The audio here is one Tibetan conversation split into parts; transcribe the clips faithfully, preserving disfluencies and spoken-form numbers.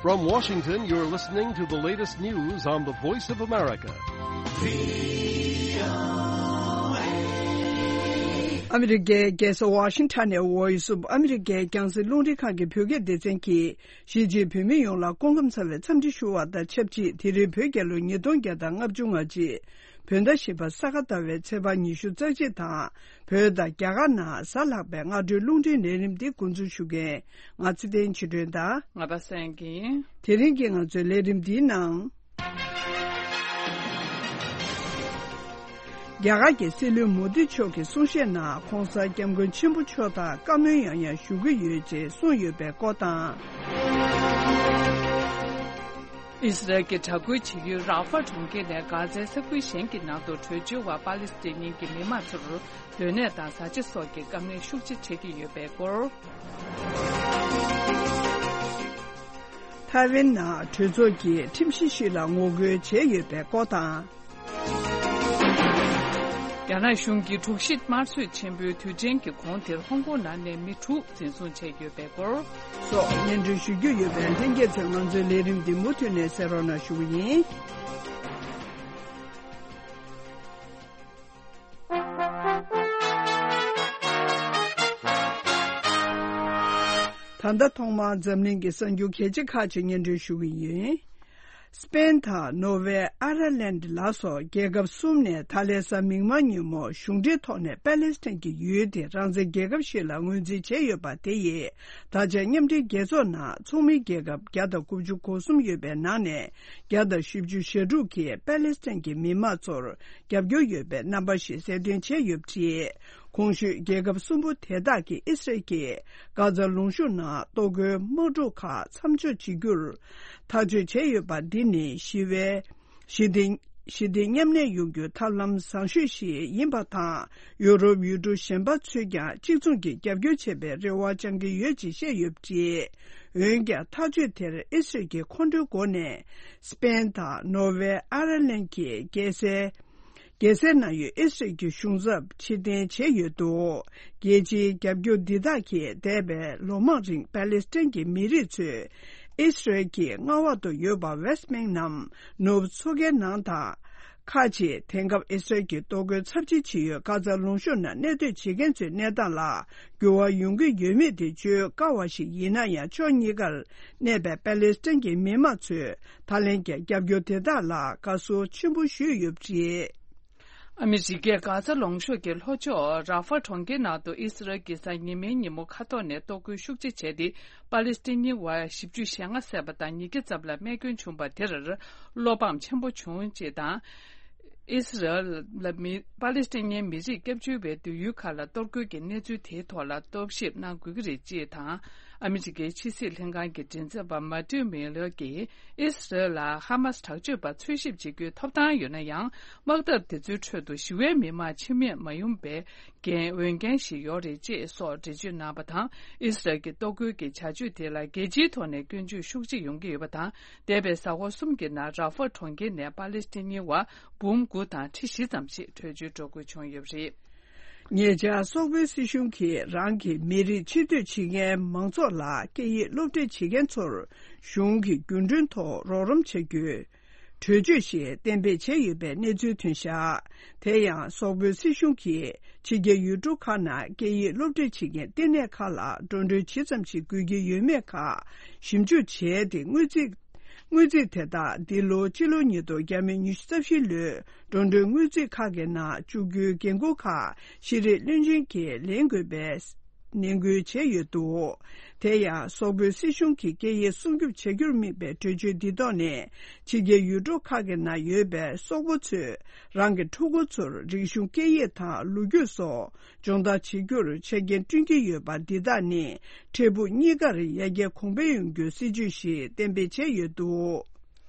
From Washington, you're listening to the latest news on the Voice of America. ཨ་མི་རི་ཀའི་རྒྱལ་ས་ཝ་ཤིང་ཊོན་ནས་Voice of America རྒྱང་སྲིང་རླུང་འཕྲིན་ཁང་གི་བོད་སྐད་སྡེ་ཚན་གྱིས། གཞིས་བྱེས་བོད་མི་ཡོངས་ལ་སྐུ་ཁམས་བཟང་བའི་འཚམས་འདྲི་ཞུ་བ་དང་ཆབས་ཅིག་དེ་རིང་བོད་རྒྱལ་ལོ་ཉིས་སྟོང་བརྒྱ་དང་ལྔ་བཅུ་ང་གཅིག་བོད་ཟླ་བཞི་པ་ས་ག་ཟླ་བའི་ཚེས་པ་ཉི་ཤུ་རྩ་གཅིག་དང་། བོད་དང་རྒྱ་གར་ནང་གཟའ་ལྷག་པའི་སྔ་དྲོའི་རླུང་འཕྲིན་ལས་རིམ་འདི་འགོ་འཛུགས་ཞུ་མཁན་ང་ཚེ་བརྟན་ཆོས་སྒྲོན་དང་། ང་པ་སངས་སྐྱིད། དེ་རིང་གི་ང་ཚོའི་ལས་རིམ་འདིའི་ནང་། རྒྱ་གར་གྱི་སྲིད་བློན་མོ་དི་མཆོག་གིས་གསུང་བཤད་ནང་ྋགོང་ས་ྋསྐྱབས་མགོན་ཆེན་པོ་མཆོག་དང་བཀའ་མོལ་ཡང་ཡང་ཞུ་གི་ཡོད་ཅེས་གསུངས་ཡོད་པའི་སྐོར་དང་། ཨི་སི་རལ་གྱི་དྲག་རྒོལ་བྱེད་ཡུལ་རཱ་ཧྥ་གྲོང་ཁྱེར་ནས་གྷ་ཛའི་ས་ཁུལ་གཞན་གྱི་ནང་དུ་བྲོས་བྱོལ་བ་པ་ལི་སི་ཐན་གྱི་མི་མང་ཚོར་སྡོད་གནས་དང་བཟའ་བཅའ་སོགས་ཀྱི་དཀའ་ངལ་ཤུགས་ཆེ་འཕྲད་ཀྱི་ཡོད་པའི་སྐོར། ཐའེ་ཝན་ནང་གྲོས་ཚོགས་ཀྱིས་ཁྲིམས་གཞི་ཞིག་ལ་ངོ་རྒོལ་བྱས་ཡོད་པའི་སྐོར་དང་། རྒྱ་ནག་གཞུང་གིས་དྲུག་བཞི་དམར་གསོད་ཆེན་པོའི་དུས་དྲན་གྱི་གོང་དེར་ཧོང་ཀོང་ནང་ནས་མི་དྲུག་འཛིན་བཟུང་བྱས་ཡོད་པའི་སྐོར་སོགས་སྙན་སྒྲོན་ཞུ་རྒྱུ་ཡོད་པས། ལྷན་རྒྱས་ཚོས་ང་ཚོའི་ལས་རིམ་འདི་མུ་མཐུད་ནས་གསན་རོགས་གནང་ཞུ་གི་ཡིན། ད་ལྟ་ཐོག་མར་འཛམ་གླིང་གི་གསར་འགྱུར་གལ་ཆེ་ཁག་ཅིག་སྙན་སྒྲོན་ཞུ་གི་ཡིན། སི་པེན་དང་ནོར་ཝེ། ཨ་ཡར་ལན་ལ་སོགས་རྒྱལ་ཁབ་གསུམ་ནས་ད་ལན་གཟའ་མིག་དམར་ཉིན་མོ་གཞུང་འབྲེལ་ཐོག་ནས་པེ་ལེ་སི་ཐན་གྱི་ཡུལ་དེ་རང་བཙན་རྒྱལ་ཁབ་ཞིག་ལ་ངོས་འཛིན་བྱས་ཡོད་པ་དེ་ཡིས། ད་ཆ་མཉམ་འབྲེལ་རྒྱལ་ཚོགས་ནང་ཚོགས་མི་རྒྱལ་ཁབ་བརྒྱ་དང་དགུ་བཅུ་གོ་གསུམ་ཡོད་པའི་ནང་ནས། བརྒྱ་དང་བཞི་བཅུ་ཞེ་དྲུག་གིས་པེ་ལེ་སི་ཐན་གྱི་མི་མང་ཚོར་རྒྱབ་སྐྱོར་ཡོད་པའི་རྣམ་པ་ཞིག་གསལ་སྟོན་བྱས་ཡོད་པ་རེད། གོང་ཞུས་རྒྱལ་ཁབ་གསུམ་པོ་དེ་དག་གིས་ཨི་སི་རལ་གྱིས་གྷ་ཛ་ལུང་གཤོང་ནང་གཏོར་རྒོལ་དམག་འཁྲུག་ཁག་མཚམས་འཇོག་བྱེད་རྒྱུར་ཐག་གཅོད་བྱས་ཡོད་པ་འདི་ནི་ཞི་བའི་ཞི་བདེ་ཞི་བདེ་མཉམ་གནས་ཡོང་རྒྱུའི་ཐབས་ལམ་བཟང་ཤོས་ཤིག་ཡིན་པ་དང་། ཡུ་རོབ་ཡུལ་གྲུ་གཞན་པ་ཚོས་ཀྱང་གཅིག་མཚུངས་ཀྱིས་རྒྱབ་སྐྱོར་བྱེད་པའི་རེ་བ་བཅང་གི་ཡོད་ཅེས་བཤད་ཡོད་པ་རེད། འོན་ཀྱང་ཐག་གཅོད་དེར་ཨི་སི་རལ་གྱིས་ཁོང་ཁྲོའི་སྒོ་ནས་སི་པེན་དང་ནོར་ཝེ། ཨ་ཡར་ལན་གྱི་རྒྱལ་སའི་རྒྱལ་སའི་ནང་ཡོད་ཨི་སི་རལ་གྱི་གཞུང་ཚབ་ཕྱིར་འཐེན་བྱས་ཡོད་འདུག་རྒྱལ་སྤྱིའི་རྒྱབ་སྐྱོར་འདི་དག་གིས་འདས་པའི་ལོ་མང་རིང་པེ་ལེ་སི་ཐན་གྱི་མི་རིགས་ཚོས་ཨི་སི་རལ་གྱི་མངའ་འོག་ཏུ་ཡོད་པ་ཝེ་སི་ཊི་བྷེང་ནམ་ནུབ་མཚོ་ཁའི་ནང་དང་། ཁག་ཅིག་དེང་སྐབས་ཨི་སི་རལ་གྱིས་གཏོར་རྒོལ་ཚབས་ཆེ་བྱེད་ཡུལ་གྷ་ཛ་ལུང་གཤོང་ནང་གནས་སྡོད་བྱེད་མཁན་ཚོའི་གནས་སྟངས་ལ་འགྱུར་བ་ཡོང་གི་ཡོད་མེད་དེ་བརྗོད་དཀའ་བ་ཞིག་ཡིན་ན་ཡང་། ཕྱོགས་གཉིས་ཀར་གནས་པའི་པེ་ལེ་སི་ཐན་གྱི་མི་མང་ཚོས་ད་ལན་གྱི་རྒྱབ་སྐྱོར་དེ་དག་ལ་དགའ་བསུ་ཆེན་པོ་ཞུས་ཡོད་པ་རེད། ཨ་མི་རི་ཀས་གྷ་ཛ་ལུང་གཤོང་གི་ལྷོ་ཕྱོགས་རཱ་ཧྥ་གྲོང་ཁྱེར་ནང་དུ་ཨི་སི་རལ་གྱིས་གཟའ་ཉི་མའི་ཉིན་མོ་མཁའ་ཐོག་ནས་གཏོར་རྒོལ་ཤུགས་ཆེ་བྱས་ཏེ། པ་ལི་སི་ཐན་ཉི་བར་བཞི་བཅུ་ཞེ་ལྔ་བསད་པ་དང་ཉིས་བརྒྱ་ཙམ་ལ་རྨས་སྐྱོན་བྱུང་བ་དེར་བློ་ཕམ་ཆེན་པོ་བྱུང་ཅེས་དང་། ཨི་སི་རལ་ལ་མི་པ་ལི་སི་ཐན་མི་རིགས་སྐྱབས་བཅོལ་བའི་སྡོད་ཡུལ་ཁག་ལ་གཏོར་རྒོལ་གྱི་གནས་ཚུལ་དེའི་ཐོག་ལ་རྟོག་ཞིབ་གནང་དགོས་ཀྱི་རེད་ཅེས་དང་། ཨ་མི་རི་ཀའི་ཕྱི་སྲིད་ལྷན་ཁང་གི་མགྲིན་ཚབ་པ་མ་ཏིའུ་མི་ལར་གྱིས་ཨི་སི་རལ་ལ་ཧ་མ་སི་དྲག་སྤྱོད་པ་འཚོལ་ཞིབ་བྱེད་རྒྱུའི་ཐོབ་ཐང་ཡོད་ན་ཡང་། དམག་འཐབ་དེ་ཚོའི་ཁྲོད་དུ་ཞི་བའི་མི་མང་འཆི་རྨས་མ་ཡོང་པའི་འགན་འོས་འགན་ཞིག་ཡོད་རེད་ཅེས་སོགས་འགྲེལ་བརྗོད་གནང་བ་དང་། ཨི་སི་རལ་གྱི་གཏོར་རྒོལ་གྱི་བྱ་སྤྱོད་དེ་ལ་རྒྱལ་སྤྱིའི་ཐོག་ནས་སྐྱོན་བརྗོད་ཤུགས་ཆེ་ཡོང་གི་ཡོད་པ་དང་། འདས་པའི་གཟའ་འཁོར་གསུམ་གྱི་ནང་རཱ་ཧྥ་གྲོང་ཁྱེར་ནས་པ་ལི་སི་ཐན་ཉི་བར་འབུམ་དགུ་དང་ཁྲི་བཞི་ཙམ་ཞིག་བྲོས་བྱོལ་འགྲོ་དགོས་བྱུང་ཡོད་པ་རེད། ཉེ་ཆར་སོག་པོའི་སྲིད་གཞུང་གིས་རང་གི་མི་རིགས་ཕྱིར་སྡོད་བྱེད་མཁན་མང་ཚོགས་ལ་སྐད་ཡིག་སློབ་ཁྲིད་བྱེད་མཁན་ཚོར་གཞུང་གི་རྒྱུན་གྲོན་ཐོག་རོགས་རམ་བྱ་རྒྱུའི་གྲོས་ཆོད་ཞིག་གཏན་འབེབས་བྱས་ཡོད་པའི་གནས་ཚུལ་ཐོན་བཞག་དེ་ཡང་སོག་པོའི་སྲིད་གཞུང་གིས་ཕྱི་རྒྱལ་ཡུལ་གྲུ་ཁག་ནང་སྐད་ཡིག་སློབ་ཁྲིད་བྱེད་མཁན་བསྟི་གནས་ཁག་ལ་འགྲོ་གྲོན་ཇི་ཙམ་ཞིག་དགོས་ཀྱི་ཡོད་མེད་ཁག་ཞིབ་འཇུག་བྱས་ཏེ། དངུལ་རྩིས་དངུལ་རྩིས་དེ་དག་འདི་ལོ་སྤྱི་ལོ་ཉིས་སྟོང་ཉི་ཤུ་རྩ་བཞི་ལོའི་འགྲོ་གྲོན་དངུལ་རྩིས་ཁག་གི་ནང་བཅུག་རྒྱུའི་འགན་འཁུར་ཁག་ཤེས་རིག་བློན་ཆེན་གྱིས་ལེན་དགོས་པའི་ནན་སྐུལ་བྱས་ཡོད་འདུག་དེ་ཡང་སོག་པོའི་སྲིད་གཞུང་གིས་སྐད་ཡིག་སྲུང་སྐྱོབ་བྱ་རྒྱུར་དམིགས་པའི་གྲོས་ཆོད་འདི་ཐོག་ནས་ཕྱི་རྒྱལ་ཡུལ་གྲུ་ཁག་གི་ནང་ཡོད་པའི་སོག་པོ་ཚོས་རང་གི་ཕྲུ་གུ་ཚོར་རིག་གཞུང་སྐད་ཡིག་དང་ལོ་རྒྱུས་སོགས་སྦྱོང་བརྡར་བྱེད་རྒྱུར་ཆ་རྐྱེན་བསྐྲུན་གྱི་ཡོད་པ་འདི་དག་ནི་འཕྲལ་ཕུགས་གཉིས་ཀར་ཡར་རྒྱས་གོང་འཕེལ་ཡོང་རྒྱུའི་སྲིད་ཇུས་ཤིག་གཏན་འབེབས་བྱས་ཡོད་འདུག་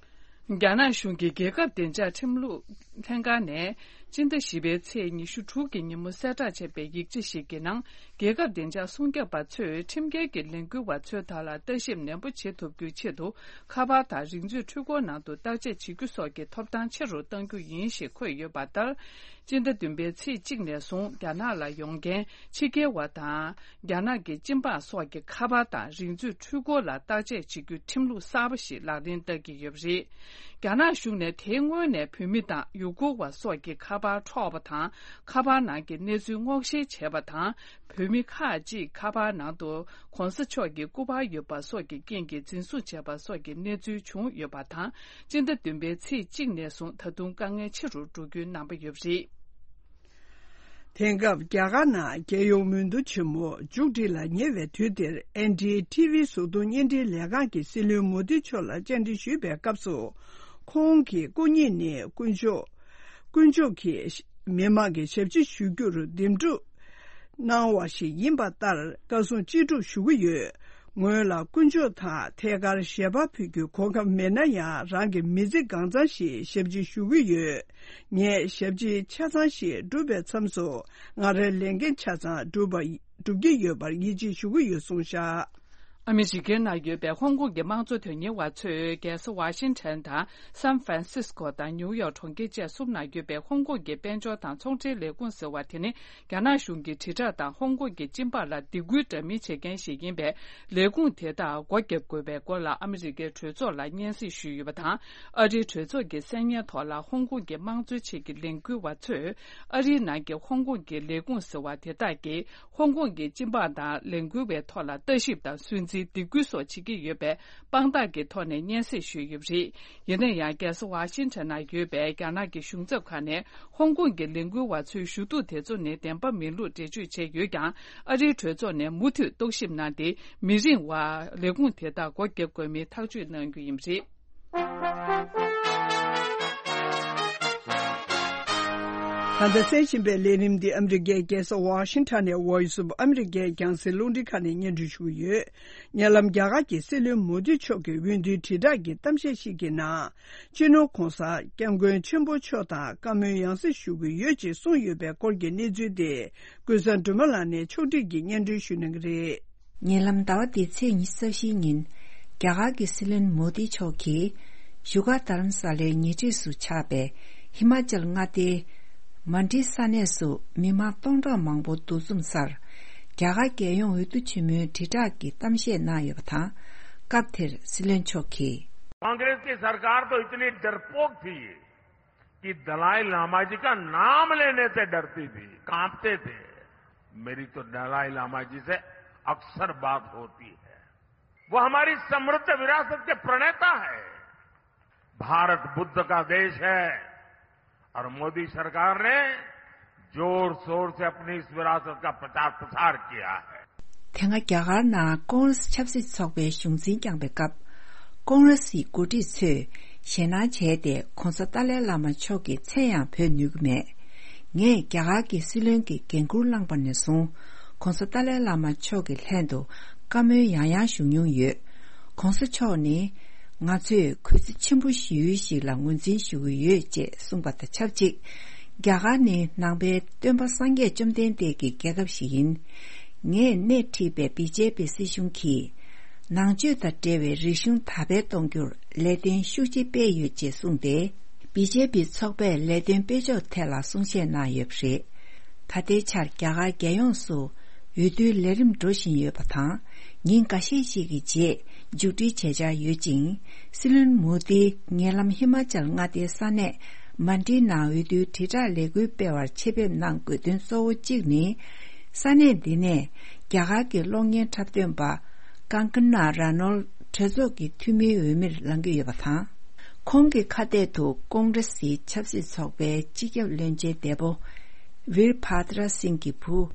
རྒྱ་ནག་གཞུང་གིས་རྒྱལ་ཁབ་བདེ་འཇགས་ཁྲིམས་ལུགས་ལྷན་ཁང་ནས་ སྤྱི་ཟླ་བཞི་པའི་ཚེས་ཉི་ཤུ་དྲུག་གི་ཉིན་མོ་གསལ་བསྒྲགས་བྱས་པའི་ཡིག་ཆ་ཞིག་གི་ནང་། རྒྱལ་ཁབ་བདེ་འཇགས་སྲུང་སྐྱོབ་པ་ཚོས་ཁྲིམས་འགལ་གྱི་ལས་འགུལ་བ་ཚོའི་དག་ལ་ལྟ་ཞིབ་ནན་པོ་བྱེད་ཐུབ་རྒྱུའི་ཆེད་དུ། ཁ་པར་དང་རིག་མཛོད་འཕྲུལ་འཁོར་ནང་དུ་བརྟག་དཔྱད་བྱེད་རྒྱུ་སོགས་ཀྱི་ཐོབ་ཐང་ཆེ་རུ་གཏང་རྒྱུ་ཡིན་ཞེས་འཁོད་ཡོད་པ་ལྟར། སྤྱི་ཟླ་བདུན་པའི་ཚེས་གཅིག་ནས་བཟུང་རྒྱ་ནག་ལ་ཡོང་མཁན་ཕྱི་རྒྱལ་བ་དང་། རྒྱ་ནག་གི་སྤྱི་འབངས་སོགས་ཀྱི་ཁ་པར་དང་རིག་མཛོད་འཕྲུལ་འཁོར་ལ་བརྟག་དཔྱད་བྱེད་རྒྱུའི་ཁྲིམས་ལུགས་གསར་པ་ཞིག་ལག་ལེན་བསྟར་གྱི་ཡོད་པ་རེད། རྒྱ་ནག་གཞུང་ནས་དེའི་སྔོན་ནས་བོད་མི་དང་ཡུ་གུར་བ་སོགས་ཀྱི་ཁ་པར་འཕྲོག་པ་དང་། ཁ་པར་ནང་གི་གནས་ཚུལ་སྔོག་བཤེར་བྱས་པ་དང་། བོད་མི་ཁག་ཅིག་ཁ་པར་ནང་དུ་གོང་ས་མཆོག་གི་སྐུ་པར་ཡོད་པ་སོགས་ཀྱི་རྐྱེན་གྱིས་འཛིན་བཟུང་བྱས་པ་སོགས་ཀྱི་གནས་ཚུལ་བྱུང་ཡོད་པ་དང་། སྤྱི་ཟླ་བདུན་པའི་ཚེས་གཅིག་ནས་བཟུང་ད་དུང་དཀའ་ངལ་ཆེ་རུ་འགྲོ་རྒྱུའི་རྣམ་པ་ཡོད་པ་རེད། དེང་སྐབས་རྒྱ་གར་ནང་རྒྱལ་ཡོངས་མོས་བསྡུ་ཆེན་མོ་མཇུག་སྒྲིལ་ལ་ཉེ་བའི་དུས་འདིར། ཨེན་ཌི་ཨེ་ཊི་ཝི་གཟུགས་མཐོང་བརྙན་འཕྲིན་ལས་ཁང་གི་སྲིད་བློན་མོ་དི་མཆོག་ལ་བཅར་འདྲི་ཞུས་པའི་སྐབས་སུ། ཁོང་གི་སྐུ་ཉིད་ནི་དཀོན་མཆོག་དཀོན་མཆོག་གིས་མི་མང་གི་ཞབས་ཕྱི་ཞུ་རྒྱུར་འདེམས་སྒྲུག་གནང་བ་ཞིག་ཡིན་པ་ལྟར་བཀའ་གསུང་ཅི་སྒྲུབ་ཞུ་གི་ཡོད། ངོས་ལ་དཀོན་མཆོག་དང་ཐད་ཀར་ཞལ་པར་ཕུལ་རྒྱུའི་གོ་སྐབས་མེད་ན་ཡང་། རང་གི་མི་ཚེ་གང་ཚང་ཞིག་ཞབས་ཕྱི་ཞུ་གི་ཡོད། ངས་ཞབས་ཕྱི་ཆ་ཚང་ཞིག་བསྒྲུབས་པའི་མཚམས་སུ། ང་རའི་ལས་འགན་ཆ་ཚང་བསྒྲུབས་པ། བསྒྲུབ་ཀྱི་ཡོད་པར་ཡིད་ཆེས་ཞུ་གི་ཡོད་གསུངས་བཞག། ཨ་མི་རི་ཀའི་ནང་ཡོད་པའི་ཧོང་ཀོང་གི་དམངས་གཙོ་དོན་གཉེར་བ་ཚོས་རྒྱལ་ས་ཝ་ཤིང་ཊོན་དང་སན་ཧྥ་རན་སིས་ཀོ་དང་ནིའུ་ཡོག་གྲོང་ཁྱེར་བཅས་གསུམ་ནང་ཡོད་པའི་ཧོང་ཀོང་གི་དཔལ་འབྱོར་དང་ཚོང་འབྲེལ་ལས་ཁུངས་ཟེར་བ་དེ་ནི། རྒྱ་ནག་གཞུང་གི་དྲིལ་བསྒྲགས་དང་ཧོང་ཀོང་གི་སྤྱི་འབངས་ལ་སྡིགས་སྐུལ་འདྲ་མིན་བྱེད་མཁན་ཞིག་ཡིན་པས། ལས་ཁུངས་དེ་དག་སྒོ་བརྒྱབ་དགོས་པའི་སྐོར་ལ་ཨ་མི་རི་ཀའི་གྲོས་ཚོགས་ལ་སྙན་སེང་ཞུས་ཡོད་པ་དང་། ཨ་རིའི་གྲོས་ཚོགས་ཀྱི་གསན་སྙན་ཐོག་ལ་ཧོང་ཀོང་གི་དམངས་གཙོའི་ཆེད་ཀྱི་ལས་འགུལ་བ་ཚོས། ཨ་རིའི་ནང་གི་ཧོང་ཀོང་གི་ལས་ཁུངས་ཟེར་བ་དེ་དག་གིས། ཧོང་ཀོང་གི་སྤྱི་འབངས་དང་ལས་འགུལ་བའི་ཐོག་ལ་ལྟ་ཞིབ་དང་སུན་གཙེར་སྡིགས་སྐུལ་སོགས་བྱེད་ཀྱི་ཡོད་པའི་དཔང་རྟགས་ཀྱི་ཐོག་ནས་སྙན་སེང་ཞུས་ཡོད་པ་རེད། ཡིན་ན་ཡང་། རྒྱལ་ས་ཝ་ཤིང་ཊོན་ནང་ཡོད་པའི་རྒྱ་ནག་གི་གཞུང་ཚབ་ཁང་ནས། ཧོང་ཀོང་གི་ལས་འགུལ་བ་ཚོའི་ཞུ་གཏུག་དེ་ཚོ་ནི་བདེན་པ་མིན་ལུགས་འགྲེལ་བརྗོད་བྱས་ཡོད་ཀྱང་། ཨ་རིའི་གྲོས་ཚོགས་ནས་མུ་མཐུད་རྟོག་ཞིབ་གནང་སྟེ། མི་རིང་བར་ལས་ཁུངས་དེ་དག་སྒོ་བརྒྱབ་དགོས་མིན་ཐག་གཅོད་གནང་རྒྱུ་ཡིན་པ་རེད། ད་ལྟ་གསན་བཞིན་པའི་ལས་རིམ་འདི་ཨ་མི་རི་ཀའི་རྒྱལ་ས་ཝ་ཤིང་ཊོན་ནས་Voice of America རྒྱང་སྲིང་རླུང་འཕྲིན་ཁང་ནས་སྙན་སྒྲོན་ཞུ་གི་ཡོད། ཉེ་ལམ་རྒྱ་གར་གྱི་སྲིད་བློན་མོ་དི་མཆོག་གིས་འོས་བསྡུའི་དྲིལ་བསྒྲགས་ཀྱི་གཏམ་བཤད་ཞིག་གི་ནང་། སྤྱི་ནོར་༧གོང་ས་༧སྐྱབས་མགོན་ཆེན་པོ་མཆོག་དང་བཀའ་མོལ་ཡང་སེ་ཞུ་གི་ཡོད་ཅེས་གསུངས་ཡོད་པའི་སྐོར་གྱི་གནས་ཚུལ་དེ། ཀུན་བཟང་སྒྲོལ་མ་ལགས་ནས་ཕྱོགས་བསྒྲིགས་ཀྱིས་སྙན་སྒྲོན་ཞུ་གནང་གི་རེད། ཉེ་ལམ་ཟླ་བ་འདིའི་ཚེས་ཉི་ཤུ་རྩ་བཞིའི་ཉིན། རྒྱ་གར་གྱི་སྲིད་བློན་མོ་དི་མཆོག་གིས། བཞུགས་སྒར་རྡ་རམ་ས་ལའི་ཉེ་འཁྲིས་སུ་ཆགས་པའི་ཧི་མ་ཅལ་མངའ་སྡེའི་མན་ཌི་ས་གནས་སུ་མི་མང་སྟོང་ཕྲག་མང་པོ་འདུ་འཛོམས་སར། རྒྱ་གར་རྒྱལ་ཡོངས་འོས་བསྡུ་ཆེན་མོའི་དྲིལ་བསྒྲགས་ཀྱི་གཏམ་བཤད་གནང་ཡོད་པ་དང་། སྐབས་དེར་སྲིད་བློན་མཆོག་གིས། कांग्रेस की सरकार तो इतनी डरपोक थी कि दलाई लामा जी का नाम लेने से डरती थी, कांपते थे। मेरी तो दलाई लामा जी से अक्सर बात होती है। वो हमारी समृद्ध विरासत के प्रणेता है। भारत बुद्ध का देश है और मोदी सरकार ने जोर शोर से अपनी इस विरासत का प्रचार प्रसार किया है। དེ་སྔ་རྒྱ་གར་ནང་ཀོང་རེ་སི་ཆབ་སྲིད་ཚོགས་པའི་གཞུང་འཛིན་བསྐྱངས་པའི་སྐབས། ཀོང་རེ་སིའི་འགོ་ཁྲིད་ཚོས་ཞེད་སྣང་བྱས་ཏེ། ྋགོང་ས་ཏཱ་ལའི་བླ་མ་མཆོག་གི་མཚན་ཡང་འབོད་ནུས་ཀྱི་མེད། ངས་རྒྱ་གར་གྱི་སྲིད་བློན་གྱི་འགན་འཁུར་བླངས་པ་ནས་བཟུང་། ྋགོང་ས་ཏཱ་ལའི་བླ་མ་མཆོག་གི་ལྷན་དུ་བཀའ་མོལ་ཡང་ཡང་ཞུ་མྱོང་ཡོད། ྋགོང་ས་མཆོག་ནི། ང་ཚོས་གུས་བརྩི་ཆེན་པོ་ཞུ་ཡུལ་ཞིག་ལ་ངོས་འཛིན་ཞུ་གི་ཡོད་ཅེས་གསུངས་པ་དང་ཆབས་ཅིག་རྒྱ་གར་ནི་ནང་པའི་སྟོན་པ་སངས་རྒྱས་བཅོམ་ལྡན་འདས་ཀྱི་རྒྱལ་ཁབ་ཞིག་ཡིན། ངས་སྣེ་ཁྲིད་པའི་བི་ཇེ་པི་སྲིད་གཞུང་གིས། ནང་ཆོས་དང་འབྲེལ་བའི་རིག་གཞུང་དར་སྤེལ་གཏོང་རྒྱུར་ལས་དོན་ཤུགས་ཆེ་སྤེལ་ཡོད་ཅེས་གསུངས་ཏེ། བི་ཇེ་པི་ཚོགས་པས་ལས་དོན་སྤེལ་ཕྱོགས་ཐད་ལ་གསུང་བཤད་གནང་ཡོད་པ་རེད། ད་ལྟའི་ཆར་རྒྱ་གར་རྒྱལ་ཡོངས་སུ་འོས་བསྡུའི་ལས་རིམ་འགྲོ་བཞིན་ཡོད་པ་དང་། ཉིན་འགའ་ཤས་ཤིག་གི་རྗེས་མཇུག་སྒྲིལ་བྱེད་འཆར་ཡོད་ཅིང་། སྲིད་བློན་མོ་དི་ཉེ་ལམ་ཧི་མ་ཅལ་མངའ་སྡེའི་ས་གནས་མན་ཌི་ནང་འོས་བསྡུའི་དྲིལ་བསྒྲགས་ལས་འགུལ་སྤེལ་བར་ཆེད་ཕེབས་གནང་དགོས་དོན་གཙོ་བོ་གཅིག་ནི། ས་གནས་འདི་ནས་རྒྱ་གར་གྱི་གློག་བརྙན་འཁྲབ་སྟོན་པ་ཀང་ཀ་ན་ར་ནོལ་གྲོས་ཚོགས་ཀྱི་འཐུས་མིའི་འོས་མིར་ལངས་ཀྱི་ཡོད་པ་དང་། ཁོང་གི་ཁ་གཏད་དུ་ཀོང་རེ་སིའི་ཆབ་སྲིད་ཚོགས་པའི་སྤྱི་ཁྱབ་བློན་ཆེན་འདས་པོ་ཝིར་བྷ་དྲ་སིང་གི་བུ་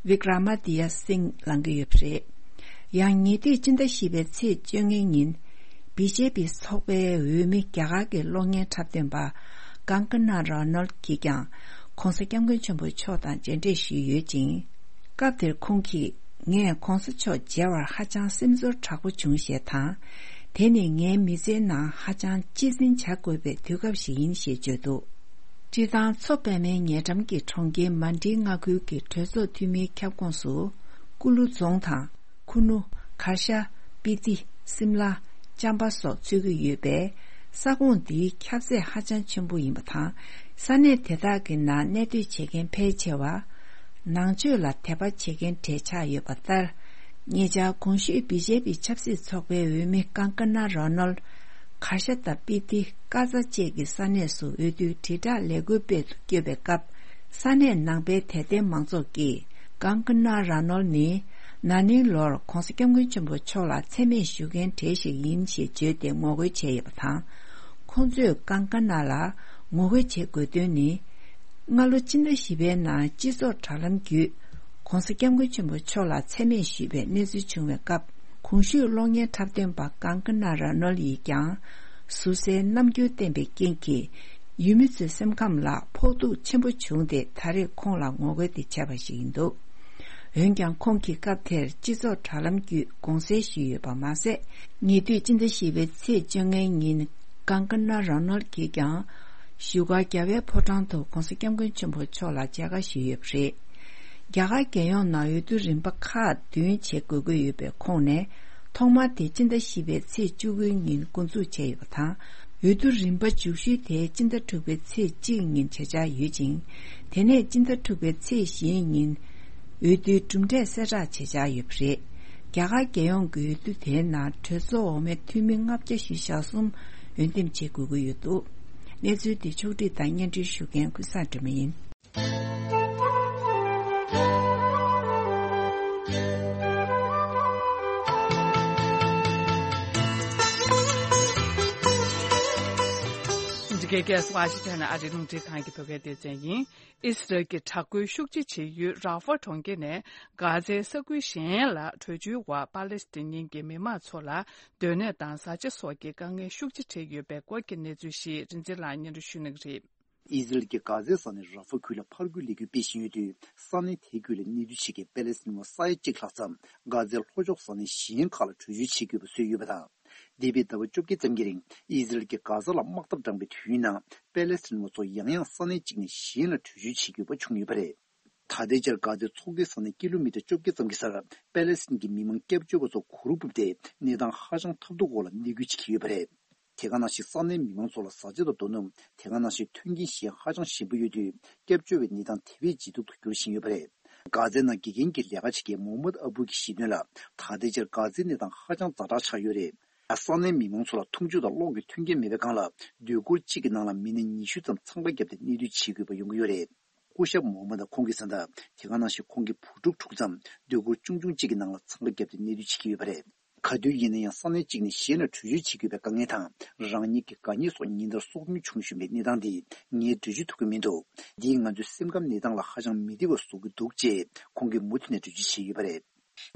ཝི་ཀྲ་མ་དི་ཡ་སིང་ལངས་ཀྱི་ཡོད་པ་རེད། ཡང་ཉེ་དུས་སྤྱི་ཟླ་བཞི་པའི་ཚེས་བཅོ་ལྔའི་ཉིན། བི་ཇེ་པི་ཚོགས་པའི་འོས་མི་རྒྱ་གར་གྱི་གློག་བརྙན་འཁྲབ་སྟོན་པ་ཀང་ཀ་ན་ར་ནོལ་གྱིས་ཀྱང་ྋགོང་ས་ྋསྐྱབས་མགོན་ཆེན་པོ་མཆོག་དང་མཇལ་འཕྲད་ཞུས་ཡོད་ཅིང་། སྐབས་དེར་ཁོང་གིས། ངས་ྋགོང་ས་མཆོག་མཇལ་བར་ཧ་ཅང་སེམས་ཚོར་དྲག་པོ་བྱུང་ཞེས་དང་། དེ་ནི་ངའི་མི་ཚེའི་ནང་ཧ་ཅང་གཅེས་འཛིན་བྱ་དགོས་པའི་དུས་སྐབས་ཤིག་ཡིན་ཞེས་བརྗོད་འདུག་སྤྱིར་བཏང་མཚོ་པདྨའི་ཉེ་འགྲམ་གྱི་གྲོང་ཁྱེར་མན་ཌི་མངའ་ཁུལ་གྱི་གྲོས་ཚོགས་འཐུས་མིའི་ཁྱབ་ཁོངས་སུ། ཀུ་ལུ་རྫོང་དང་། ཁུ་ནུ། གར་ཤ། སྤི་ཏི། སིམ་ལ། ཅམ་པ་སོགས་ཚུད་ཀྱི་ཡོད་པས། ས་ཁོངས་འདིའི་ཁྱབ་ཚད་ཧ་ཅང་ཆེན་པོ་ཡིན་པ་དང་། ས་གནས་དེ་དག་གི་ནང་གནས་སྡོད་བྱེད་མཁན་ཕལ་ཆེ་བ། ནང་ཆོས་ལ་དད་པ་བྱེད་མཁན་གྲས་ཆགས་ཡོད་པ་ལྟར། ཉེ་ཆར་གོང་ཞུས་བི་ཇེ་པི་ཆབ་སྲིད་ཚོགས་པའི་འོས་མི་ཀང་ཀ་ན་རོ་ནོལ། གར་ཤ་དང་སྤི་ཏི། ཀ་ཛ་བཅས་ཀྱི་ས་གནས་སུ་འོས་བསྡུའི་དྲིལ་བསྒྲགས་ལས་འགུལ་སྤེལ་དུ་བསྐྱོད་པའི་སྐབས། ས་གནས་ནང་པའི་དད་ལྡན་མང་ཚོགས་ཀྱིས། ཀང་ཀ་ན་ར་ནོལ་ནི། ན་ནིང་ལོར་༧གོང་ས་༧སྐྱབས་མགོན་ཆེན་པོ་མཆོག་ལ་མཚན་སྨད་ཞུ་མཁན་གྲས་ཤིག་ཡིན་ཞེས་བརྗོད་དེ་ངོ་རྒོལ་བྱས་ཡོད་པ་དང་། ཁོང་ཚོས་ཀང་ཀ་ན་ལ་ངོ་རྒོལ་བྱེད་དགོས་དོན་ནི། སྔ་ལོ་སྤྱི་ཟླ་བཞི་པའི་ནང་སྤྱི་ཚོགས་དྲ་ལམ་བརྒྱུད། ༸གོང་ས་༧སྐྱབས་མགོན་ཆེན་པོ་མཆོག་ལ་མཚན་སྨད་ཞུས་པའི་གནས་ཚུལ་བྱུང་བའི་སྐབས། གོང་ཞུས་གློག་བརྙན་འཁྲབ་སྟོན་པ་ཀང་ཀ་ན་ར་ནོལ་ཡིས་ཀྱང་། ཟུར་ཟའི་རྣམ་འགྱུར་བསྟན་པའི་རྐྱེན་གྱིས། ཡུལ་མི་ཚོའི་སེམས་ཁམས་ལ་ཕོག་ཐུག་ཆེན་པོ་བྱུང་སྟེ། ད་རེས་ཁོང་ལ་ངོ་རྒོལ་དེ་བྱས་པ་ཞིག་ཡིན་འདུག་འོན་ཀྱང་། ཁོང་གིས་སྐབས་དེར་སྤྱི་ཚོགས་དྲ་ལམ་བརྒྱུད་དགོངས་སེལ་ཞུས་ཡོད་པ་མ་ཟད། ཉེ་དུས་སྤྱི་ཟླ་བཞི་པའི་ཚེས་བཅོ་ལྔའི་ཉིན། ཀང་ཀ་ན་ར་ནོལ་གྱིས་ཀྱང་། བཞུགས་སྒར་རྒྱལ་བའི་ཕོ་བྲང་དུ་༸གོང་ས་༸སྐྱབས་མགོན་ཆེན་པོ་མཆོག་ལ་མཇལ་ཁ་ཞུས་ཡོད་པ་རེད། རྒྱ་གར་རྒྱལ་ཡོངས་ནང་འོས་བསྡུ་རིམ་པ་ཁག་བདུན་བྱེད་དགོས་ཀྱི་ཡོད་པའི་ཁོངས་ནས། ཐོག་མ་དེ་སྤྱི་ཟླ་བཞི་པའི་ཚེས་བཅུ་དགུའི་ཉིན་འགོ་འཛུགས་བྱས་ཡོད་པ་དང་། འོས་བསྡུ་རིམ་པ་མཇུག་ཤོས་དེ་སྤྱི་ཟླ་དྲུག་པའི་ཚེས་གཅིག་ཉིན་བྱེད་འཆར་ཡོད་ཅིང་། དེ་ནས་སྤྱི་ཟླ་དྲུག་པའི་ཚེས་བཞིའི་ཉིན། འོས་བསྡུའི་གྲུབ་འབྲས་གསལ་བསྒྲགས་བྱེད་འཆར་ཡོད་པ་རེད། རྒྱ་གར་རྒྱལ་ཡོངས་ཀྱི་འོས་བསྡུ་དེའི་ནང་གྲོས་ཚོགས་འོག་མའི་འཐུས་མི་ལྔ་བརྒྱ་བཞི་བཅུ་ཞེ་གསུམ་འོས་འདེམས་བྱེད་དགོས་ཀྱི་ཡོད་འདུག་གནས་ཚུལ་འདི་ཕྱོགས་བསྒྲིགས་དང་སྙན་སྒྲོན་ཞུ་མཁན་ཀུན་བཟང་སྒྲོལ་མ་ཡིན། འདི་གའི་ཀེ་ཨེས་ཝ་ཤིང་ཊོན་ཨ་རིའི་རླུང་འཕྲིན་ཁང་གི་བོད་སྐད་སྡེ་ཚན་ཡིན། ཨི་སི་རལ་གྱི་དྲག་རྒོལ་ཤུགས་ཆེ་བྱེད་ཡུལ་ར་ཧྥ་གྲོང་ཁྱེར་ནས་གྷ་ཛའི་ས་ཁུལ་གཞན་ལ་བྲོས་བྱོལ་བར་པ་ལེ་སི་ཐན་གྱི་མི་མང་ཚོ་ལ་སྡོད་གནས་དང་བཟའ་བཅའ་སོགས་ཀྱི་དཀའ་ངལ་ཤུགས་ཆེ་འཕྲད་ཡོད་པའི་སྐོར་གྱི་གནས་ཚུལ་ཞིག་རིན་ཆེན་ལགས་སྙན་སྒྲོན་ཞུ་གནང་གི་རེད། ཨི་ཟི་རལ་གྱི་གྷ་ཛའི་ས་གནས་ར་ཧྥ་ཁུལ་ལ་ཕར་རྒོལ་ལས་འགུལ་སྤེལ་བཞིན་ཡོད་དུས། ས་གནས་དེའི་ཁུལ་ལ་གནས་སྡོད་བྱེད་མཁན་པེ་ལེ་སི་ཐན་པ་ས་ཡ་གཅིག་ལྷག་ཙམ་གྷ་ཛའི་ལྷོ་ཕྱོགས་ས་གནས་གཞན་ཁག་ལ་བྲོས་བྱོལ་བྱེད་དགོས་པ་བཟོས་ཡོད་པ་དང་། འདས་པའི་ཟླ་བ་བཅོ་བརྒྱད་ཙམ་གྱི་རིང་ཨི་ཟི་རལ་གྱིས་གྷ་ཛ་ལ་དམག་འཐབ་དྲངས་པའི་དུས་ཡུན་ནང་པེ་ལེ་སི་ཐན་པ་ཚོ་ཡང་ཡང་ས་གནས་གཅིག་ནས་གཞན་ལ་བྲོས་བྱོལ་བྱེད་དགོས་པ་བྱུང་ཡོད་པ་རེད། ད་ལྟའི་ཆར་གྷ་ཛའི་མཚོ་ཁའི་ས་གནས་ཀི་ལོ་མི་ཊར་བཅོ་བརྒྱད་ཙམ་གྱི་སར་པེ་ལེ་སི་ཐན་གྱི་མི་མང་སྐྱབས་བཅོལ་བ་ཚོ་གུར་ཕུབ་སྟེ་གནས་སྟངས་ཧ་ཅང་ཐབས་སྡུག་འོག་ལ་གནས་སྐྱོད་བྱེད་ཀྱི་ཡོད་པ་རེད། དེ་ག་ནང་བཞིན་ས་གནས་མི་མང་ཚོ་ལ་བཟའ་བཅའ་དང་རྡོ་སྣུམ། དེ་ག་ནང་བཞིན་མཐུན་རྐྱེན་གཞན་ཧ་ཅང་ཞན་པོ་ཡོད་དུས། སྐྱབས་བཅོལ་བའི་གནས་སྟངས་དེ་བས་ལྗིད་སྡུག་ཏུ་འགྱུར་བཞིན་ཡོད་པ་རེད། གྷ་ཛའི་ནང་དགེ་རྒན་གྱི་ལས་ཀ་བྱེད་མཁན་མོ་ཧམ་མད་ཨ་བུ་གྱིས་བཤད་དོན་ལ། ད་ལྟའི་ཆར་གྷ་ཛའི་གནས་སྟངས་ཧ་ཅང་ཛ་དྲག་ཆགས་ཡོད་རེད། ས་གནས་མི་མང་ཚོ་ལ་འཐུང་ཆུ་དང་གློག་གི་མཐུན་རྐྱེན་མེད་པའི་སྒང་ལ། སྡོད་གུར་གཅིག་གི་ནང་ལ་མི་སྣ་ཉི་ཤུ་ཙམ་འཚང་ཁ་བརྒྱབ་སྟེ་གནས་སྡོད་བྱེད་དགོས་པ་ཡོང་གི་ཡོད་རེད། སྐུ་ཞབས་མོ་ཧམ་མད་ཁོང་གིས་གསུངས་ན། དེ་ག་ནང་བཞིན་ཁོང་གི་བུ་ཕྲུག་དྲུག་ཙམ་སྡོད་གུར་ཆུང་ཆུང་གཅིག་གི་ནང་ལ་འཚང་ཁ་བརྒྱབ་སྟེ་གནས་སྡོད་བྱེད་ཀྱི་ཡོད་པ་རེད། ག་དུས་ཡིན་ན་ཡང་ས་གནས་གཅིག་ནས་གཞན་ལ་བྲོས་བྱོལ་བྱེད་དགོས་པའི་དཀའ་ངལ་དང་། རང་ཉིད་ཀྱི་དགའ་ཉེ་སོགས་ཉིན་ལྟར་སྲོག་ཐུན་བྱུང་བཞིན་པའི་གནས་སྟངས་འདིས་ངས་བྲོས་བྱོལ་ཐུབ་ཀྱི་མི་འདུག་འདིས་ང་ཚོའི་སེམས་ཁམས་གནས་སྟངས་ལ་ཧ་ཅང་མི་བདེ་བ་བཟོ་གི་འདུག་ཅེས་ཁོང་གིས་མུ་མཐུད་ནས་འགྲེལ་བརྗོད་བྱས་ཡོད་པ་རེད།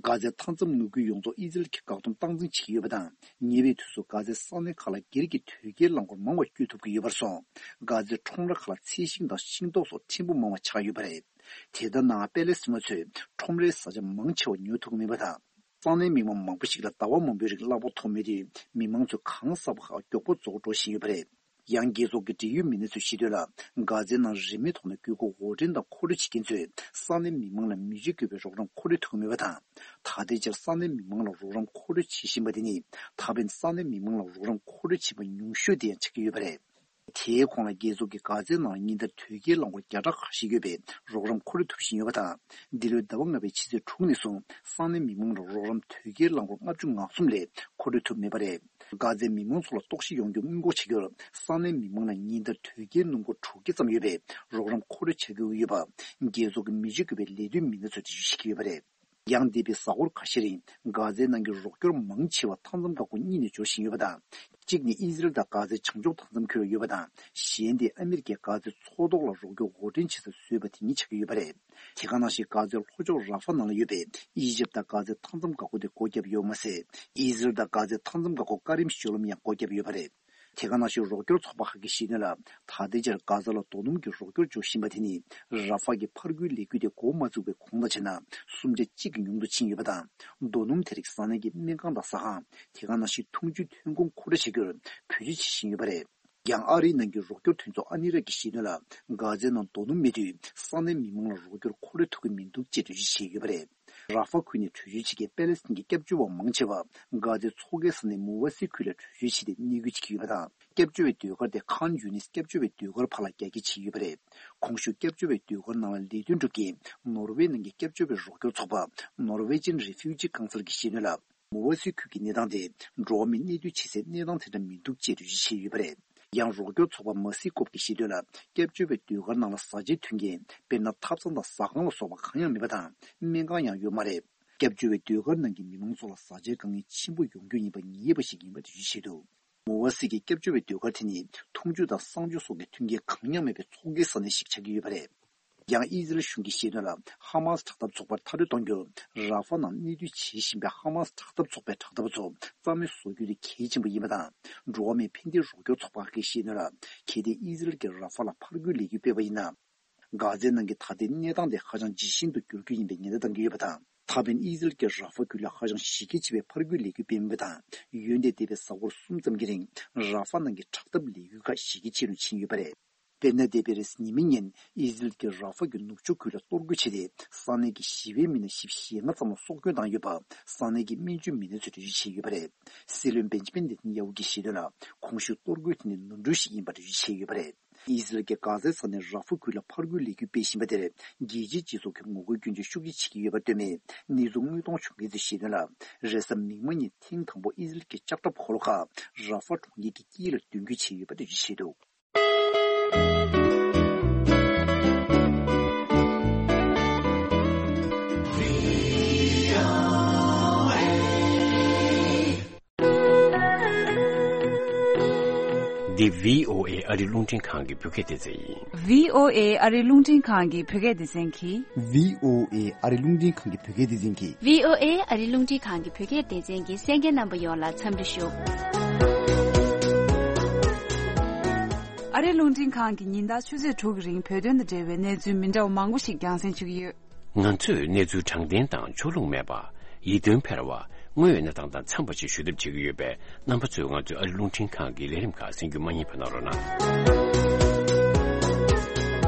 གྷ་ཛའི་མཐའ་མཚམས་ནུབ་ཁུལ་ཡོངས་རྫོགས་ཨི་ཟི་རལ་གྱིས་བཀག་སྡོམ་སྟངས་འཛིན་བྱེད་ཀྱི་ཡོད་པ་དང་། ཉེ་བའི་དུས་སུ་གྷ་ཛའི་ས་གནས་ཁག་ལ་སྒེར་གྱི་དོས་སྐྱེལ་རླངས་འཁོར་མང་བ་བསྐྱོད་ཐུབ་ཀྱི་ཡོད་པར་སོང་། གྷ་ཛའི་ཁྲོམ་ར་ཁག་ལ་ཚལ་ཤིང་དང་ཤིང་ཏོག་སོགས་ཕྲན་བུ་མང་བ་ཆགས་ཡོད་པ་རེད། དེ་ལྟར་ན་པེ་ལེ་སི་ཐན་པ་ཚོས་ཁྲོམ་རའི་བཟའ་བཅའ་མང་ཆེ་བ་ཉོ་ཐུབ་ཀྱི་མེད་པ་དང་། ས་གནས་མི་མང་མང་པོ་ཞིག་ལ་ཟླ་བ་མང་པོའི་རིང་གླ་ཕོགས་ཐོབ་མེད་དུས། མི་མང་ཚོས་གང་ཟག་པ་ཁག་མགྱོགས་པོ་རྫོགས་འགྲོ་བཞིན་ཡོད་པ་རེད། ཡང་རྒྱལ་ཚོགས་ཀྱི་འབྲེལ་ཡོད་མི་སྣ་ཚོས་བཤད་དོན་ལ། གྷ་ཛའི་ནང་རིན་མེད་ཐོག་ནས་དགོས་མཁོ་དབོར་འདྲེན་དང་མཁོ་སྤྲོད་བྱེད་མཁན་ཚོས་ས་གནས་མི་མང་ལ་མི་རྗེ་དགོས་པའི་རོགས་རམ་མཁོ་སྤྲོད་ཐུབ་ཀྱི་མེད་པ་དང་། ད་ལྟའི་ཆར་ས་གནས་མི་མང་ལ་རོགས་རམ་མཁོ་སྤྲོད་བྱེད་བཞིན་པ་དེ་ནི། ད་ཕན་ས་གནས་མི་མང་ལ་རོགས་རམ་མཁོ་སྤྲོད་བྱེད་པ་ཉུང་ཤོས་དེ་ཡང་ཆགས་ཀྱི་ཡོད་པ་རེད། དེའི་གོང་ལ་རྒྱལ་ཚོགས་ཀྱིས་གྷ་ཛའི་ནང་ཉིན་ལྟར་དོས་སྐྱེལ་རླངས་འཁོར་བརྒྱ་ཕྲག་ཁ་ཤས་ཡོད་པས་རོགས་རམ་མཁོ་སྤྲོད་ཐུབ་བཞིན་ཡོད་པ་དང་། འདི་ལོའི་ཟླ་བ་ལྔ་པའི་ཕྱི་ཚེས་དྲུག་ནས་བཟུང་ས་གནས་མི་མང་ལ་རོགས་རམ་དོས་སྐྱེལ་རླངས་འཁོར་ལྔ་བཅུ་ང་གསུམ་ལས་མཁོ་སྤྲོད་ཐུབ་མེད་པ་རེད། གྷ་ཛའི་མི་མང་ཚོ་ལ་ལྟོགས་ཤི་ཡོང་རྒྱུ་སྔོན་འགོག་བྱ་རྒྱུར་ས་གནས་མི་མང་ལ་ཉིན་ལྟར་དོས་སྐྱེལ་སྣུམ་འཁོར་དྲུག་བརྒྱ་ཙམ་ཡོད་པས་རོགས་རམ་མཁོ་སྤྲོད་བྱ་དགོས་ཀྱི་ཡོད་པ། རྒྱལ་ཚོགས་ཀྱི་མི་རྗེ་དགོས་པའི་ལས་དོན་མི་སྣ་ཚོས་འགྲེལ་བརྗོད་བྱེད་ཀྱི་ཡོད་པ་རེད། ཡང་འདས་པའི་གཟའ་འཁོར་ཁ་ཤས་རིང་གྷ་ཛའི་ནང་གི་རོགས་སྐྱོར་མང་ཆེ་བ་མཐའ་མཚམས་འགག་སྒོ་གཉིས་ནས་འབྱོར་བཞིན་ཡོད་པ་དང་། གཅིག་ནི་ཨི་ཟི་རལ་དང་གྷ་ཛའི་བྱང་ཕྱོགས་མཐའ་མཚམས་ཁུལ་ལ་ཡོད་པ་དང་། གཞན་དེ་ཨ་མི་རི་ཀས་གྷ་ཛའི་མཚོ་ཐོག་ལ་རོགས་སྐྱོར་དབོར་འདྲེན་བྱེད་ས་བཟོས་པ་དེ་ཉིད་ཆགས་ཀྱི་ཡོད་པ་རེད། དེ་ག་ནང་བཞིན་གྷ་ཛའི་ལྷོ་ཕྱོགས་ར་ཧྥ་ནང་ལ་ཡོད་པའི་ཨི་ཇིབ་དང་གྷ་ཛའི་མཐའ་མཚམས་འགག་སྒོ་དེ་སྒོ་བརྒྱབ་ཡོད་མ་ཟད། ཨི་ཟི་རལ་དང་གྷ་ཛའི་མཐའ་མཚམས་འགག་སྒོ་ཀ་རིམ་གཞུང་ལམ་ཡང་སྒོ་བརྒྱབ་ཡོད་པ་རེད། དེ་ག་ནང་བཞིན་རོགས་སྐྱོར་ཚོགས་པ་ཁག་གིས་བཤད་དོན་ལ། ད་ལྟའི་ཆར་གྷ་ཛ་ལ་རྡོ་སྣུམ་གྱི་རོགས་སྐྱོར་འབྱོར་བཞིན་པ་དེ་ནི་ར་ཧྥ་གི་ཕར་རྒོལ་ལས་འགུལ་དེ་འགོ་མ་བཙུགས་པའི་གོང་དང་བྱས་ན། སུམ་ཆ་གཅིག་གི་ཉུང་དུ་ཕྱིན་ཡོད་པ་དང་། རྡོ་སྣུམ་དེ་རིགས་བཟའ་ནས་ཀྱི་སྨན་ཁང་དང་ཟ་ཁང་། དེ་ག་ནང་བཞིན་འཐུང་ཆུའི་ཐོན་ཁུངས་མཁོ་སྤྲོད་བྱ་རྒྱུར་བེད་སྤྱོད་བྱེད་བཞིན་ཡོད་པ་རེད། ཡང་ཨ་རིའི་ནང་གི་རོགས་སྐྱོར་མཐུན་ཚོགས་ཨ་ནི་ར་གིས་བཤད་དོན་ལ། གྷ་ཛའི་ནང་རྡོ་སྣུམ་མེད་དུས་ས་གནས་མི་མང་ལ་རོགས་སྐྱོར་འཁོར་རེ་ཐུབ་ཀྱི་མི་འདུག་ཅེས་འགྲེལ་བརྗོད་བྱས་ཡོད་པ་རེད། ར་ཧྥ་ཁུལ་ནས་བྲོས་བྱོལ་བྱེད་མཁན་པེ་ལེ་སི་ཐན་གྱི་སྐྱབས་བཅོལ་བ་མང་ཆེ་བ་གྷ་ཛའི་མཚོ་ཁའི་ས་གནས་མུ་ཝ་སི་ཁུལ་ལ་བྲོས་བྱོལ་བྱས་ཏེ་གནས་སྐོར་བྱེད་ཀྱི་ཡོད་པ་དང་། སྐྱབས་བཅོལ་བའི་ཟློས་གར་དེ་ཁཱན་ཡུ་ནིས་སྐྱབས་བཅོལ་བའི་ཟློས་གར་བར་ལ་རྒྱ་སྐྱེད་བྱས་ཡོད་པ་རེད། གོང་ཞུས་སྐྱབས་བཅོལ་བའི་ཟློས་གར་ནང་ལ་ལས་དོན་སྒྲུབ་མཁན་ནོར་ཝེ་ནང་གི་སྐྱབས་བཅོལ་བའི་རོགས་སྐྱོར་ཚོགས་པ་Norwegian Refugee Council གྱིས་བཤད་དོན་ལ། མུ་ཝ་སི་ཁུལ་གྱི་གནས་སྟངས་དེ་འགྲོ་བ་མིའི་གནས་སྡོད་བྱེད་སའི་གནས་སྟངས་དེ་འདྲ་མི་འདུག་ཅེས་འགྲེལ་བརྗོད་བྱས་ཡོད་པ་རེད། ཡང་རོགས་སྐྱོར་ཚོགས་པ་མ་སི་ཀོབ་ཀྱིས་བཤད་དོན་ལ། སྐྱབས་བཅོལ་བའི་ཟློས་གར་ནང་ལ་བཟའ་བཅའི་མཐུན་རྐྱེན། དཔེར་ན་ཐབ་ཚང་དང་ཟ་ཁང་ལ་སོགས་པ་གང་ཡང་མེད་པ་དང་། སྨན་ཁང་ཡང་ཡོད་མ་རེད། སྐྱབས་བཅོལ་བའི་ཟློས་གར་ནང་གི་མི་མང་ཚོ་ལ་བཟའ་བཅའི་དཀའ་ངལ་ཆེན་པོ་ཡོང་རྒྱུ་ཡིན་པ་ངེས་པ་ཞིག་ཡིན་པ་འགྲེལ་བརྗོད་བྱས་འདུག་མུ་ཝ་སི་གི་སྐྱབས་བཅོལ་བའི་ཟློས་གར་དེ་ནི་འཐུང་ཆུ་དང་གསང་སྤྱོད་སོགས་ཀྱི་མཐུན་རྐྱེན་གང་ཡང་མེད་པའི་མཚོ་ཁའི་ས་གནས་ཤིག་ཆགས་ཀྱི་ཡོད་པ་རེད། ཡང་ཨི་ཟི་རལ་གཞུང་གིས་བཤད་དོན་ལ། ཧ་མ་སི་དྲག་འཐབ་ཚོགས་པར་མཐའ་སྐྲོད་གཏོང་རྒྱུར་ར་ཧྥ་ནང་གནས་སྡོད་བྱེད་བཞིན་པའི་ཧ་མ་སི་དྲག་འཐབ་ཚོགས་པའི་དྲག་འཐབ་པ་ཚོ་རྩ་མེད་བཟོ་རྒྱུ་དེ་གལ་ཆེན་པོ་ཡིན་པ་དང་། འགྲོ་བ་མིའི་ཕན་བདེའི་རོགས་སྐྱོར་ཚོགས་པ་ཁག་གིས་བཤད་དོན་ལ། གལ་ཏེ་ཨི་ཟི་རལ་གྱིས་ར་ཧྥ་ལ་ཕར་རྒོལ་ལས་འགུལ་སྤེལ་བ་ཡིན་ན། གྷ་ཛའི་ནང་གི་ད་ལྟའི་གནས་སྟངས་དེ་ཧ་ཅང་ཇི་བཞིན་དུ་འགྱུར་རྒྱུ་ཡིན་པའི་ཉེན་བརྡ་བཏང་གི་ཡོད་པ་དང་། ད་ཕན་ཨི་ཟི་རལ་གྱིས་ར་ཧྥ་ཁུལ་ལ་ཧ་ཅང་གཞི་རྒྱ་ཆེ་བའི་ཕར་རྒོལ་ལས་འགུལ་སྤེལ་མུས་པ་དང་། ཡོན་ཏན་ལྡན་པའི་གཟའ་འཁོར་གསུམ་ཙམ་གྱི་རིང་ར་ཧྥ་ནང་གི་དྲག་འཐབ་ལས་འགུལ་ཁག་གཞི་རྒྱ་ཆེ་རུ་ཕྱིན་ཡོད་པ་རེད། དཔེར་ན། འདས་པའི་རེས་གཟའ་ཉི་མའི་ཉིན་ཨི་ཟི་རལ་གྱིས་ར་ཧྥ་གྱི་ནུབ་ཕྱོགས་ཁུལ་ལ་གཏོར་རྒོལ་བྱས་ཏེ། ས་གནས་ཀྱི་ཞི་བའི་མི་སྣ་བཞི་བཅུ་ཞེ་ལྔ་ཙམ་ལ་སྲོག་སྐྱོན་བཏང་ཡོད་པ་ས་གནས་ཀྱི་སྨན་བཅོས་མི་སྣ་ཚོས་འགྲེལ་བརྗོད་བྱས་ཡོད་པ་རེད། སྲིད་བློན་བེན་ཇི་མིན་ནེ་ཐན་ཡ་ཧུ་གྱིས་བཤད་དོན་ལ། གོང་ཞུས་གཏོར་རྒོལ་དེ་ནི་ནོར་འཁྲུལ་ཞིག་ཡིན་པར་འགྲེལ་བརྗོད་བྱས་ཡོད་པ་རེད། ཨི་ཟི་རལ་གྱིས་གྷ་ཛའི་ས་གནས་ར་ཧྥ་ཁུལ་ལ་ཕར་རྒོལ་ལས་འགུལ་སྤེལ་བཞིན་པ་དེར་རྒྱལ་སྤྱིའི་སྤྱི་ཚོགས་ཀྱིས་ངོ་རྒོལ་སྐྱོན་བརྗོད་ཤུགས་ཆེ་བྱེད་ཀྱི་ཡོད་པར་ལྟོས་མེད། གནས་ཚུལ་དངོས་མཐོང་བྱུང་མཁན་ཚོས་བཤད་དོན་ལ། རེས་གཟའ་མིག་དམར་ཉིན་ཐེངས་དང་པོ་ཨི་ཟི་རལ་གྱི་ལྕགས་ཁྲབ་འཁོར་ལོ་ཁག་ར་ཧྥ་གྲོང་ཁྱེར་གྱི་དཀྱིལ་ལ་མདུན་སྐྱོད་བྱས་ཡོད་པ་འགྲེལ་བརྗོད་བྱས་འདུག་འདི་བྷི་ཨོ་ཨེ་ཨ་རི་རླུང་འཕྲིན་ཁང་གི་བོད་སྐད་སྡེ་ཚན་ཡིན། བྷི་ཨོ་ཨེ་ཨ་རི་རླུང་འཕྲིན་ཁང་གི་བོད་སྐད་སྡེ་ཚན་གྱིས། བྷི་ཨོ་ཨེ་ཨ་རི་རླུང་འཕྲིན་ཁང་གི་བོད་སྐད་སྡེ་ཚན་གྱིས། བྷི་ཨོ་ཨེ་ཨ་རི་རླུང་འཕྲིན་ཁང་གི་བོད་སྐད་སྡེ་ཚན་གྱི་གསན་མཁན་རྣམ་པ་ཡོངས་ལ་འཚམས་འདྲི་ཞུ། ཨ་རི་རླུང་འཕྲིན་ཁང་གིས་ཉིན་ལྟར་ཆུ་ཚོད་དྲུག་གི་རིང་བོད་དོན་དང་འབྲེལ་བའི་གནས་ཚུལ་མི་འདྲ་བ་མང་པོ་ཞིག་རྒྱང་སྲིང་ཞུ་གི་ཡོད། ང་ཚོས་གནས་ཚུལ་དྲང་བདེན་དང་ཕྱོགས་ལྷུང་མེད་པ། ཡིད་རྟོན་འཕེར་བ། དངོས་ཡོད་གནས་སྟངས་དང་འཚམས་པ་ཞིག་ཞུ་ཐབས་བྱེད་ཀྱི་ཡོད་པས། རྣམ་པ་ཚོས་ང་ཚོའི་ཨ་རི་རླུང་འཕྲིན་ཁང་གི་ལས་རིམ་ཁག་གསན་རྒྱུ་མ་བསྙེལ་བ་གནང་རོགས་གནང་།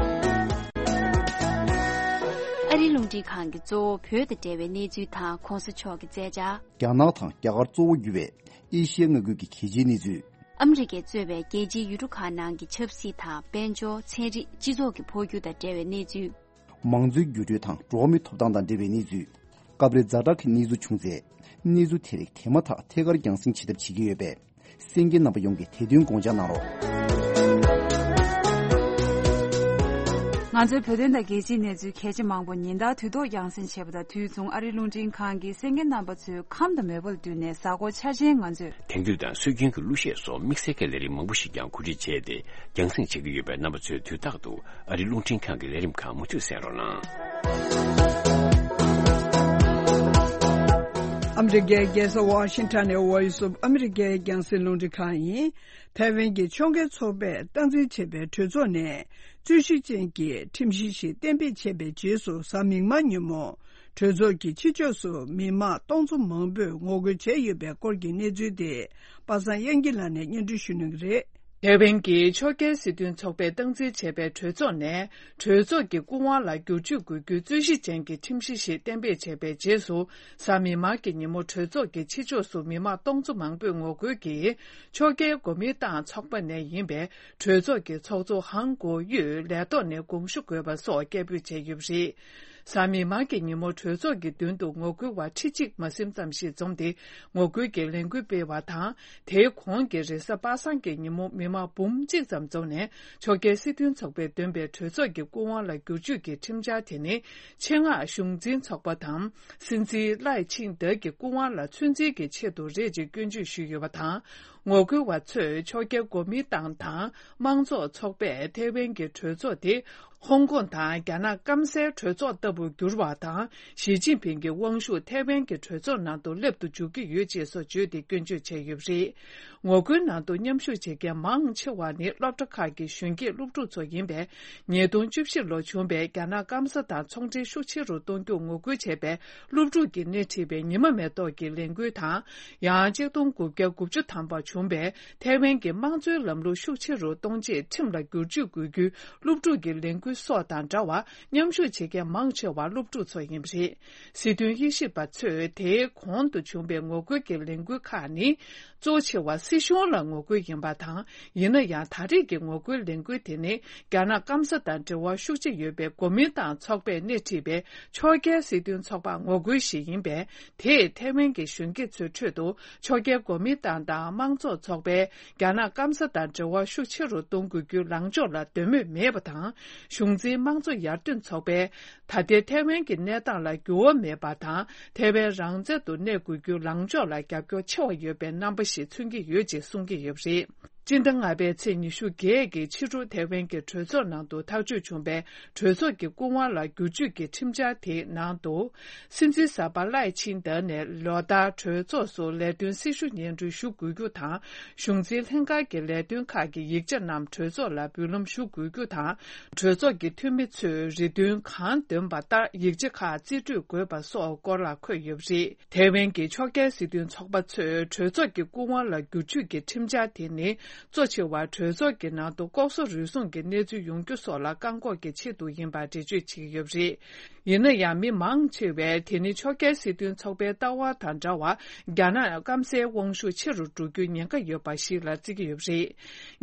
ཨ་རི་རླུང་འཕྲིན་ཁང་གིས་གཙོ་བོ་བོད་དང་འབྲེལ་བའི་གནས་ཚུལ་དང་གོང་ས་མཆོག་གི་མཛད་འཆར། རྒྱ་ནག་དང་རྒྱ་གར་གཙོ་བོ་གྱུར་བའི་ཨེ་ཤི་ཡ་མངའ་ཁུལ་གྱི་གལ་ཆེའི་གནས་ཚུལ། ཨ་མི་རི་ཀས་གཙོས་པའི་རྒྱལ་སྤྱིའི་ཡུལ་གྲུ་ཁག་ནང་གི་ཆབ་སྲིད་དང་དཔལ་འབྱོར། ཚན་རིག་སྤྱི་ཚོགས་ཀྱི་འཕོ་འགྱུར་དང་འབྲེལ་བའི་གནས་ཚུལ། མང་གཙོའི་འགྱུར་འགྲོས་དང་འགྲོ་བ་མིའི་ཐོབ་ཐང་དང་འབྲེལ་བའི་གནས་ཚུལ། སྐབས་རེ་ཛ་དྲག་གི་གནས་ཚུལ་བྱུང་ཚེ། གནས་ཚུལ་དེ་རིགས་དེ་མ་ཐག་ཐད་ཀར་རྒྱང་སྲིང་བྱེད་ཐབས་བྱེད་ཀྱི་ཡོད་པས། གསན་མཁན་རྣམ་པ་ཡོངས་ཀྱིས་དེ་དོན་དགོངས་འཇགས་གནང་རོགས། ང་ཚོའི་བོད་དོན་དང་རྒྱལ་སྤྱིའི་གནས་ཚུལ་གལ་ཆེ་མང་པོ་ཉིན་ལྟར་དུས་ཐོག་རྒྱང་སྲིང་བྱེད་པ་དང་དུས་མཚུངས་ཨ་རིའི་རླུང་འཕྲིན་ཁང་གིས་གསན་མཁན་རྣམ་པ་ཚོའི་ཁམས་དང་མོས་པ་ལ་བསྟུན་ནས་གཟའ་འཁོར་འཆར་ཅན་ང་ཚོས། དེང་དུས་དང་སྲོལ་རྒྱུན་གྱི་གླུ་གཞས་སོགས་དམིགས་བསལ་གྱི་ལས་རིམ་མང་པོ་ཞིག་ཀྱང་གོ་སྒྲིག་བྱས་ཏེ་རྒྱང་སྲིང་བྱེད་ཀྱི་ཡོད་པས། རྣམ་པ་ཚོས་དུས་རྟག་ཏུ་ཨ་རིའི་རླུང་འཕྲིན་ཁང་གི་ལས་རིམ་ཁག་མུ་མཐུད་གསན་རོགས་གནང་། ཨ་མི་རི་ཀའི་རྒྱལ་ས་ཝ་ཤིང་ཊོན་ནས་Voice of America རྒྱང་སྲིང་རླུང་འཕྲིན་ཁང་ཡིན། ཐའེ་ཝན་གྱི་ཕྱོགས་འགལ་ཚོགས་པས་སྟངས་འཛིན་བྱས་པའི་གྲོས་ཚོགས་ནས་རྩོད་གཞི་ཅན་གྱི་ཁྲིམས་གཞི་ཞིག་གཏན་འབེབས་བྱས་པའི་རྗེས་སུ། གཟའ་མིག་དམར་ཉིན་མོ་གྲོས་ཚོགས་ཀྱི་ཕྱི་ཕྱོགས་སུ་མི་མང་སྟོང་ཚོ་མང་པོས་ངོ་རྒོལ་བྱས་ཡོད་པའི་སྐོར་གྱི་གནས་ཚུལ་དེ་པ་སངས་དབྱངས་སྐྱིད་ལགས་ནས་སྙན་སྒྲོན་ཞུ་གནང་གི་རེད། ཐའེ་ཝན་གྱི་ཕྱོགས་འགལ་སྲིད་དོན་ཚོགས་པས་སྟངས་འཛིན་བྱས་པའི་གྲོས་ཚོགས་ནས། གྲོས་ཚོགས་ཀྱི་སྐུ་དབང་ལ་བསྒྱུར་བཅོས་དགོས་རྒྱུའི་རྩོད་གཞི་ཅན་གྱི་ཁྲིམས་གཞི་ཞིག་གཏན་འབེབས་བྱས་པའི་རྗེས་སུ། གཟའ་མིག་དམར་གྱི་ཉིན་མོ་གྲོས་ཚོགས་ཀྱི་ཕྱི་ཕྱོགས་སུ་མི་མང་སྟོང་ཚོ་མང་པོས་ངོ་རྒོལ་གྱིས། ཕྱོགས་འགལ་གོ་མིན་ཏང་ཚོགས་པ་ནས་ཡིན་པའི་གྲོས་ཚོགས་ཀྱི་ཚོགས་གཙོ་ཧང་གོ་ཡུས་ལས་ཐོག་ནས་དགོངས་ཞུ་དགོས་པ་སོགས་སྐད་འབོད་བྱས་ཡོད་པ་རེད། གཟའ་མིག་དམར་གྱི་ཉིན་མོ་གྲོས་ཚོགས་ཀྱི་མདུན་དུ་ངོ་རྒོལ་བ་ཁྲི་གཅིག་མ་ཟིན་ཙམ་ཞིག་འཛོམས་ཏེ་ངོ་རྒོལ་གྱི་ལས་འགུལ་སྤེལ་བ་དང་། དེའི་གོང་གི་རེས་གཟའ་པ་སངས་ཀྱི་ཉིན་མོ་མི་མང་འབུམ་གཅིག་ཙམ་འཛོམས་ནས། ཕྱོགས་འགལ་སྲིད་དོན་ཚོགས་པས་འདོན་པའི་གྲོས་ཚོགས་ཀྱི་སྐུ་དབང་ལ་བསྒྱུར་བཅོས་ཀྱི་ཁྲིམས་འཆར་དེ་ནི། ཆེད་མངགས་གཞུང་འཛིན་ཚོགས་པ་དང་། སྲིད་འཛིན་ལའེ་ཆིང་ཏེ་གི་སྐུ་དབང་ལ་ཚོད་འཛིན་གྱི་ཆེད་དུ་རེད་ཅེས་སྐྱོན་བརྗོད་ཞུས་ཡོད་པ་དང་། ངོ་རྒོལ་བ་ཚོས་ཕྱོགས་འགལ་གོ་མིན་ཏང་དང་དམངས་གཙོ་ཚོགས་པས་ཐའེ་ཝན་གྱི་གྲོས་ཚོགས་དེ། ཧོང་ཀོང་དང་རྒྱ་ནག་སྐམ་སའི་གྲོས་ཚོགས་ལྟ་བུར་འགྱུར་བ་དང་། ཞི་ཅིན་ཕིང་གི་དབང་ཤུགས་ཐའེ་ཝན་གྱི་གྲོས་ཚོགས་ནང་དུ་སླེབས་དུ་འཇུག་གི་ཡོད་ཅེས་སོགས་བརྗོད་དེ་སྐྱོན་བརྗོད་བྱས་ཡོད་པ་རེད། ངོ་རྒོལ་ནང་དུ་མཉམ་ཞུགས་བྱེད་མཁན་མང་ཆེ་བ་ནི་སློབ་གྲྭ་ཁག་གི་གཞོན་སྐྱེས་སློབ་ཕྲུག་ཚོ་ཡིན་པས། ཉིས་སྟོང་བཅུ་བཞི་ལོར་བྱུང་བའི་རྒྱ་ནག་སྐམ་ས་དང་ཚོང་འབྲེལ་ཤུགས་ཆེ་རུ་གཏོང་རྒྱུར་ངོ་རྒོལ་བྱས་པའི་སློབ་ཕྲུག་གིས་སྣེ་ཁྲིད་པའི་ཉི་མ་མེ་ཏོག་གི་ལས་འགུལ་དང་། ཡང་གཅིག་སྟོང་དགུ་བརྒྱ་དགུ་བཅུ་ཐམ་པ་བྱུང་། བྱུང་བས། ཐའེ་ཝན་གྱི་དམངས་གཙོའི་ལམ་ལུགས་ཤུགས་ཆེ་རུ་གཏོང་ཆེད་ཁྲིམས་ལ་བསྒྱུར་བཅོས་དགོས་རྒྱུའི་སློབ་ཕྲུག་གི་ལས་འགུལ་སོགས་དང་འདྲ་བར་མཉམ་ཞུགས་བྱེད་མཁན་མང་ཆེ་བ་སློབ་ཕྲུག་ཚོ་ཡིན་པ་རེད། སྲིད་དོན་དབྱེ་ཞིབ་པ་ཚོས་དེའི་གོང་དུ་བྱུང་བའི་ངོ་རྒོལ་གྱི་ལས་འགུལ་ཁག་ནི། གཙོ་ཆེ་བ་སྲིད་གཞུང་ལ་ངོ་རྒོལ་ཡིན་པ་དང་། ཡིན་ན་ཡང་ད་རེས་ཀྱི་ངོ་རྒོལ་ལས་འགུལ་དེ་ནི། རྒྱ་ནག་སྐམ་ས་དང་འབྲེལ་བ་ཤུགས་ཆེ་ཡོད་པའི་གོ་མིན་ཏང་ཚོགས་པས་སྣེ་ཁྲིད་པའི་ཕྱོགས་འགལ་སྲིད་དོན་ཚོགས་པར་ངོ་རྒོལ་ཞིག་ཡིན་པས། དེས་ཐའེ་ཝན་གྱི་གཞོན་སྐྱེས་ཚོའི་ཁྲོད་དུ། ཕྱོགས་འགལ་གོ་མིན་ཏང་དང་དམངས་གཙོ་ཚོགས་པས། རྒྱ་ནག་སྐམ་ས་དང་འབྲེལ་བ་ཤུགས་ཆེ་རུ་གཏོང་དགོས་རྒྱུའི་ལངས་ཕྱོགས་ལ་འདོད་མོས་མེད་པ་དང་། གཞུང་འཛིན་དམངས་གཙོ་ཡར་ཐོན་ཚོགས་པས། ད་ལྟའི་ཐའེ་ཝན་གྱི་གནས་སྟངས་ལ་འགྱུར་བ་མེད་པ་དང་། ཐའེ་ཝན་རང་བཙན་དུ་གནས་དགོས་རྒྱུའི་ལངས་ཕྱོགས་ལ་རྒྱབ་སྐྱོར་ཆེ་བ་ཡོད་པའི་རྣམ་པ་ཞིག་མཚོན་གྱི་ཡོད་ཅེས་གསུང་གི་ཡོད་པ་རེད། སྤྱི་ཟླ་ལྔ་པའི་ཚེས་ཉི་ཤུ་བརྒྱད་ཀྱི་ཕྱི་དྲོ་ཐའེ་ཝན་གྱི་གྲོས་ཚོགས་ནང་དུ་ཐག་གཅོད་བྱུང་བའི་གྲོས་ཚོགས་ཀྱི་སྐུ་དབང་ལ་བསྒྱུར་བཅོས་ཀྱི་ཁྲིམས་འཆར་དེའི་ནང་དུ། སྲིད་འཛིན་གསར་པ་ལའེ་ཆིང་ཏེ་ནས་ལོ་ལྟར་གྲོས་ཚོགས་སུ་ལས་དོན་སྲི་ཞུ་སྙན་སྒྲོན་ཞུ་དགོས་རྒྱུ་དང་། གཞུང་འཛིན་ལྷན་ཁང་གི་ལས་དོན་ཁག་གི་ཡིག་ཆ་རྣམས་གྲོས་ཚོགས་ལ་འབུལ་ལམ་ཞུ་དགོས་རྒྱུ་དང་། གྲོས་ཚོགས་ཀྱི་འཐུས་མི་ཚོས་རེ་འདུན་གང་འདོན་པ་ལྟར་ཡིག་ཆ་ཁག་རྩིས་སྤྲོད་དགོས་པ་སོགས་སྐོར་ལ་འཁོད་ཡོད་པ་རེད། ཐའེ་ཝན་གྱི་ཕྱོགས་འགལ་སྲིད་དོན་ཚོགས་པ་ཚོས་གྲོས་ཚོགས་ཀྱི་སྐུ་དབང་ལ་བསྒྱུར་བཅོས་ཀྱི་ཁྲིམས་འཆར་དེ་ནི། གཙོ་ཆེ་བ་གྲོས་ཚོགས་ཀྱི་ནང་དུ་ལྐོག་ཟ་རུལ་སུངས་ཀྱི་གནས་ཚུལ་ཡོང་རྒྱུ་སོགས་ལ་བཀག་འགོག་གི་ཆེད་དུ་ཡིན་པར་འགྲེལ་བརྗོད་བྱེད་ཀྱི་ཡོད་པ་རེད། ཡིན་ན་ཡང་མི་མང་ཆེ་བས་དེ་ནི་ཕྱོགས་འགལ་སྲིད་དོན་ཚོགས་པའི་ལྟ་བ་དང་འདྲ་བར། རྒྱ་ནག་སྐམ་སའི་དབང་ཤུགས་ཆེ་རུ་འགྲོ་རྒྱུའི་ཉེན་ཁ་ཡོད་པ་ཞིག་ལ་བརྩི་གི་ཡོད་པ་རེད།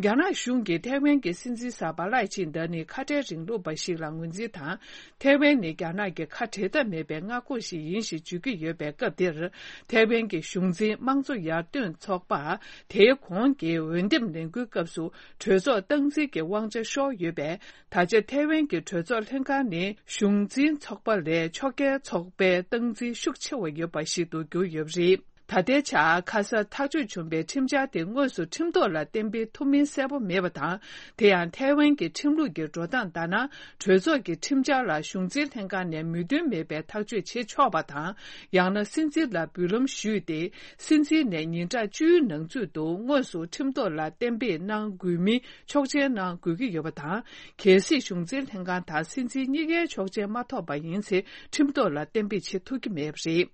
རྒྱ་ནག་གཞུང་གིས་ཐའེ་ཝན་གྱི་སྲིད་འཛིན་གསར་པ་ལའེ་ཆིང་ཏེ་ནི་ཁ་བྲལ་རིང་ལུགས་པ་ཞིག་ལ་ངོས་འཛིན་དང་། ཐའེ་ཝན་ནི་རྒྱ་ནག་གི་ཁ་བྲལ་ཐབས་མེད་པའི་མངའ་ཁོངས་ཤིག་ཡིན་ཞེས་བརྗོད་ཀྱི་ཡོད་པའི་སྐབས་འདིར། ཐའེ་ཝན་གྱི་གཞུང་འཛིན་དམངས་གཙོ་ཡར་ཐོན་ཚོགས་པ། དེའི་གོང་གི་འོས་འདེམས་ལས་འགུལ་སྐབས་སུ་གྲོས་ཚོགས་སྟངས་འཛིན་གྱི་དབང་ཆ་ཤོར་ཡོད་པས། ད་ཆ་ཐའེ་ཝན་གྱི་གྲོས་ཚོགས་ལྷན་ཁང་ནི་གཞུང་འཛིན་ཚོགས་པ་ལས་ཕྱོགས་འགལ་ཚོགས་པའི་སྟངས་འཛིན་ཤུགས་ཆེ་བ་ཡོད་པ་ཞིག་ཏུ་གྱུར་ཡོད་པ་རེད། ད་ལྟའི་ཆར་ཁ་སང་ཐག་གཅོད་བྱུང་བའི་ཁྲིམས་འཆར་དེ་དངོས་སུ་ཁྲིམས་ཐོག་ལ་གཏན་འབེབས་ཐུབ་མིན་གསལ་པོ་མེད་པ་དང་། དེ་ཡང་ཐའེ་ཝན་གྱི་ཁྲིམས་ལུགས་ཀྱི་འགྲོ་སྟངས་ལྟར་ན། གྲོས་ཚོགས་ཀྱི་ཁྲིམས་འཆར་ལ་གཞུང་འཛིན་ལྷན་ཁང་ནས་མོས་མཐུན་མེད་པའི་ཐག་གཅོད་བྱེད་ཆོག་པ་དང་། ཡང་ན་སྲིད་འཛིན་ལ་འབུལ་ལམ་ཞུས་ཏེ། སྲིད་འཛིན་ནས་ཉིན་གྲངས་བཅུའི་ནང་ཚུད་དུ་དངོས་སུ་ཁྲིམས་ཐོག་ལ་གཏན་འབེབས་གནང་དགོས་མིན་ཆོག་མཆན་གནང་དགོས་ཀྱི་ཡོད་པ་དང་། གལ་སྲིད་གཞུང་འཛིན་ལྷན་ཁང་དང་སྲིད་འཛིན་གཉིས་ཀའི་ཆོག་མཆན་མ་ཐོབ་པ་ཡིན་ཚེ། ཁྲིམས་ཐོག་ལ་གཏན་འབེབས་བྱེད་ཐུབ་ཀྱི་མེད་པ་རེད།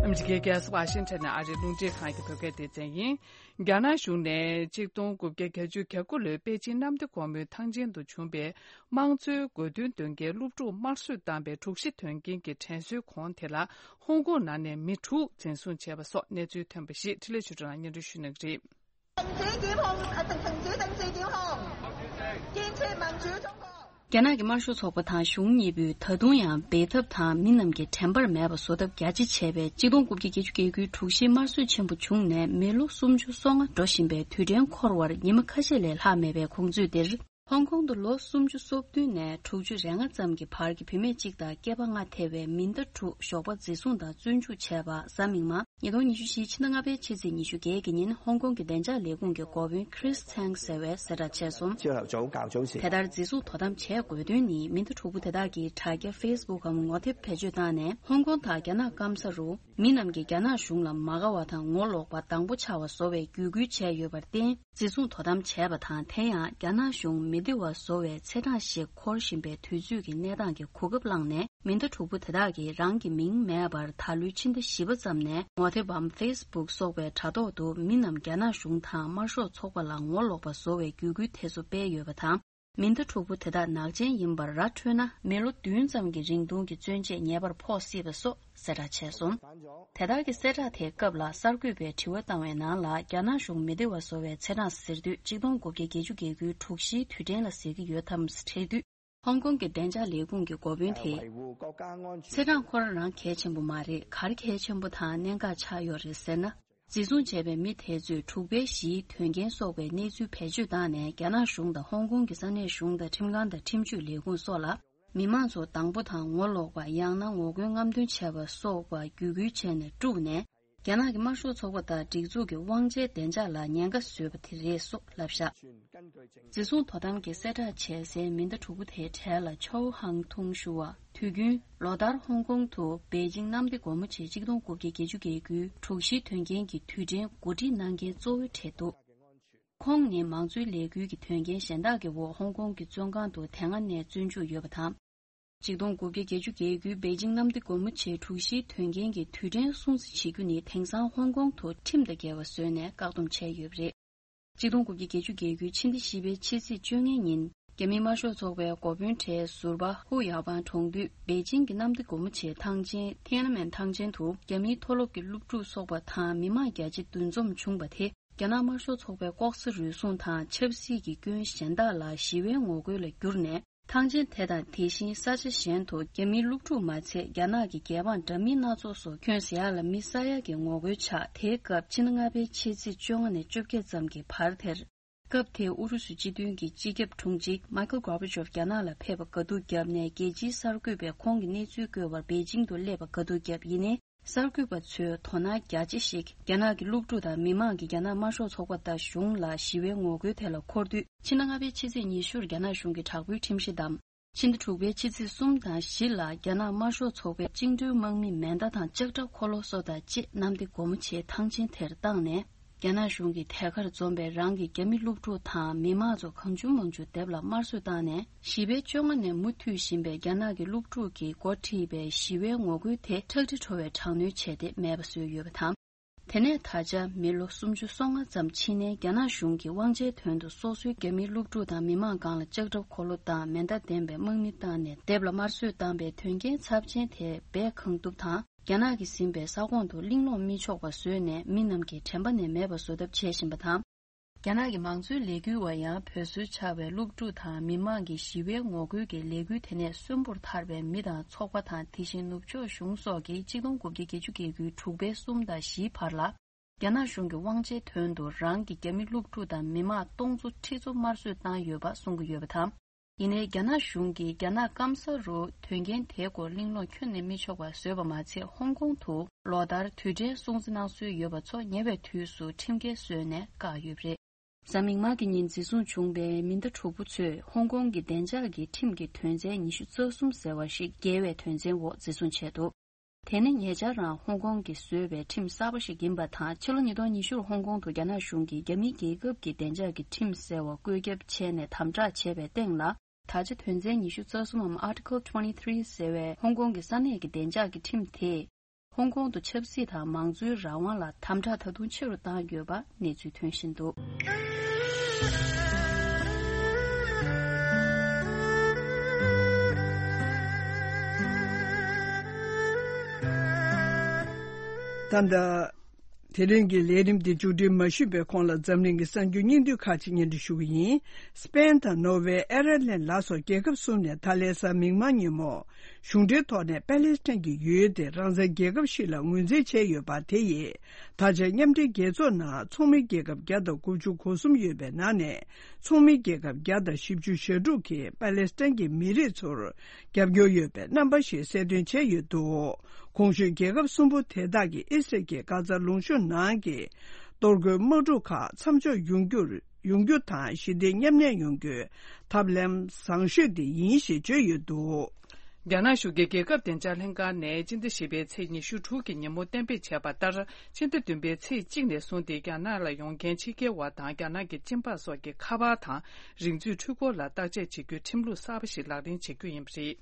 ཨ་མི་རི་ཀའི་རྒྱལ་ས་ཝ་ཤིང་ཊོན་ནས་ཨ་རིའི་རླུང་འཕྲིན་ཁང་གི་བོད་སྐད་སྡེ་ཚན་ཡིན། རྒྱ་ནག་གཞུང་ནས་ཆིག་སྟོང་དགུ་བརྒྱ་བརྒྱད་ཅུ་གྱ་དགུ་ལོའི་པེ་ཅིང་གནམ་བདེ་སྒོ་མོའི་ཐང་ཆེན་དུ་བྱུང་བའི་དམངས་གཙོའི་དགོས་འདུན་འདོན་མཁན་སློབ་ཕྲུག་དམར་གསོད་བཏང་པའི་དྲུག་བཞི་དོན་རྐྱེན་གྱི་དྲན་གསོའི་གོང་དེ་ལ། ཧོང་ཀོང་ནང་ནས་མི་དྲུག་འཛིན་བཟུང་བྱས་པ་སོགས་གནས་ཚུལ་ཐོན་པ་ཞིག་འཕྲིན་ལས་ཆོས་སྒྲོན་ལགས་སྙན་སྒྲོན་ཞུ་གནང་གི་རེད། 停止檢控，啊，停，停止，停止檢控，堅持民主中國。 རྒྱ་ནག་གི་དམར་ཤོག་ཚོགས་པ་དང་གཞུང་གཉིས་པོས་ད་དུང་ཡང་འབད་འཐབ་དང་མི་རྣམས་ཀྱི་དྲན་པར་མེད་པ་བཟོ་ཐབས་རྒྱ་ཆེ་བྱས་པའི་ཆིག་སྟོང་དགུ་བརྒྱ་བརྒྱད་ཅུ་གྱ་དགུའི་དྲུག་བཞིའི་དམར་གསོད་ཆེན་པོ་བྱུང་ནས་མི་ལོ་སུམ་ཅུ་སོ་ལྔ་འགྲོ་བཞིན་པའི་དུས་དྲན་འཁོར་བར་ཉི་མ་ཁ་ཤས་ལས་ལྷག་མེད་པའི་གོང་ཚོད་འདིར། ཧོང་ཀོང་དུ་ལོ་སུམ་ཅུ་སོ་བདུན་ནས་དྲུག་ཅུ་རེ་ལྔ་ཙམ་གྱི་བར་གྱི་བུད་མེད་གཅིག་དང་སྐྱེས་པ་ལྔ་ཐེ་བའི་མི་ཟླ་དྲུག་ཞོགས་པ་འཛིན་བཟུང་དང་བཙོན་འཇུག་བྱས་པ་གཟའ་མིག་དམར། ཉིས་སྟོང་ཉི་ཤུ་བཞི་ཕྱི་ཟླ་ལྔ་པའི་ཕྱི་ཚེས་ཉི་ཤུ་བརྒྱད་ཀྱི་ཉིན་ཧོང་ཀོང་གི་བདེ་འཇགས་ལས་ཁུངས་ཀྱི་འགོ་དཔོན་Chris Chang་ཟེར་བས་གསལ་བསྒྲགས་བྱས་སོང་། 朝頭早較早時 དེ་ལྟར་འཛིན་བཟུང་དོ་དམ་བྱས་དགོས་དོན་ནི་མི་ཟླ་དྲུག་པོ་དེ་དག་གིས་དྲ་རྒྱ་Facebook་འམ་ངོ་དེབ་བེད་སྤྱོད་བཏང་ནས་ཧོང་ཀོང་དང་རྒྱ་ནག་སྐམ་ས་རུ་མི་རྣམས་ཀྱིས་རྒྱ་ནག་གཞུང་ལ་མ་དགའ་བ་དང་ངོ་ལོག་པ་དང་པོ་ཆགས་པ་བཟོ་བའི་བརྒྱུད་སྐུལ་བྱས་ཡོད་པར་བརྟེན། འཛིན་བཟུང་དོ་དམ་བྱས་པ་དང་། དེ་ཡང་རྒྱ་ནག་གཞུང་མི་བདེ་བ་བཟོ་བའི་ཚེས་གྲངས་ཤིག་འཁོར་བཞིན་པའི་དུས་ཚོད་ཀྱི་གནས་སྟངས་ཀྱི་གོ་སྐབས་བླངས་ནས། མི་ཟླ་དྲུག་པོ་དེ་དག་གིས་རང་གི་མིང་མེད་པར་ད་ལོའི་ཕྱི་ཟླ་བཞི་པ་ཙམ་ནས་ངོ་དེབ་བམ་Facebook་སོགས་པའི་དྲ་ཐོག་ཏུ་མི་རྣམས་རྒྱ་ནག་གཞུང་དང་དམར་ཤོག་ཚོགས་པ་ལ་ངོ་ལོག་པ་བཟོ་བའི་བརྒྱུད་སྐུལ་དེ་ཚོ་སྤེལ་ཡོད་པ་དང་། མི་ཟླ་དྲུག་པོ་དེ་དག་ནག་ཅན་ཡིན་པར་ར་འཕྲོད་ན། མི་ལོ་བདུན་ཙམ་གྱི་རིང་ཐུང་གི་བཙོན་ཆས་ཉེས་པར་ཕོག་སྲིད་པ་སོགས་གསལ་བསྒྲགས་བྱས་སོང་། དེ་དག་གི་གསལ་བསྒྲགས་དེའི་སྐབས་ལ་གསར་འགོད་པས་དྲི་བ་བཏང་བའི་ནང་ལ། རྒྱ་ནག་གཞུང་མི་བདེ་བ་བཟོ་བའི་ཚེས་གྲངས་ཟེར་དུས་ཆིག་སྟོང་དགུ་བརྒྱ་བརྒྱད་ཅུ་གྱ་དགུའི་དྲུག་བཞིའི་དུས་དྲན་ལ་ཟེར་གྱི་ཡོད་དམ་དྲིས་དུས། ཧོང་ཀོང་གི་བདེ་འཇགས་ལས་ཁུངས་ཀྱི་འགོ་དཔོན་དེས། ཚེས་གྲངས་ཁོ་རང་རང་གལ་ཆེན་པོ་མ་རེད། ག་རེ་གལ་ཆེན་པོ་དང་གནད་འགག་ཆགས་ཡོད་རེད་ཟེར་ན། འཛིན་བཟུང་བྱས་པའི་མི་དེ་ཚོས་དྲུག་པའི་གཞིའི་དོན་རྐྱེན་སོགས་པའི་གནས་ཚུལ་བེད་སྤྱོད་བཏང་ནས། རྒྱ་ནག་གཞུང་དང་ཧོང་ཀོང་གི་ས་གནས་གཞུང་དང་ཁྲིམས་ཁང་དང་ཁྲིམས་གཅོད་ལས་ཁུངས་སོགས་ལ། མི་མང་ཚོ་དང་པོ་དང་ངོ་ལོག་པ། ཡང་ན་ངོ་རྒོལ་རྔམ་སྟོན་བྱས་པ་སོགས་པ་བརྒྱུད་སྐུལ་བྱས་ནས་དཀྲུགས་ནས། རྒྱ་ནག་གི་དམར་ཤོག་ཚོགས་པ་དང་སྒྲིག་འཛུགས་ཀྱི་དབང་ཆའི་བདེ་འཇགས་ལ་ཉེན་ཁ་བཟོས་པ་དེ་རེད་སོགས་ལབ་བཞག། འཛིན་བཟུང་དོ་དམ་གྱི་གསལ་བསྒྲགས་བྱས་སའི་མི་ཟླ་དྲུག་པོ་དེའི་གྲས་ལ་ཆའོ་ཧང་ཐུང་ཞུ་བ། དུས་རྒྱུན་ལོ་ལྟར་ཧོང་ཀོང་དུ་པེ་ཅིང་གནམ་བདེ་སྒོ་མོ་ཆེའི་ཆིག་སྟོང་དགུ་བརྒྱ་བརྒྱད་ཅུ་གྱ་དགུའི་དྲུག་བཞིའི་དོན་རྐྱེན་གྱི་དུས་དྲན་གོ་སྒྲིག་གནང་མཁན་གཙོ་བོའི་གྲས་འདུག། ཁོང་ནི་མང་གཙོའི་ལས་འགུལ་གྱི་དོན་རྐྱེན་གཞན་དག་གི་འོག་ཧོང་ཀོང་གི་བཙོན་ཁང་དུ་དེ་སྔ་ནས་བཙོན་འཇུག་ཡོད་པ་དང་། ཆིག་སྟོང་དགུ་བརྒྱ་བརྒྱད་ཅུ་གྱ་དགུའི་པེ་ཅིང་གནམ་བདེ་སྒོ་མོ་ཆེའི་དྲུག་བཞིའི་དོན་རྐྱེན་གྱི་དུས་དྲན་སྲུང་བརྩི་བྱེད་རྒྱུ་ནི་དེང་སང་ཧོང་ཀོང་དུ་ཁྲིམས་དང་འགལ་བ་བཟོས་ནས་བཀག་སྡོམ་བྱས་ཡོད་པ་རེད། ཆིག་སྟོང་དགུ་བརྒྱ་བརྒྱད་ཅུ་གྱ་དགུའི་ཕྱི་ཟླ་བཞི་པའི་ཕྱི་ཚེས་བཅོ་ལྔའི་ཉིན། རྒྱ་མིའི་དམར་ཤོག་ཚོགས་པའི་འགོ་དཔོན་གྲས་ཟུར་པ་ཧུ་ཡའོ་པང་གྲོངས་དུས། པེ་ཅིང་གི་གནམ་བདེ་སྒོ་མོ་ཆེའི་ཐང་ཆེན་ཐེན་ཨན་མེན་ཐང་ཆེན་དུ་རྒྱ་མིའི་མཐོ་སློབ་ཀྱི་སློབ་ཕྲུག་ཚོགས་པ་དང་མི་མང་བརྒྱ་ཆ་བདུན་འཛོམས་བྱུང་བ་དེ། རྒྱ་ནག་དམར་ཤོག་ཚོགས་པའི་ལྐོག་ཟ་རུལ་སུངས་དང་ཆབ་སྲིད་ཀྱི་སྐྱོན་གཞན་དག་ལ་ཞི་བའི་ངོ་རྒོལ་ལ་བསྒྱུར་ནས། ཐང་ཆེན་དེ་དང་དེ་བཞིན་ས་ཆ་གཞན་དུ་རྒྱ་མིའི་སློབ་ཕྲུག་མ་ཚད། རྒྱ་ནག་གི་རྒྱལ་འབངས་འདྲ་མིན་སྣ་ཚོགས་སུ་ཁྱོན་ཟ་ཡག་ལ་མི་ཟ་ཡག་གི་ངོ་རྒོལ་ཆགས། དེའི་སྐབས་ཕྱི་ཟླ་ལྔ་པའི་ཕྱི་ཚེས་བཅོ་ལྔ་ནས་བཅོ་བརྒྱད་ཙམ་གྱི་བར་དེར། སྐབས་དེའི་ཨུ་རུ་སུ་སྤྱི་མཐུན་གྱི་སྤྱི་ཁྱབ་དྲུང་ཆེ་མཱི་ཁལ་གོར་བྷ་ཆོབ་རྒྱ་ནག་ལ་ཕེབས་པ་དགའ་སྡུག་བརྒྱབ་ནས། རྒྱལ་སྤྱིའི་གསར་འགོད་པས་ཁོང་གི་གནས་ཚུལ་བཀོད་པར་པེ་ཅིང་དུ་སླེབས་པ་དགའ་སྡུག་བརྒྱབ། ཡིན་ནའི། གསར་འགོད་པ་ཚོའི་དོ་སྣང་རྒྱ་ཆེ་ཞིག་རྒྱ་ནག་གི་སློབ་ཕྲུག་དང་མི་མང་གིས་རྒྱ་ནག་དམར་ཤོག་ཚོགས་པ་དང་གཞུང་ལ་ཞི་བའི་ངོ་རྒོལ་དེ་ལ་འཁོར་དུས། ཕྱི་ཟླ་ལྔ་པའི་ཕྱི་ཚེས་ཉི་ཤུར་རྒྱ་ནག་གཞུང་གིས་དྲག་པོའི་ཁྲིམས་གཞི་བསྡམས། ཕྱི་ཟླ་དྲུག་པའི་ཕྱི་ཚེས་གསུམ་དང་བཞི་ལ་རྒྱ་ནག་དམར་ཤོག་ཚོགས་པའི་བཅིངས་འགྲོལ་དམག་མིས་མེ་མདའ་དང་ལྕགས་ཁྲབ་འཁོར་ལོ་སོགས་དང་བཅས་གནམ་བདེ་སྒོ་མོ་ཆེའི་ཐང་ཆེན་དེར་བཏང་ནས། རྒྱ་ནག་གཞུང་གིས་ཐད་ཀར་འཛོམས་པའི་རང་གི་རྒྱ་མི་སློབ་ཕྲུག་དང་མི་མང་ཚོ་གང་བྱུང་མང་བྱུང་སྡེབ་ལ་དམར་གསོད་བཏང་ནས། བཞི་པའི་བཅོ་ལྔ་ནས་མུ་མཐུད་བཞིན་པའི་རྒྱ་ནག་གི་སློབ་ཕྲུག་གིས་འགོ་ཁྲིད་པའི་ཞི་བའི་ངོ་རྒོལ་དེ་ཁྲག་དྲི་བྲོ་བའི་དྲག་གནོན་བྱས་ཏེ་མེད་པ་བཟོས་ཡོད་པ་དང་། དེ་ནས་ད་ཆ་མི་ལོ་སུམ་ཅུ་སོ་ལྔ་ཙམ་ཕྱིན་ནས། རྒྱ་ནག་གཞུང་གིས་དབང་ཆའི་དོན་དུ་སོ་སོའི་རྒྱ་མིའི་སློབ་ཕྲུག་དང་མི་མང་སྒང་ལ་ལྕགས་ཁྲབ་འཁོར་ལོ་དང་མེ་མདའ་ལྡན་པའི་དམག་མི་བཏང་ནས་སྡེབ་ལ་དམར་གསོད་བཏང་པའི་དོན་རྐྱེན་ཚབས་ཆེན་དེ་སྦས་གང་ཐུབ་དང་། རྒྱ་ནག་གིས་ཟིན་པའི་ས་ཁོངས་དུ་གླེང་སློང་མི་ཆོག་པ་བཟོས་ནས། མི་རྣམས་ཀྱིས་དྲན་པ་ནས་མེད་པ་བཟོ་ཐབས་བྱེད་བཞིན་པ་དང་། རྒྱ་ནག་གི་མང་གཙོའི་ལས་འགུལ་བ་ཡང་བོད་སྲོལ་འཆའ་བའི་སློབ་ཕྲུག་དང་མི་མང་གི་ཞི་བའི་ངོ་རྒོལ་གྱི་ལས་འགུལ་དེ་ནས་གསོན་པོར་ཐར་བའི་མི་དང་ཚོགས་པ་དང་། དེ་བཞིན་ནུབ་ཕྱོགས་གཞུང་སོགས་ཀྱིས་ཆིག་སྟོང་དགུ་བརྒྱ་བརྒྱད་ཅུ་གྱ་དགུའི་དྲུག་པའི་གསུམ་དང་བཞིའི་བར་ལ། རྒྱ་ནག་གཞུང་གི་དབང་ཆའི་དོན་དུ་རང་གི་རྒྱ་མི་སློབ་ཕྲུག་དང་མི་མང་སྟོང་ཚོ་ཁྲི་ཚོ་དམར་གསོད་བཏང་ཡོད་པ་གསུང་གི་ཡོད་པ་དང་། ཡིན་ནའི། རྒྱ་ནག་གཞུང་གིས་རྒྱ་ནག་སྐམ་ས་རུ་དོན་རྐྱེན་དེའི་སྐོར་གླེང་སློང་ཁྱོན་ནས་མི་ཆོག་པ་བཟོས་པ་མ་ཚད། ཧོང་ཀོང་དུ་ལོ་ལྟར་དུས་དྲན་སྲུང་བརྩི་གནང་སྲོལ་ཡོད་པ་ཚོ་ཉེ་བའི་དུས་སུ་ཁྲིམས་འགལ་བཟོས་ནས་བཀག་ཡོད་པ་རེད། གཟའ་མིག་དམར་གྱི་ཉིན་འཛིན་བཟུང་བྱུང་བའི་མི་ཟླ་དྲུག་པོ་ཚོས་ཧོང་ཀོང་གི་བདེ་འཇགས་ཀྱི་ཁྲིམས་ཀྱི་དོན་ཚན་ཉི་ཤུ་རྩ་གསུམ་ཟེར་བ་ཞིག་འགལ་བའི་དོན་ཚན་འོག་འཛིན་བཟུང་བྱས་འདུག་དེ་ནི་ཉེ་ཆར་རང་ཧོང་ཀོང་གིས་བཟོས་པའི་ཁྲིམས་གསར་པ་ཞིག་ཡིན་པ་དང་། ཕྱི་ལོ་ཉིས་སྟོང་ཉི་ཤུར་ཧོང་ཀོང་དུ་རྒྱ་ནག་གཞུང་གིས་རྒྱ་མིའི་རྒྱལ་ཁབ་ཀྱི་བདེ་འཇགས་ཀྱི་ཁྲིམས་ཟེར་བ་བཀོད་ཁྱབ་བྱས་ནས་དམ་དྲག་བྱས་པའི་སྟེང་ལ། ད་ཆ་དོན་ཚན་ཉི་ཤུ་རྩ་གསུམ་འམ་Article twenty three ཟེར་བའི་ཧོང་ཀོང་གི་ས་གནས་ཀྱི་བདེ་འཇགས་ཀྱི་ཁྲིམས་དེས། ཧོང་ཀོང་དུ་ཆབ་སྲིད་དང་མང་གཙོའི་རང་དབང་ལ་དམ་དྲག་ད་དུང་ཆེ་རུ་བཏང་ཡོད་པ་གནས་ཚུལ་ཐོན་བཞིན་འདུག་ད་ལྟ། དེ་རིང་གི་ལས་རིམ་འདི་མཇུག་སྒྲིལ་མ་ཞུས་པའི་གོང་ལ། འཛམ་གླིང་གི་གསར་འགྱུར་སྙིང་བསྡུས་ཁག་ཅིག་སྙན་སྒྲོན་ཞུ་གི་ཡིན། སྤེན་དང་ནོར་ཝེ། ཨེར་ལན་ལ་སོགས་རྒྱལ་ཁབ་གསུམ་ནས་ད་ལན་གཟའ་མིག་དམར་ཉིན་མོ། གཞུང་འབྲེལ་ཐོག་ནས་པ་ལེ་སི་ཐན་གྱི་ཡུལ་དེ་རང་བཙན་རྒྱལ་ཁབ་ཞིག་ལ་ངོས་འཛིན་བྱས་ཡོད་པ་དེ་ཡིས། ད་ཆ་མཉམ་འབྲེལ་རྒྱལ་ཚོགས་ནང་ཚོགས་མི་རྒྱལ་ཁབ་བརྒྱ་དང་དགུ་བཅུ་གོ་གསུམ་ཡོད་པའི་ནང་ནས། ཚོགས་མི་རྒྱལ་ཁབ་བརྒྱ་དང་བཞི་བཅུ་ཞེ་དྲུག་གིས་པ་ལེ་སི་ཐན་གྱི་མི་རིགས་ཚོར་རྒྱབ་སྐྱོར་ཡོད་པའི་རྣམ་པ་ཞིག་གསལ་སྟོན་བྱས་ཡོད་འདུག་གོང་ཞུས་རྒྱལ་ཁབ་གསུམ་པོ་དེ་དག་གིས་ཨི་སི་རལ་གྱི་གྷ་ཛ་ལུང་གཤོང་ནང་གི་གཏོར་རྒོལ་དམག་འཁྲུག་ཁག་མཚམས་འཇོག་ཡོང་རྒྱུར། ཡོང་རྒྱུ་དང་། ཞི་བདེ་མཉམ་གནས་ཡོང་རྒྱུའི་ཐབས་ལམ་བཟང་ཤོས་དེ་ཡིན་ཞེས་བརྗོད་ཡོད་འདུག་རྒྱ་ནག་གཞུང་གིས་རྒྱལ་ཁབ་བདེ་འཇགས་ལྷན་ཁང་ནས་སྤྱི་ཟླ་བཞི་པའི་ཚེས་ཉི་ཤུ་དྲུག་གི་ཉིན་མོ་གཏན་འབེབས་བྱས་པ་ལྟར། ཕྱི་ཟླ་བདུན་པའི་ཚེས་གཅིག་ནས་བཟུང་སྟེ། རྒྱ་ནག་ལ་ཡོང་མཁན་ཕྱི་རྒྱལ་བ་དང་། རྒྱ་ནག་གི་སྤྱི་འབངས་སོགས་ཀྱི་ཁ་པར་དང་། རིག་མཛོད་འཕྲུལ་འཁོར་ལ་བརྟག་དཔྱད་བྱེད་རྒྱུའི་ཁྲིམས་ལུགས་གསར་པ་ཞིག་ལག་ལེན་བྱེད་རྒྱུ་ཡིན་པ་རེད།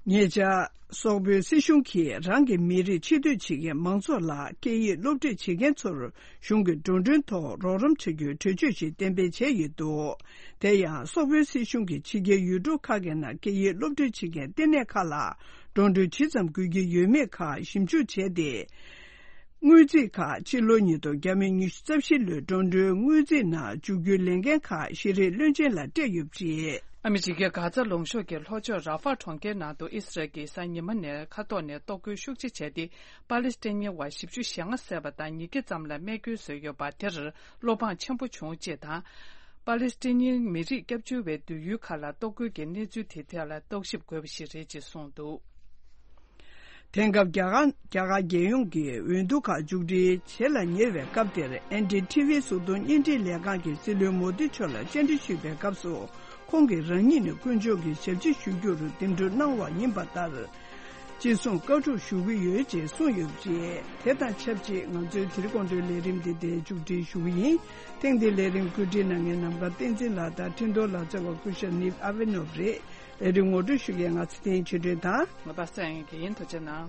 ཉེ་ཆར། སོག་པོའི་སྲིད་གཞུང་གིས་རང་གི་མི་རིགས་ཕྱི་སྡོད་བྱེད་མཁན་མང་ཚོགས་ལ་སྐད་ཡིག་སློབ་ཁྲིད་བྱེད་མཁན་ཚོར་གཞུང་གི་འགྲོ་གྲོན་ཐོག་རོགས་རམ་བྱ་རྒྱུའི་གྲོས་ཆོད་ཞིག་གཏན་འབེབས་བྱས་ཡོད་འདུག་དེ་ཡང་སོག་པོའི་སྲིད་གཞུང་གིས་ཕྱི་རྒྱལ་ཡུལ་གྲུ་ཁག་གི་ནང་སྐད་ཡིག་སློབ་ཁྲིད་བྱེད་མཁན་ལྟེ་གནས་ཁག་ལ་འགྲོ་གྲོན་ཇི་ཙམ་དགོས་ཀྱི་ཡོད་མེད་ཁག་ཞིབ་འཇུག་བྱས་ཏེ། དངུལ་རྩིས་ཁག་ཕྱི་ལོ་ཉིས་སྟོང་ཉི་ཤུ་རྩ་བཞི་ལོའི་འགྲོ་གྲོན་དངུལ་རྩིས་ནང་འཇུག་རྒྱུའི་ལས་འགན་ཁག་ཤེས་རིག་བློན་ཆེན་ལ་སྤྲད་ཡོད་པ་རེད། ཨ་མི་རི་ཀའི་གྷ་ཛ་ལུང་གཤོང་གི་ལྷོ་ཕྱོགས་ར་ཧྥ་གྲོང་ཁྱེར་ནང་དུ་ཨི་སི་རལ་གྱིས་གཟའ་ཉི་མ་ནས་མཁའ་ཐོག་ནས་གཏོར་རྒོལ་ཤུགས་ཆེ་བྱས་ཏེ། པ་ལེ་སི་ཐན་ཉིན་བ་བཞི་བཅུ་ཞེ་ལྔ་བསད་པ་དང་། ཉིས་བརྒྱ་ཙམ་ལ་རྨས་སྐྱོན་བཟོས་ཡོད་པ་དེར་བློ་ཕངས་ཆེན་པོ་བྱུང་ཅེས་དང་། པ་ལེ་སི་ཐན་ཉིན་མི་རིགས་སྐྱབས་བཅོལ་བའི་སྡོད་ཡུལ་ཁག་ལ་གཏོར་རྒོལ་གྱི་གནས་ཚུལ་དེའི་ཐད་ལ་རྟོག་ཞིབ་དགོས་པ་ཞིག་རེད་ཅེས་གསུངས་འདུག་དེང་སྐབས་རྒྱ་གར། རྒྱ་གར་རྒྱལ་ཡོངས་ཀྱི་འོས་བསྡུ་ཁག་མཇུག་སྒྲིལ་བྱེད་ལ་ཉེ་བའི་སྐབས་དེར། ཨེན་ཌི་ཊི་ཝི་གཟུགས་མཐོང་བརྙན་འཕྲིན་ལས་ཁང་གི་སྲིད་བློན་མོ་དི་མཆོག་ལ་བཅར་འདྲི་ཞུས་པའི་སྐབས་སུ། ཁོང་གིས་རང་ཉིད་ནས་དཀོན་མཆོག་གི་ཞབས་ཕྱི་ཞུ་རྒྱུར་འདེམས་སྒྲུག་གནང་བ་ཡིན་པ་ལྟར། ཅི་གསུང་བཀའ་སྒྲུབ་ཞུ་གི་ཡོད་ཅེས་གསུངས་ཡོད་པ་རེད། དེ་དང་ཆབས་ཅིག་ང་ཚོའི་དེ་རིང་དགོང་དྲོའི་ལས་རིམ་འདི་འདིར་མཇུག་སྒྲིལ་ཞུ་གི་ཡིན། ཐེངས་འདིའི་ལས་རིམ་བཀོད་སྒྲིག་གནང་མཁན་ནམ་མཁའ་བསྟན་འཛིན་ལགས་དང་འཕྲིན་གཏོང་ལག་རྩལ་བ་སྐུ་ཞབས་ནིབ་ཨ་ཝེ་ནོབ་རེད། ལས་རིམ་ངོ་སྤྲོད་ཞུ་མཁན་ང་ཚེ་བརྟན་ཆོས་སྒྲོན་དང་། ང་པ་སངས་དགེ་རྒན། ཐུགས་རྗེ་གནང་།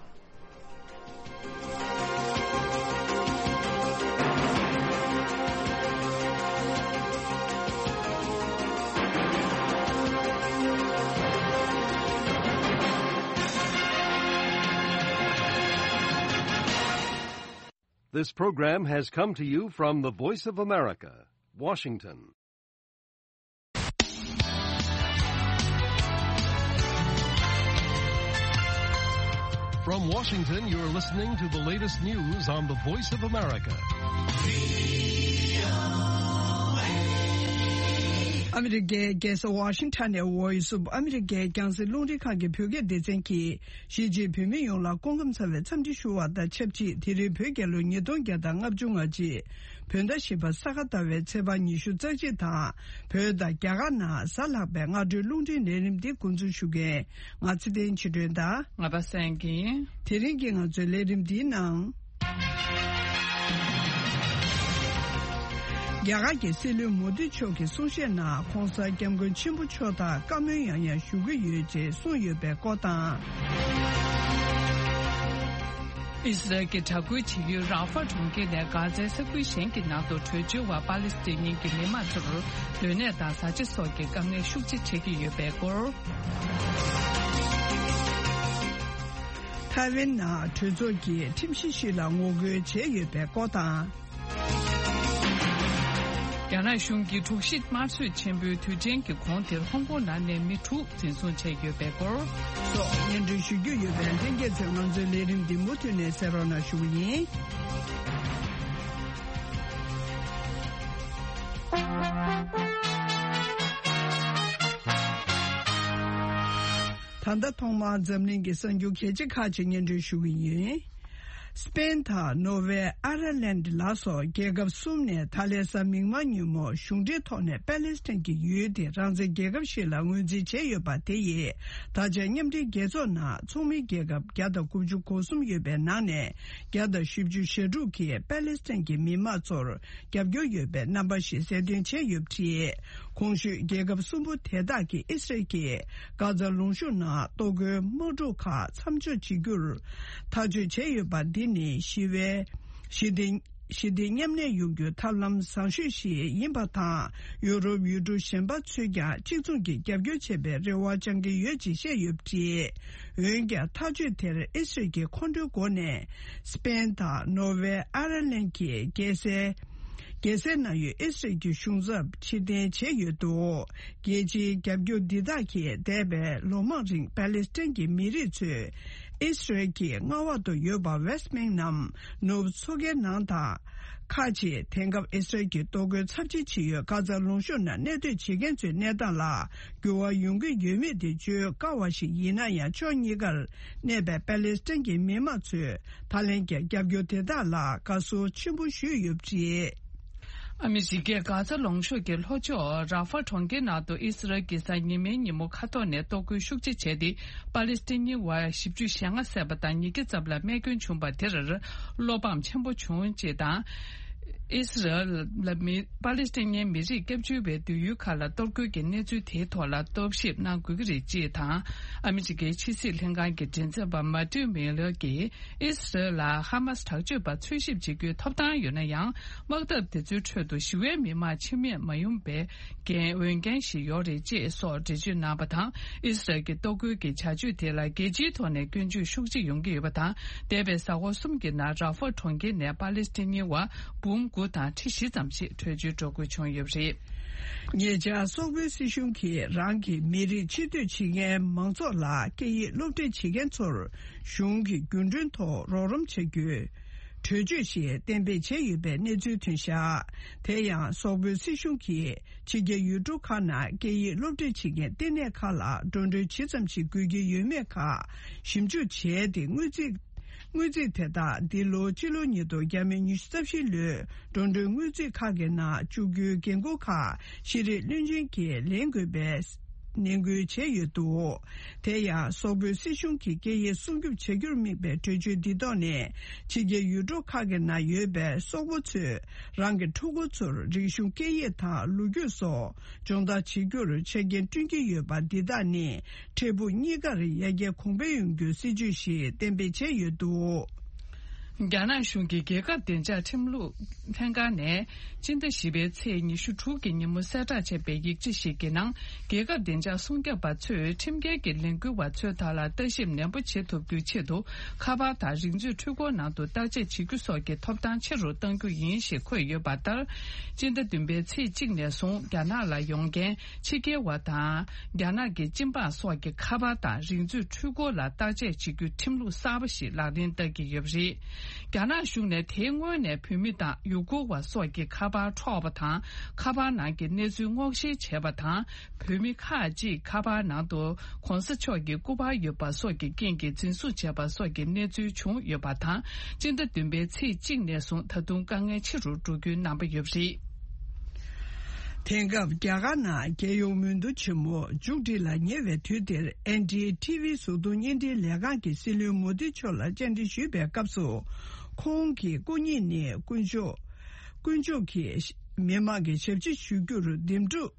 This program has come to you from the Voice of America, Washington. From Washington, you're listening to the latest news on the Voice of America. ཨ་མི་རི་ཀའི་རྒྱལ་ས་ཝ་ཤིང་ཊོན་ནས་Voice of America རྒྱང་སྲིང་རླུང་འཕྲིན་ཁང་གི་བོད་སྐད་སྡེ་ཚན་གྱིས། གཞིས་བྱེས་བོད་མི་ཡོངས་ལ་སྐུ་ཁམས་བཟང་བའི་འཚམས་འདྲི་ཞུ་བ་དང་ཆབས་ཅིག་དེ་རིང་བོད་རྒྱལ་ལོ་ཉིས་སྟོང་བརྒྱ་དང་ལྔ་བཅུ་ང་གཅིག་བོད་ཟླ་བཞི་པ་ས་ག་ཟླ་བའི་ཚེས་པ་ཉི་ཤུ་རྩ་གཅིག་དང་། བོད་དང་རྒྱ་གར་ནང་གཟའ་ལྷག་པའི་སྔ་དྲོའི་རླུང་འཕྲིན་ལས་རིམ་འདི་འགོ་འཛུགས་ཞུ་མཁན་ང་ཚེ་བརྟན་ཆོས་སྒྲོན་དང་། ང་པ་སངས་དགེ་ཡིན། དེ་རིང་གི་ང་ཚོའི་ལས་རིམ་འདིའི་ནང་། རྒྱ་གར་གྱི་སྲིད་བློན་མོ་དི་མཆོག་གི་གསུང་བཤད་ནང་༧གོང་ས་༧སྐྱབས་མགོན་ཆེན་པོ་མཆོག་དང་བཀའ་མོལ་ཡང་ཡང་ཞུ་གི་ཡོད་ཅེས་གསུངས་ཡོད་པའི་སྐོར་དང་། ཨི་སི་རལ་གྱི་དྲག་རྒོལ་བྱེད་ཡུལ་རཱ་ཧྥ་གྲོང་ཁྱེར་ནས་གྷ་ཛའི་ས་ཁུལ་གཞན་གྱི་ནང་དུ་བྲོས་བྱོལ་བ་པ་ལི་སི་ཐན་གྱི་མི་མང་ཚོར་སྡོད་གནས་དང་བཟའ་བཅའ་སོགས་ཀྱི་དཀའ་ངལ་ཤུགས་ཆེ་འཕྲད་ཀྱི་ཡོད་པའི་སྐོར། ཐའེ་ཝན་ནང་གྲོས་ཚོགས་ཀྱིས་ཁྲིམས་གཞི་ཞིག་ལ་ངོ་རྒོལ་བྱས་ཡོད་པའི་སྐོར་དང་། རྒྱ་ནག་གཞུང་གིས་དྲུག་བཞི་དམར་གསོད་ཆེན་པོའི་དུས་དྲན་གྱི་གོང་དེར་ཧོང་ཀོང་ནང་ནས་མི་དྲུག་འཛིན་བཟུང་བྱས་ཡོད་པའི་སྐོར་སོགས་སྙན་སྒྲོན་ཞུ་རྒྱུ་ཡོད་པས། ལྷན་རྒྱས་ཚོས་ང་ཚོའི་ལས་རིམ་འདི་མུ་མཐུད་ནས་གསན་རོགས་གནང་ཞུ་གི་ཡིན། ད་ལྟ་ཐོག་མར་འཛམ་གླིང་གི་གསར་འགྱུར་གལ་ཆེ་ཁག་ཅིག་སྙན་སྒྲོན་ཞུ་གི་ཡིན། སི་པེན་དང་ནོར་ཝེ། ཨ་ཡར་ལན་ལ་སོགས་རྒྱལ་ཁབ་གསུམ་ནས་ད་ལན་གཟའ་མིག་དམར་ཉིན་མོ་གཞུང་འབྲེལ་ཐོག་ནས་པ་ལེ་སི་ཐན་གྱི་ཡུལ་དེ་རང་བཙན་རྒྱལ་ཁབ་ཞིག་ལ་ངོས་འཛིན་བྱས་ཡོད་པ་དེ་ཡིས་ད་ཆ་མཉམ་འབྲེལ་རྒྱལ་ཚོགས་ནང་ཚོགས་མི་རྒྱལ་ཁབ་བརྒྱ་དང་དགུ་བཅུ་གོ་གསུམ་ཡོད་པའི་ནང་ནས་བརྒྱ་དང་བཞི་བཅུ་ཞེ་དྲུག་གིས་པ་ལེ་སི་ཐན་གྱི་མི་མང་ཚོར་རྒྱབ་སྐྱོར་ཡོད་པའི་རྣམ་པ་ཞིག་གསལ་སྟོན་བྱས་ཡོད་པ་རེད། གོང་ཞུས་རྒྱལ་ཁབ་གསུམ་པོ་དེ་དག་གིས་ཨི་སི་རལ་གྱིས་གྷ་ཛ་ལུང་གཤོང་ནང་གཏོར་རྒོལ་དམག་འཁྲུག་ཁག་མཚམས་འཇོག་བྱེད་རྒྱུར་ཐག་གཅོད་བྱས་ཡོད་པ་འདི་ནི་ཞི་བའི་ཞི་བདེ་ཞི་བདེ་མཉམ་གནས་ཡོང་རྒྱུའི་ཐབས་ལམ་བཟང་ཤོས་ཤིག་ཡིན་པ་དང་། ཡུ་རོབ་ཡུལ་གྲུ་གཞན་པ་ཚོས་ཀྱང་གཅིག་མཚུངས་ཀྱིས་རྒྱབ་སྐྱོར་བྱེད་པའི་རེ་བ་བཅང་གི་ཡོད་ཅེས་བཤད་ཡོད་པ་རེད། འོན་ཀྱང་ཐག་གཅོད་དེར་ཨི་སི་རལ་གྱིས་ཁོང་ཁྲོའི་སྒོ་ནས་སི་པེན་དང་ནོར་ཝེ། ཨ་ཡར་ལན་གྱི་རྒྱལ་སའི་རྒྱལ་སའི་ནང་ཡོད་ཨི་སི་རལ་གྱི་གཞུང་ཚབ་ཕྱིར་འཐེན་བྱས་ཡོད་འདུག་རྒྱལ་སྤྱིའི་རྒྱབ་སྐྱོར་འདི་དག་གིས་འདས་པའི་ལོ་མང་རིང་པ་ལེ་སི་ཐན་གྱི་མི་རིགས་ཚོས་ཨི་སི་རལ་གྱི་མངའ་འོག་ཏུ་ཡོད་པ་ཝེ་སི་ཊི་བྷེང་ནམ་ནུབ་མཚོ་ཁའི་ནང་དང་། ཁག་ཅིག་དེང་སྐབས་ཨི་སི་རལ་གྱི་གཏོར་རྒོལ་ཚབས་ཆེ་བྱེད་ཡུལ་གྷ་ཛ་ལུང་གཤོང་ནང་གནས་སྡོད་བྱེད་མཁན་ཚོའི་གནས་སྟངས་ལ་འགྱུར་བ་ཡོང་གི་ཡོད་མེད་དེ་བརྗོད་དཀའ་བ་ཞིག་ཡིན་ན་ཡང་། ཕྱོགས་གཉིས་ཀར་གནས་པའི་པ་ལེ་སི་ཐན་གྱི་མི་མང་ཚོས་ད་ལན་གྱི་རྒྱབ་སྐྱོར་དེ་དག་ལ་དགའ་བསུ་ཆེན་པོ་ཞུས་ཡོད་པ་རེད། ཨ་མི་རི་ཀས་གྷ་ཛ་ལུང་གཤོང་གི་ལྷོ་ཕྱོགས་རཱ་ཧྥ་གྲོང་ཁྱེར་ནང་དུ་ཨི་སི་རལ་གྱིས་གཟའ་ཉི་མའི་ཉིན་མོ་མཁའ་ཐོག་ནས་གཏོར་རྒོལ་ཤུགས་ཆེ་བྱས་ཏེ། པ་ལེ་སི་ཐན་གྱི་བར་བཞི་བཅུ་ཞེ་ལྔ་བསད་པ་དང་། ཉིས་བརྒྱ་ཙམ་ལ་རྨས་སྐྱོན་བྱུང་བ་དེར་བློ་ཕམ་ཆེན་པོ་བྱུང་ཅེས་དང་། ཨི་སི་རལ་ལ་མི་པ་ལེ་སི་ཐན་མི་རིགས་སྐྱབས་བཅོལ་བའི་སྡོད་ཡུལ་ཁག་ལ་གཏོར་རྒོལ་གྱི་གནས་ཚུལ་དེའི་ཐོག་ལ་རྟོག་ཞིབ་གནང་དགོས་ཀྱི་རེད་ཅེས་དང་། ཨ་མི་རི་ཀའི་ཕྱི་སྲིད་ལྷན་ཁང་གི་མགྲིན་ཚབ་པ་མ་ཏིའུ་མི་ལར་གྱིས། ཨི་སི་རལ་ལ་ཧ་མ་སི་དྲག་སྤྱོད་པ་འཚོལ་ཞིབ་བྱེད་རྒྱུའི་ཐོབ་ཐང་ཡོད་ན་ཡང་། དམག་འཐབ་དེ་ཚོའི་ཁྲོད་དུ་ཞི་བའི་མི་མང་འཆི་རྨས་མ་ཡོང་པའི་འགན་འོས་འགན་ཞིག་ཡོད་རེད་ཅེས་སོགས་འགྲེལ་བརྗོད་གནང་བ་དང་། ཨི་སི་རལ་གྱི་གཏོར་རྒོལ་གྱི་བྱ་སྤྱོད་དེ་ལ་རྒྱལ་སྤྱིའི་ཐོག་ནས་སྐྱོན་བརྗོད་ཤུགས་ཆེ་ཡོང་གི་ཡོད་པ་དང་། འདས་པའི་གཟའ་འཁོར་གསུམ་གྱི་ནང་རཱ་ཧྥ་གྲོང་ཁྱེར་ནས་པ་ལེ་སི་ཐན་མི་བ་འབུམ་དགུ་དང་ཁྲི་བཞི་ཙམ་ཞིག་བྲོས་བྱོལ་འགྲོ་དགོས་བྱུང་ཡོད་པ་རེད། ཉེ་ཆར་སོག་པོའི་སྲིད་གཞུང་གིས་རང་གི་མི་རིགས་ཕྱིར་སྡོད་བྱེད་མཁན་མང་ཚོགས་ལ་སྐད་ཡིག་སློབ་ཁྲིད་བྱེད་མཁན་ཚོར་གཞུང་གི་རྒྱུན་གྲོན་ཐོག་རོགས་རམ་བྱ་རྒྱུའི་གྲོས་ཆོད་ཞིག་གཏན་འབེབས་བྱས་ཡོད་པའི་གནས་ཚུལ་ཐོན་བཞག་དེ་ཡང་སོག་པོའི་སྲིད་གཞུང་གིས་ཕྱི་རྒྱལ་ཡུལ་གྲུ་ཁག་ནང་སྐད་ཡིག་སློབ་ཁྲིད་བྱེད་མཁན་ལྟེ་གནས་ཁག་ལ་འགྲོ་གྲོན་ཇི་ཙམ་ཞིག་དགོས་ཀྱི་ཡོད་མེད་ཁག་ཞིབ་འཇུག་བྱས་ཏེ། དངུལ་རྩིས། དངུལ་རྩིས་དེ་དག་འདི་ལོ་སྤྱི་ལོ་ཉིས་སྟོང་ཉི་ཤུ་རྩ་བཞི་ལོའི་འགྲོ་གྲོན་དངུལ་རྩིས་ཁག་གི་ནང་བཅུག་རྒྱུའི་འགན་འཁུར་ཁག་ཤེས་རིག་བློན་ཆེན་གྱིས་ལེན་དགོས་པའི་ ནན་སྐུལ་བྱས་ཡོད་འདུག་དེ་ཡང་སོག་པོའི་སྲིད་གཞུང་གིས་སྐད་ཡིག་སྲུང་སྐྱོབ་བྱ་རྒྱུར་དམིགས་པའི་གྲོས་ཆོད་འདི་ཐོག་ནས་ཕྱི་རྒྱལ་ཡུལ་གྲུ་ཁག་གི་ནང་ཡོད་པའི་སོག་པོ་ཚོས་རང་གི་ཕྲུ་གུ་ཚོར་རིག་གཞུང་སྐད་ཡིག་དང་ལོ་རྒྱུས་སོགས་སྦྱོང་བརྡར་བྱེད་རྒྱུར་ཆ་རྐྱེན་བསྐྲུན་གྱི་ཡོད་པ་འདི་དག་ནི་འཕྲལ་ཕུགས་གཉིས་ཀར་ཡར་རྒྱས་གོང་འཕེལ་ཡོང་རྒྱུའི་སྲིད་ཇུས་ཤིག་གཏན་འབེབས་བྱས་ཡོད་འདུག་རྒྱ་ནག་གཞུང་གིས་རྒྱལ་ཁབ་བདེ་འཇགས་ཁྲིམས་ལུགས་ལྷན་ཁང་ནས་སྤྱི་ཟླ་བཞི་པའི་ཚེས་ཉི་ཤུ་དྲུག་གི་ཉིན་མོ་གསལ་བསྒྲགས་བྱས་པའི་ཡིག་ཆ་ཞིག་གི་ནང་། རྒྱལ་ཁབ་བདེ་འཇགས་སྲུང་སྐྱོབ་པ་ཚོས་ཁྲིམས་འགལ་གྱི་ལས་འགུལ་བ་ཚོའི་ཐད་ལ་ལྟ་ཞིབ་ནན་པོ་བྱེད་ཐུབ་རྒྱུའི་ཆེད་དུ། ཁ་པར་དང་རིག་མཛོད་འཕྲུལ་འཁོར་ནང་དུ་བརྟག་དཔྱད་བྱེད་རྒྱུ་སོགས་ཀྱི་ཐོབ་ཐང་ཆེ་རུ་གཏང་རྒྱུ་ཡིན་ཞེས་འཁོད་ཡོད་པ་ལྟར། སྤྱི་ཟླ་བདུན་པའི་ཚེས་གཅིག་ནས་བཟུང་རྒྱ་ནག་ལ་ཡོང་མཁན་ཕྱི་རྒྱལ་བ་དང་། རྒྱ་ནག་གི་སྤྱི་འབངས་སོགས་ཀྱི་ཁ་པར་དང་རིག་མཛོད་འཕྲུལ་འཁོར་ལ་བརྟག་དཔྱད་བྱེད་རྒྱུའི་ཁྲིམས་ལུགས་གསར་པ་ཞིག་ལག་ལེན་བསྟར་གྱི་ཡོད་པ་རེད། རྒྱ་ནག་གཞུང་ནས་དེའི་སྔོན་ནས་བོད་མི་དང་ཡུ་གུར་བ་སོགས་ཀྱི་ཁ་པར་འཕྲོག་པ་དང་། ཁ་པར་ནང་གི་གནས་ཚུལ་སྔོག་བཤེར་བྱས་པ་དང་། བོད་མི་ཁག་ཅིག་ཁ་པར་ནང་དུ་༧གོང་ས་མཆོག་གི་སྐུ་པར་ཡོད་པ་སོགས་ཀྱི་རྐྱེན་གྱིས་འཛིན་བཟུང་བྱས་པ་སོགས་ཀྱི་གནས་ཚུལ་བྱུང་ཡོད་པ་དང་། སྤྱི་ཟླ་བདུན་པའི་ཚེས་གཅིག་ནས་བཟུང་ད་དུང་དཀའ་ངལ་ཆེ་རུ་འགྲོ་རྒྱུའི་རྣམ་པ་ཡོད་པ་རེད། དེང་སྐབས་རྒྱ་གར་ནང་རྒྱལ་ཡོངས་མོས་བསྡུ་ཆེན་མོ་མཇུག་སྒྲིལ་ལ་ཉེ་བའི་དུས་འདིར། ཨེན་ཌི་ཨེ་ཊི་ཝི་གཟུགས་མཐོང་བརྙན་འཕྲིན་ལས་ཁང་གི་སྲིད་བློན་མོ་དི་མཆོག་ལ་བཅར་འདྲི་ཞུས་པའི་སྐབས་སུ། ཁོང་གི་སྐུ་ཉིད་ནི་དཀོན་མཆོག་དཀོན་མཆོག་གིས་མི་དམངས་ཀྱི་ཞབས་ཕྱི་ཞུ་རྒྱུར་འདེམས་སྒྲུག་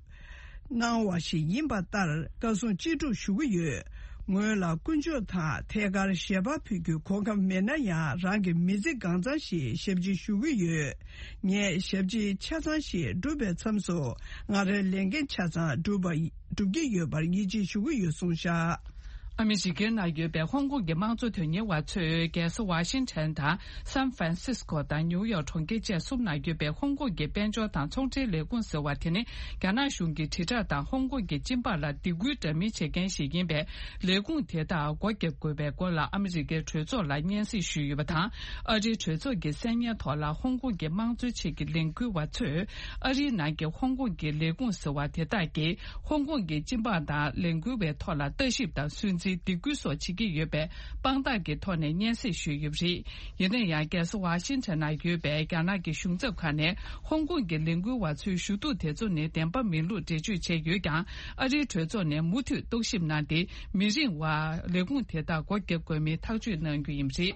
གནང་བ་ཞིག་ཡིན་པ་ལྟར་བཀའ་གསུང་ཅི་སྒྲུབ་ཞུ་གི་ཡོད། ངོས་ལ་དཀོན་མཆོག་དང་ཐད་ཀར་ཞལ་པར་ཕུལ་རྒྱུའི་གོ་སྐབས་མེད་ན་ཡང་། རང་གི་མི་ཚེ་གང་ཚང་ཞིག་ཞབས་ཕྱི་ཞུ་གི་ཡོད། ངས་ཞབས་ཕྱི་ཆ་ཚང་ཞིག་བསྒྲུབས་པའི་མཚམས་སུ། ང་རའི་ལས་འགན་ཆ་ཚང་བསྒྲུབས་པ་བསྒྲུབ་ཀྱི་ཡོད་པར་ཡིད་ཆེས་ཞུ་གི་ཡོད་གསུངས་བཞག་ཨ་མི་རི་ཀའི་ནང་ཡོད་པའི་ཧོང་ཀོང་གི་དམངས་གཙོ་དོན་གཉེར་བ་ཚོས་རྒྱལ་ས་ཝ་ཤིང་ཊོན་དང་སན་ཧྥ་རན་སིས་ཀོ་དང་ནིའུ་ཡོག་གྲོང་ཁྱེར་བཅས་གསུམ་ནང་ཡོད་པའི་ཧོང་ཀོང་གི་དཔལ་འབྱོར་དང་ཚོང་འབྲེལ་ལས་ཁུངས་ཟེར་བ་དེ་ནི། རྒྱ་ནག་གཞུང་གིས་དྲིལ་བསྒྲགས་དང་ཧོང་ཀོང་གི་སྤྱི་འབངས་ལ་སྡིགས་སྐུལ་འདྲ་མིན་བྱེད་མཁན་ཞིག་ཡིན་པས། ལས་ཁུངས་དེ་དག་སྒོ་བརྒྱབ་དགོས་པའི་སྐོར་ལ་ཨ་མི་རི་ཀའི་གྲོས་ཚོགས་ལ་སྙན་སེང་ཞུས་ཡོད་པ་དང་། ཨ་རིའི་གྲོས་ཚོགས་ཀྱི་གསན་ཉན་ཐོག་ལ་ཧོང་ཀོང་གི་དམངས་གཙོའི་ཆེད་ཀྱི་ལས་འགུལ་བ་ཚོས། ཨ་རིའི་ནང་གི་ཧོང་ཀོང་གི་ལས་ཁུངས་ཟེར་བ་དེ་དག་གིས། ཧོང་ཀོང་གི་སྤྱི་འབངས་དང་ལས་འགུལ་བའི་ཐོག་ལ་ལྟ་ཞིབ་དང་སུན་གཙེར་སྡིགས་སྐུལ་སོགས་བྱེད་ཀྱི་ཡོད་པའི་དཔང་རྟགས་ཀྱི་ཐོག་ནས་སྙན་སེང་ཞུས་ཡོད་པ་རེད། ཡིན་ན་ཡང་། རྒྱལ་ས་ཝ་ཤིང་ཊོན་ན་ཡོད་པའི་རྒྱ་ནག་གི་གཞུང་ཚབ་ཁང་ནས། ཧོང་ཀོང་གི་ལས་འགུལ་བ་ཚོའི་ཞུ་གཏུག་དེ་ཚོ་ནི་བདེན་པ་མིན་ལུགས་འགྲེལ་བརྗོད་བྱས་ཡོད་ཀྱང་། ཨ་རིའི་གྲོས་ཚོགས་ནས་མུ་མཐུད་རྟོག་ཞིབ་གནང་སྟེ། མི་རིང་བར་ལས་ཁུངས་དེ་དག་སྒོ་བརྒྱབ་དགོས་མིན་ཐག་གཅོད་གནང་རྒྱུ་ཡིན་པ་རེད།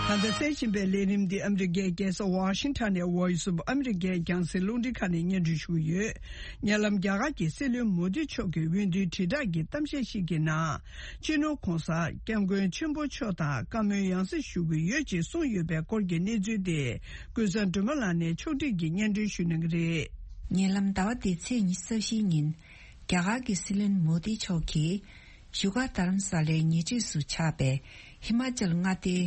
ད་ལྟ་གསན་བཞིན་པའི་ལས་རིམ་འདི་ཨ་མི་རི་ཀའི་རྒྱལ་ས་ཝ་ཤིང་ཊོན་ནས་Voice of America རྒྱང་སྲིང་རླུང་འཕྲིན་ཁང་ནས་སྙན་སྒྲོན་ཞུ་གི་ཡོད། ཉེ་ལམ་རྒྱ་གར་གྱི་སྲིད་བློན་མོ་དི་མཆོག་གིས་འོས་བསྡུའི་དྲིལ་བསྒྲགས་ཀྱི་གཏམ་བཤད་ཞིག་གི་ནང་། སྤྱི་ནོར་༧གོང་ས་༧སྐྱབས་མགོན་ཆེན་པོ་མཆོག་དང་བཀའ་མོལ་ཡང་སེ་ཞུ་གི་ཡོད་ཅེས་གསུངས་ཡོད་པའི་སྐོར་གྱི་གནས་ཚུལ་དེ། ཀུན་བཟང་སྒྲོལ་མ་ལགས་ནས་ཕྱོགས་སྒྲིག་གིས་སྙན་སྒྲོན་ཞུ་གནང་གི་རེད། ཉེ་ལམ་ཟླ་བ་འདིའི་ཚེས་ཉི་ཤུ་རྩ་བཞིའི་ཉིན། རྒྱ་གར་གྱི་སྲིད་བློན་མོ་དི་མཆོག་གིས། བཞུགས་སྒར་རྡ་རམ་ས་ལའི་ཉེ་འཁྲིས་སུ་ཆགས་པའི་ཧི་མ་ཅལ་མངའ་སྡེའི་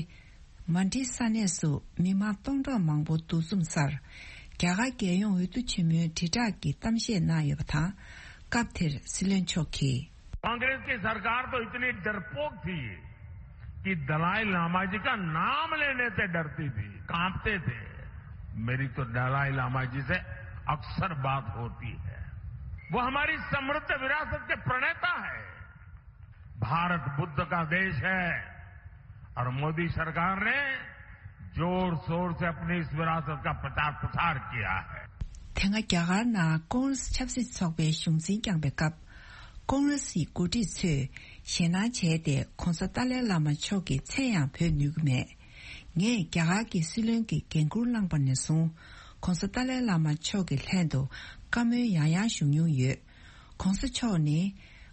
མན་ཌི་ས་གནས་སུ་མི་མང་སྟོང་ཕྲག་མང་པོ་འདུ་འཛོམས་སར། རྒྱ་གར་རྒྱལ་ཡོངས་འོས་བསྡུ་ཆེན་མོའི་དྲིལ་བསྒྲགས་ཀྱི་གཏམ་བཤད་གནང་ཡོད་པ་དང་། སྐབས་དེར་སྲིད་བློན་མཆོག་གིས། कांग्रेस की सरकार तो इतनी डरपोक थी कि दलाई लामा जी का नाम लेने से डरती थी, कांपते थे। मेरी तो दलाई लामा जी से अक्सर बात होती है। वो हमारी समृद्ध विरासत के प्रणेता है। भारत बुद्ध का देश है और मोदी सरकार ने जोर शोर से अपनी इस विरासत का प्रचार प्रसार किया है। དེ་སྔ་རྒྱ་གར་ནང་ཀོང་རེ་སི་ཆབ་སྲིད་ཚོགས་པའི་གཞུང་འཛིན་བསྐྱངས་པའི་སྐབས། ཀོང་རེ་སིའི་འགོ་ཁྲིད་ཚོས་ཞེད་སྣང་བྱས་ཏེ། ༧གོང་ས་ཏཱ་ལའི་བླ་མ་མཆོག་གི་མཚན་ཡང་འབོད་ནུས་ཀྱི་མེད། ངས་རྒྱ་གར་གྱི་སྲིད་བློན་གྱི་འགན་འཁུར་བླངས་པ་ནས་བཟུང་། ༧གོང་ས་ཏཱ་ལའི་བླ་མ་མཆོག་གི་ལྷན་དུ་བཀའ་མོལ་ཡང་ཡང་ཞུ་མྱོང་ཡོད། ༧གོང་ས་མཆོག་ནི་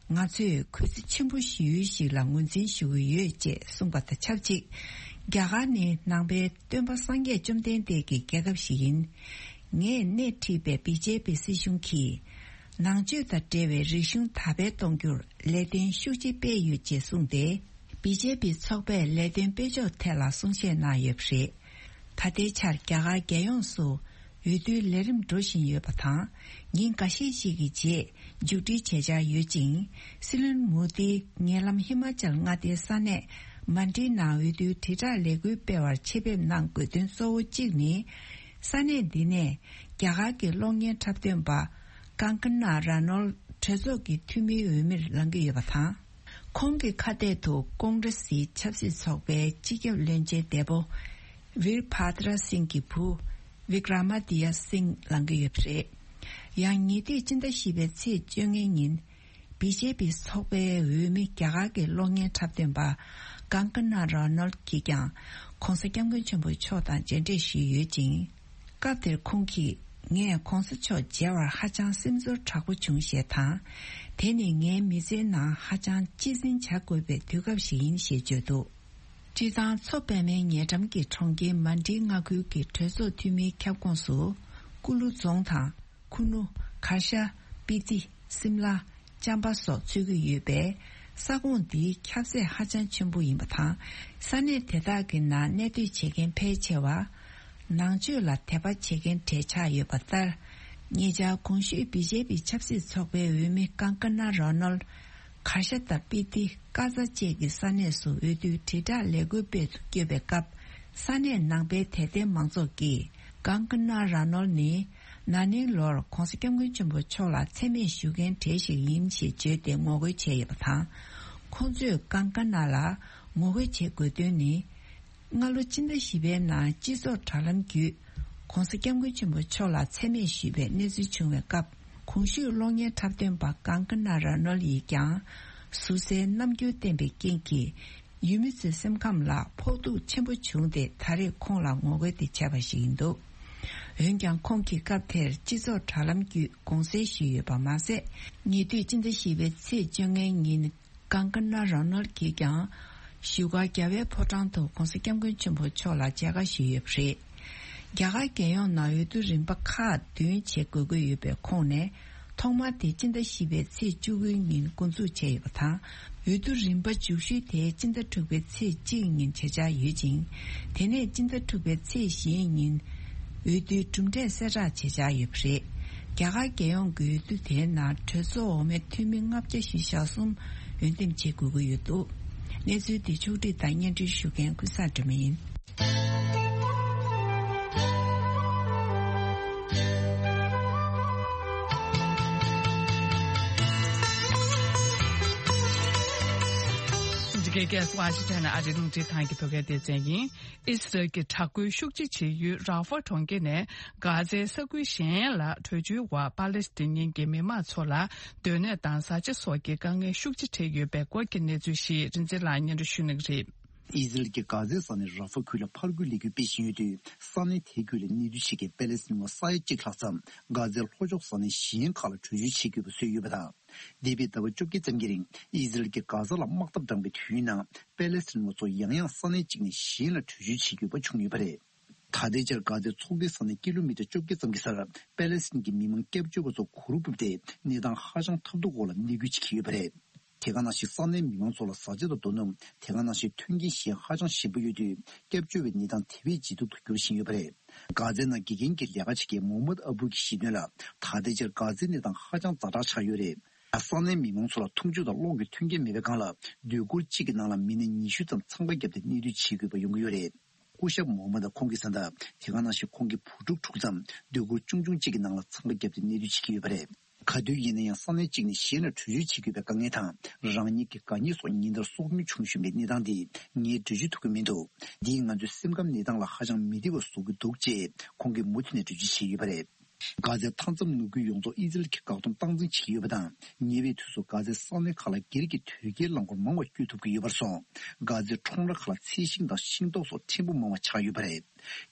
ང་ཚོས་གུས་བརྩི་ཆེན་པོ་ཞུ་ཡུལ་ཞིག་ལ་ངོས་འཛིན་ཞུ་གི་ཡོད་ཅེས་གསུངས་པ་དང་ཆབས་ཅིག། རྒྱ་གར་ནི་ནང་པའི་སྟོན་པ་སངས་རྒྱས་བཅོམ་ལྡན་འདས་ཀྱི་རྒྱལ་ཁབ་ཞིག་ཡིན། ངས་སྣེ་ཁྲིད་པའི་བི་ཇེ་པི་སྲིད་གཞུང་གིས། ནང་ཆོས་དང་འབྲེལ་བའི་རིག་གཞུང་དར་སྤེལ་གཏོང་རྒྱུར་ལས་དོན་ཤུགས་ཆེ་སྤེལ་ཡོད་ཅེས་གསུངས་ཏེ། བི་ཇེ་པི་ཚོགས་པས་ལས་དོན་སྤེལ་ཕྱོགས་ཐད་ལ་གསུང་བཤད་གནང་ཡོད་པ་རེད། ད་ལྟའི་ཆར་རྒྱ་གར་རྒྱལ་ཡོངས་སུ་འོས་བསྡུའི་ལས་རིམ་འགྲོ་བཞིན་ཡོད་པ་དང་། ཉིན་འགའ་ཤས་ཤིག་གི་རྗེས་མཇུག་སྒྲིལ་བྱེད་འཆར་ཡོད་ཅིང་། སྲིད་བློན་མོ་དིས་ཉེ་ལམ་ཧི་མ་ཅལ་མངའ་སྡེའི་ས་གནས་མན་ཌི་ནང་འོས་བསྡུའི་དྲིལ་བསྒྲགས་ལས་འགུལ་སྤེལ་བར་ཆེད་ཕེབས་གནང་དགོས་དོན་གཙོ་བོ་གཅིག་ནི། ས་གནས་འདི་ནས་རྒྱ་གར་གྱི་གློག་བརྙན་འཁྲབ་སྟོན་པ་ཀང་ཀ་ན་ར་ནོལ་གྲོས་ཚོགས་ཀྱི་འཐུས་མིའི་འོས་མིར་ལངས་ཀྱི་ཡོད་པ་དང་། ཁོང་གི་ཁ་གཏད་དུ་ཀོང་རེ་སིའི་ཆབ་སྲིད་ཚོགས་པའི་སྤྱི་ཁྱབ་བློན་ཆེན་འདས་པོ་ཝིར་བྷ་དྲ་སིང་གི་བུ་ བི་ཀྲ་མ་དི་ཡ་སིང་ལངས་ཀྱི་ཡོད་པ་རེད། ཡང་ཉེ་དུས་སྤྱི་ཟླ་བཞི་པའི་ཚེས་བཅོ་ལྔའི་ཉིན། བི་ཇེ་པི་ཚོགས་པའི་འོས་མི་རྒྱ་གར་གྱི་གློག་བརྙན་འཁྲབ་སྟོན་པ་ཀང་ཀ་ན་རོ་ནལ་གྱིས་ཀྱང་༸གོང་ས་༸སྐྱབས་མགོན་ཆེན་པོ་མཆོག་དང་མཇལ་འཕྲད་ཞུས་ཡོད་ཅིང་། སྐབས་དེར་ཁོང་གིས། ངས་༸གོང་ས་མཆོག་མཇལ་བར་ཧ་ཅང་སེམས་ཚོར་དྲག་པོ་བྱུང་ཞེས་དང་། དེ་ནི་ངའི་མི་ཚེའི་ནང་ཧ་ཅང་གཅེས་འཛིན་བྱ་དགོས་པའི་དུས་སྐབས་ཤིག་ཡིན་ཞེས་བརྗོད་འདུག་སྤྱིར་བཏང་མཚོ་པདྨའི་ཉེ་འགྲམ་གྱི་གྲོང་ཁྱེར་མན་ཌི་མངའ་ཁུལ་གྱི་གྲོས་ཚོགས་འཐུས་མིའི་ཁྱབ་ཁོངས་སུ། ཀུ་ལུ་རྫོང་དང་། ཁུ་ནུ། གར་ཤ། སྤི་ཏི། སིམ་ལ། ཅམ་པ་སོགས་ཚུད་ཀྱི་ཡོད་པས། ས་ཁོངས་འདིའི་ཁྱབ་ཚད་ཧ་ཅང་ཆེན་པོ་ཡིན་པ་དང་། ས་གནས་དེ་དག་གི་ནང་གནས་སྡོད་བྱེད་མཁན་ཕལ་ཆེ་བ། ནང་ཆོས་ལ་དད་པ་བྱེད་མཁན་གྲས་ཆགས་ཡོད་པ་ལྟར། ཉེ་ཆར་གོང་ཞུས་བི་ཇེ་པི་ཆབ་སྲིད་ཚོགས་པའི་འོས་མི་ཀང་ཀ་ན་རོ་ནལ། གར་ཤ་དང་སྤི་ཏི། ཀ་ཛ་བཅས་ཀྱི་ས་གནས་སུ་འོས་བསྡུའི་དྲིལ་བསྒྲགས་ལས་འགུལ་སྤེལ་དུ་བསྐྱོད་པའི་སྐབས། ས་གནས་ནང་པའི་དད་ལྡན་མང་ཚོགས་ཀྱིས་ཀང་ཀ་ན་ར་ནོལ་ནི། ན་ནིང་ལོར་༸གོང་ས་༸སྐྱབས་མགོན་ཆེན་པོ་མཆོག་ལ་མཚན་སྨད་ཞུ་མཁན་གྲས་ཤིག་ཡིན་ཞེས་བརྗོད་དེ་ངོ་རྒོལ་བྱས་ཡོད་པ་དང་། ཁོང་ཚོས་ཀང་ཀ་ན་ལ་ངོ་རྒོལ་བྱེད་དགོས་དོན་ནི། སྔ་ལོ་སྤྱི་ཟླ་བཞི་པའི་ནང་སྤྱི་ཚོགས་དྲ་ལམ་བརྒྱུད། ༸གོང་ས་༸སྐྱབས་མགོན་ཆེན་པོ་མཆོག་ལ་མཚན་སྨད་ཞུས་པའི་གནས་ཚུལ་བྱུང་བའི་སྐབས། གོང་ཞུས་གློག་བརྙན་འཁྲབ་སྟོན་པ་ཀང་ཀ་ན་ར་ནོལ་ཡིས་ཀྱང་། ཟུར་ཟའི་རྣམ་འགྱུར་བསྟན་པའི་རྐྱེན་གྱིས། ཡུལ་མི་ཚོའི་སེམས་ཁམས་ལ་ཕོག་ཐུག་ཆེན་པོ་བྱུང་སྟེ། ད་རེས་ཁོང་ལ་ངོ་རྒོལ་དེ་བྱས་པ་ཞིག་ཡིན་འདུག་འོན་ཀྱང་། ཁོང་གིས་སྐབས་དེར་སྤྱི་ཚོགས་དྲ་ལམ་བརྒྱུད་དགོངས་སེལ་ཞུས་ཡོད་པ་མ་ཟད། ཉེ་དུས་སྤྱི་ཟླ་བཞི་པའི་ཚེས་བཅོ་ལྔའི་ཉིན། ཀང་ཀ་ན་ར་ནོལ་གྱིས་ཀྱང་བཞུགས་སྒར་རྒྱལ་བའི་ཕོ་བྲང་དུ་༸གོང་ས་༸སྐྱབས་མགོན་ཆེན་པོ་མཆོག་ལ་མཇལ་ཁ་ཞུས་ཡོད་པ་རེད། རྒྱ་གར་རྒྱལ་ཡོངས་ནང་འོས་བསྡུ་རིམ་པ་ཁག་བདུན་བྱེད་དགོས་ཀྱི་ཡོད་པའི་ཁོངས་ནས། ཐོག་མར་དེ་སྤྱི་ཟླ་བཞི་པའི་ཚེས་བཅུ་དགུའི་ཉིན་འགོ་འཛུགས་བྱས་ཡོད་པ་དང་། འོས་བསྡུ་རིམ་པ་མཇུག་ཤོས་དེ་སྤྱི་ཟླ་དྲུག་པའི་ཚེས་གཅིག་ཉིན་བྱེད་འཆར་ཡོད་ཅིང་། དེ་ནས་སྤྱི་ཟླ་དྲུག་པའི་ཚེས་བཞིའི་ཉིན། འོས་བསྡུའི་གྲུབ་འབྲས་གསལ་བསྒྲགས་བྱེད་འཆར་ཡོད་པ་རེད། རྒྱ་གར་རྒྱལ་ཡོངས་ཀྱི་འོས་བསྡུ་དེའི་ནང་གྲོས་ཚོགས་འོག་མའི་འཐུས་མི་ལྔ་བརྒྱ་བཞི་ཞེ་གསུམ་འོས་འདེམས་བྱེད་དགོས་ཀྱི་ཡོད་འདུག་གནས་ཚུལ་འདི་ཕྱོགས་སྒྲིག་དང་སྙན་སྒྲོན་ཞུ་མཁན་ཀུན་བཟང་སྒྲོལ་མ་ཡིན། འདི་གའི་ཀེ་སི་ཝ་ཤིང་ཊོན་ཨ་རིའི་རླུང་འཕྲིན་ཁང་གི་བོད་སྐད་སྡེ་ཚན་ཡིན། ཨི་སི་རལ་གྱི་དྲག་རྒོལ་ཤུགས་ཆེ་བྱེད་ཡུལ་ར་ཧྥ་གྲོང་ཁྱེར་ནས་གྷ་ཛའི་ས་ཁུལ་གཞན་ལ་བྲོས་བྱོལ་བར་པ་ལེ་སི་ཐན་ཉིན་གྱི་མི་མང་ཚོ་ལ་སྡོད་གནས་དང་བཟའ་བཅའ་སོགས་ཀྱི་དཀའ་ངལ་ཤུགས་ཆེ་འཕྲད་ཡོད་པའི་སྐོར་གྱི་གནས་ཚུལ་ཞིག་རིན་འཛིན་ལགས་སྙན་སྒྲོན་ཞུ་གནང་གི་རེད། ཨི་ཟི་རལ་གྱིས་གྷ་ཛའི་ས་གནས་ར་ཧྥ་ཁུལ་ལ་ཕར་རྒོལ་ལས་འགུལ་སྤེལ་བཞིན་ཡོད་དུས། ས་གནས་དེ་ཁུལ་ལ་གནས་སྡོད་བྱེད་མཁན་པེ་ལེ་སི་ཐན་པ་ས་ཡ་གཅིག་ལྷག་ཙམ་གྷ་ཛའི་ལྷོ་ཕྱོགས་ས་གནས་གཞན་ཁག་ལ་བྲོས་བྱོལ་བྱེད་དགོས་པ་བཟོས་ཡོད་པ་དང་། འདས་པའི་ཟླ་བ་བཅོ་བརྒྱད་ཙམ་གྱི་རིང་ཨི་ཟི་རལ་གྱིས་གྷ་ཛ་ལ་དམག་འཐབ་དྲངས་པའི་དུས་ཡུན་ནང་། པེ་ལེ་སི་ཐན་པ་ཚོ་ཡང་ཡང་ས་གནས་གཅིག་ནས་གཞན་ལ་བྲོས་བྱོལ་བྱེད་དགོས་པ་བྱུང་ཡོད་པ་རེད། ད་ལྟའི་ཆར་གྷ་ཛའི་ཚོགས་སྡེའི་ས་ནས་ཀི་ལོ་མི་ཊར་བཅོ་བརྒྱད་ཙམ་གྱི་སར་པེ་ལེ་སི་ཐན་གྱི་མི་མང་སྐྱབས་བཅོལ་བ་ཚོ་གུར་ཕུབ་སྟེ་གནས་སྟངས་ཧ་ཅང་ཐབས་སྡུག་འོག་ལ་གནས་སྐྱོད་བྱེད་ཀྱི་ཡོད་པ་རེད། དེ་ག་ནང་བཞིན་ས་གནས་མི་མང་ཚོ་ལ་བཟའ་བཅའ་དང་རྡོ་སྣུམ། དེ་ག་ནང་བཞིན་མཐུན་རྐྱེན་གཞན་ཧ་ཅང་ཞན་པོ་ཡོད་དུས། སྐྱབས་བཅོལ་བའི་གནས་སྟངས་དེ་བས་ལྗིད་སྡུག་ཏུ་འགྱུར་བཞིན་ཡོད་པ་རེད། གྷ་ཛའི་ནང་དགེ་རྒན་གྱི་ལས་ཀ་བྱེད་མཁན་མོ་ཧམ་མད་ཨ་བུ་གྱིས་བཤད་དོན་ལ། ད་ལྟའི་ཆར་གྷ་ཛའི་གནས་སྟངས་ཧ་ཅང་ཛ་དྲག་ཆགས་ཡོད་རེད། ས་གནས་མི་མང་ཚོ་ལ་འཐུང་ཆུ་དང་གློག་གི་མཐུན་རྐྱེན་མེད་པའི་སྒང་ལ། སྡོད་གུར་གཅིག་གི་ནང་ལ་མི་སྣ་ཉི་ཤུ་ཙམ་འཚང་ཁ་བརྒྱབ་སྟེ་གནས་སྡོད་བྱེད་དགོས་པ་ཡོང་གི་ཡོད་རེད། སྐུ་ཞབས་མོ་ཧམ་མད་ཁོང་གིས་གསུངས་པ། དེ་ག་ནང་བཞིན་ཁོང་གི་བུ་ཕྲུག་དྲུག་ཙམ་སྡོད་གུར་ཆུང་ཆུང་གཅིག་གི་ནང་ལ་འཚང་ཁ་བརྒྱབ་སྟེ་གནས་སྡོད་བྱེད་ཀྱི་ཡོད་པ་རེད། ག་དུས་ཡིན་ན་ཡང་ས་གནས་གཅིག་ནས་གཞན་ལ་བྲོས་བྱོལ་བྱེད་དགོས་པའི་དཀའ་ངལ་དང་། རང་ཉིད་ཀྱི་དགའ་ཉེ་སོགས་ཉིན་ལྟར་སྲོག་ཉེན་བྱུང་བཞིན་པའི་གནས་སྟངས་འདིས་ངས་བྲོས་བྱོལ་ཐུབ་ཀྱི་མི་འདུག་འདིས་ང་ཚོའི་སེམས་ཁམས་གནས་སྟངས་ལ་ཧ་ཅང་མི་བདེ་བ་བཟོ་གི་འདུག་ཅེས་ཁོང་གིས་མུ་མཐུད་ནས་འགྲེལ་བརྗོད་བྱས་ཡོད་པ་རེད། གྷ་ཛའི་མཐའ་མཚམས་ནང་ཁུལ་ཡོངས་རྫོགས་ཨི་ཟི་རལ་གྱིས་བཀག་སྡོམ་སྟངས་འཛིན་བྱེད་ཀྱི་ཡོད་པ་དང་། ཉེ་བའི་དུས་སུ་གྷ་ཛའི་ས་གནས་ཁག་ལ་སྒེར་གྱི་དོས་སྐྱེལ་རླངས་འཁོར་མང་བ་སྐྱོད་ཐུབ་ཀྱི་ཡོད་པར་སོང་། གྷ་ཛའི་ཁྲོམ་ར་ཁག་ལ་ཚལ་ཞིང་དང་ཤིང་ཏོག་སོགས་ཕྲན་བུ་མང་བ་ཆགས་ཡོད་པ་རེད།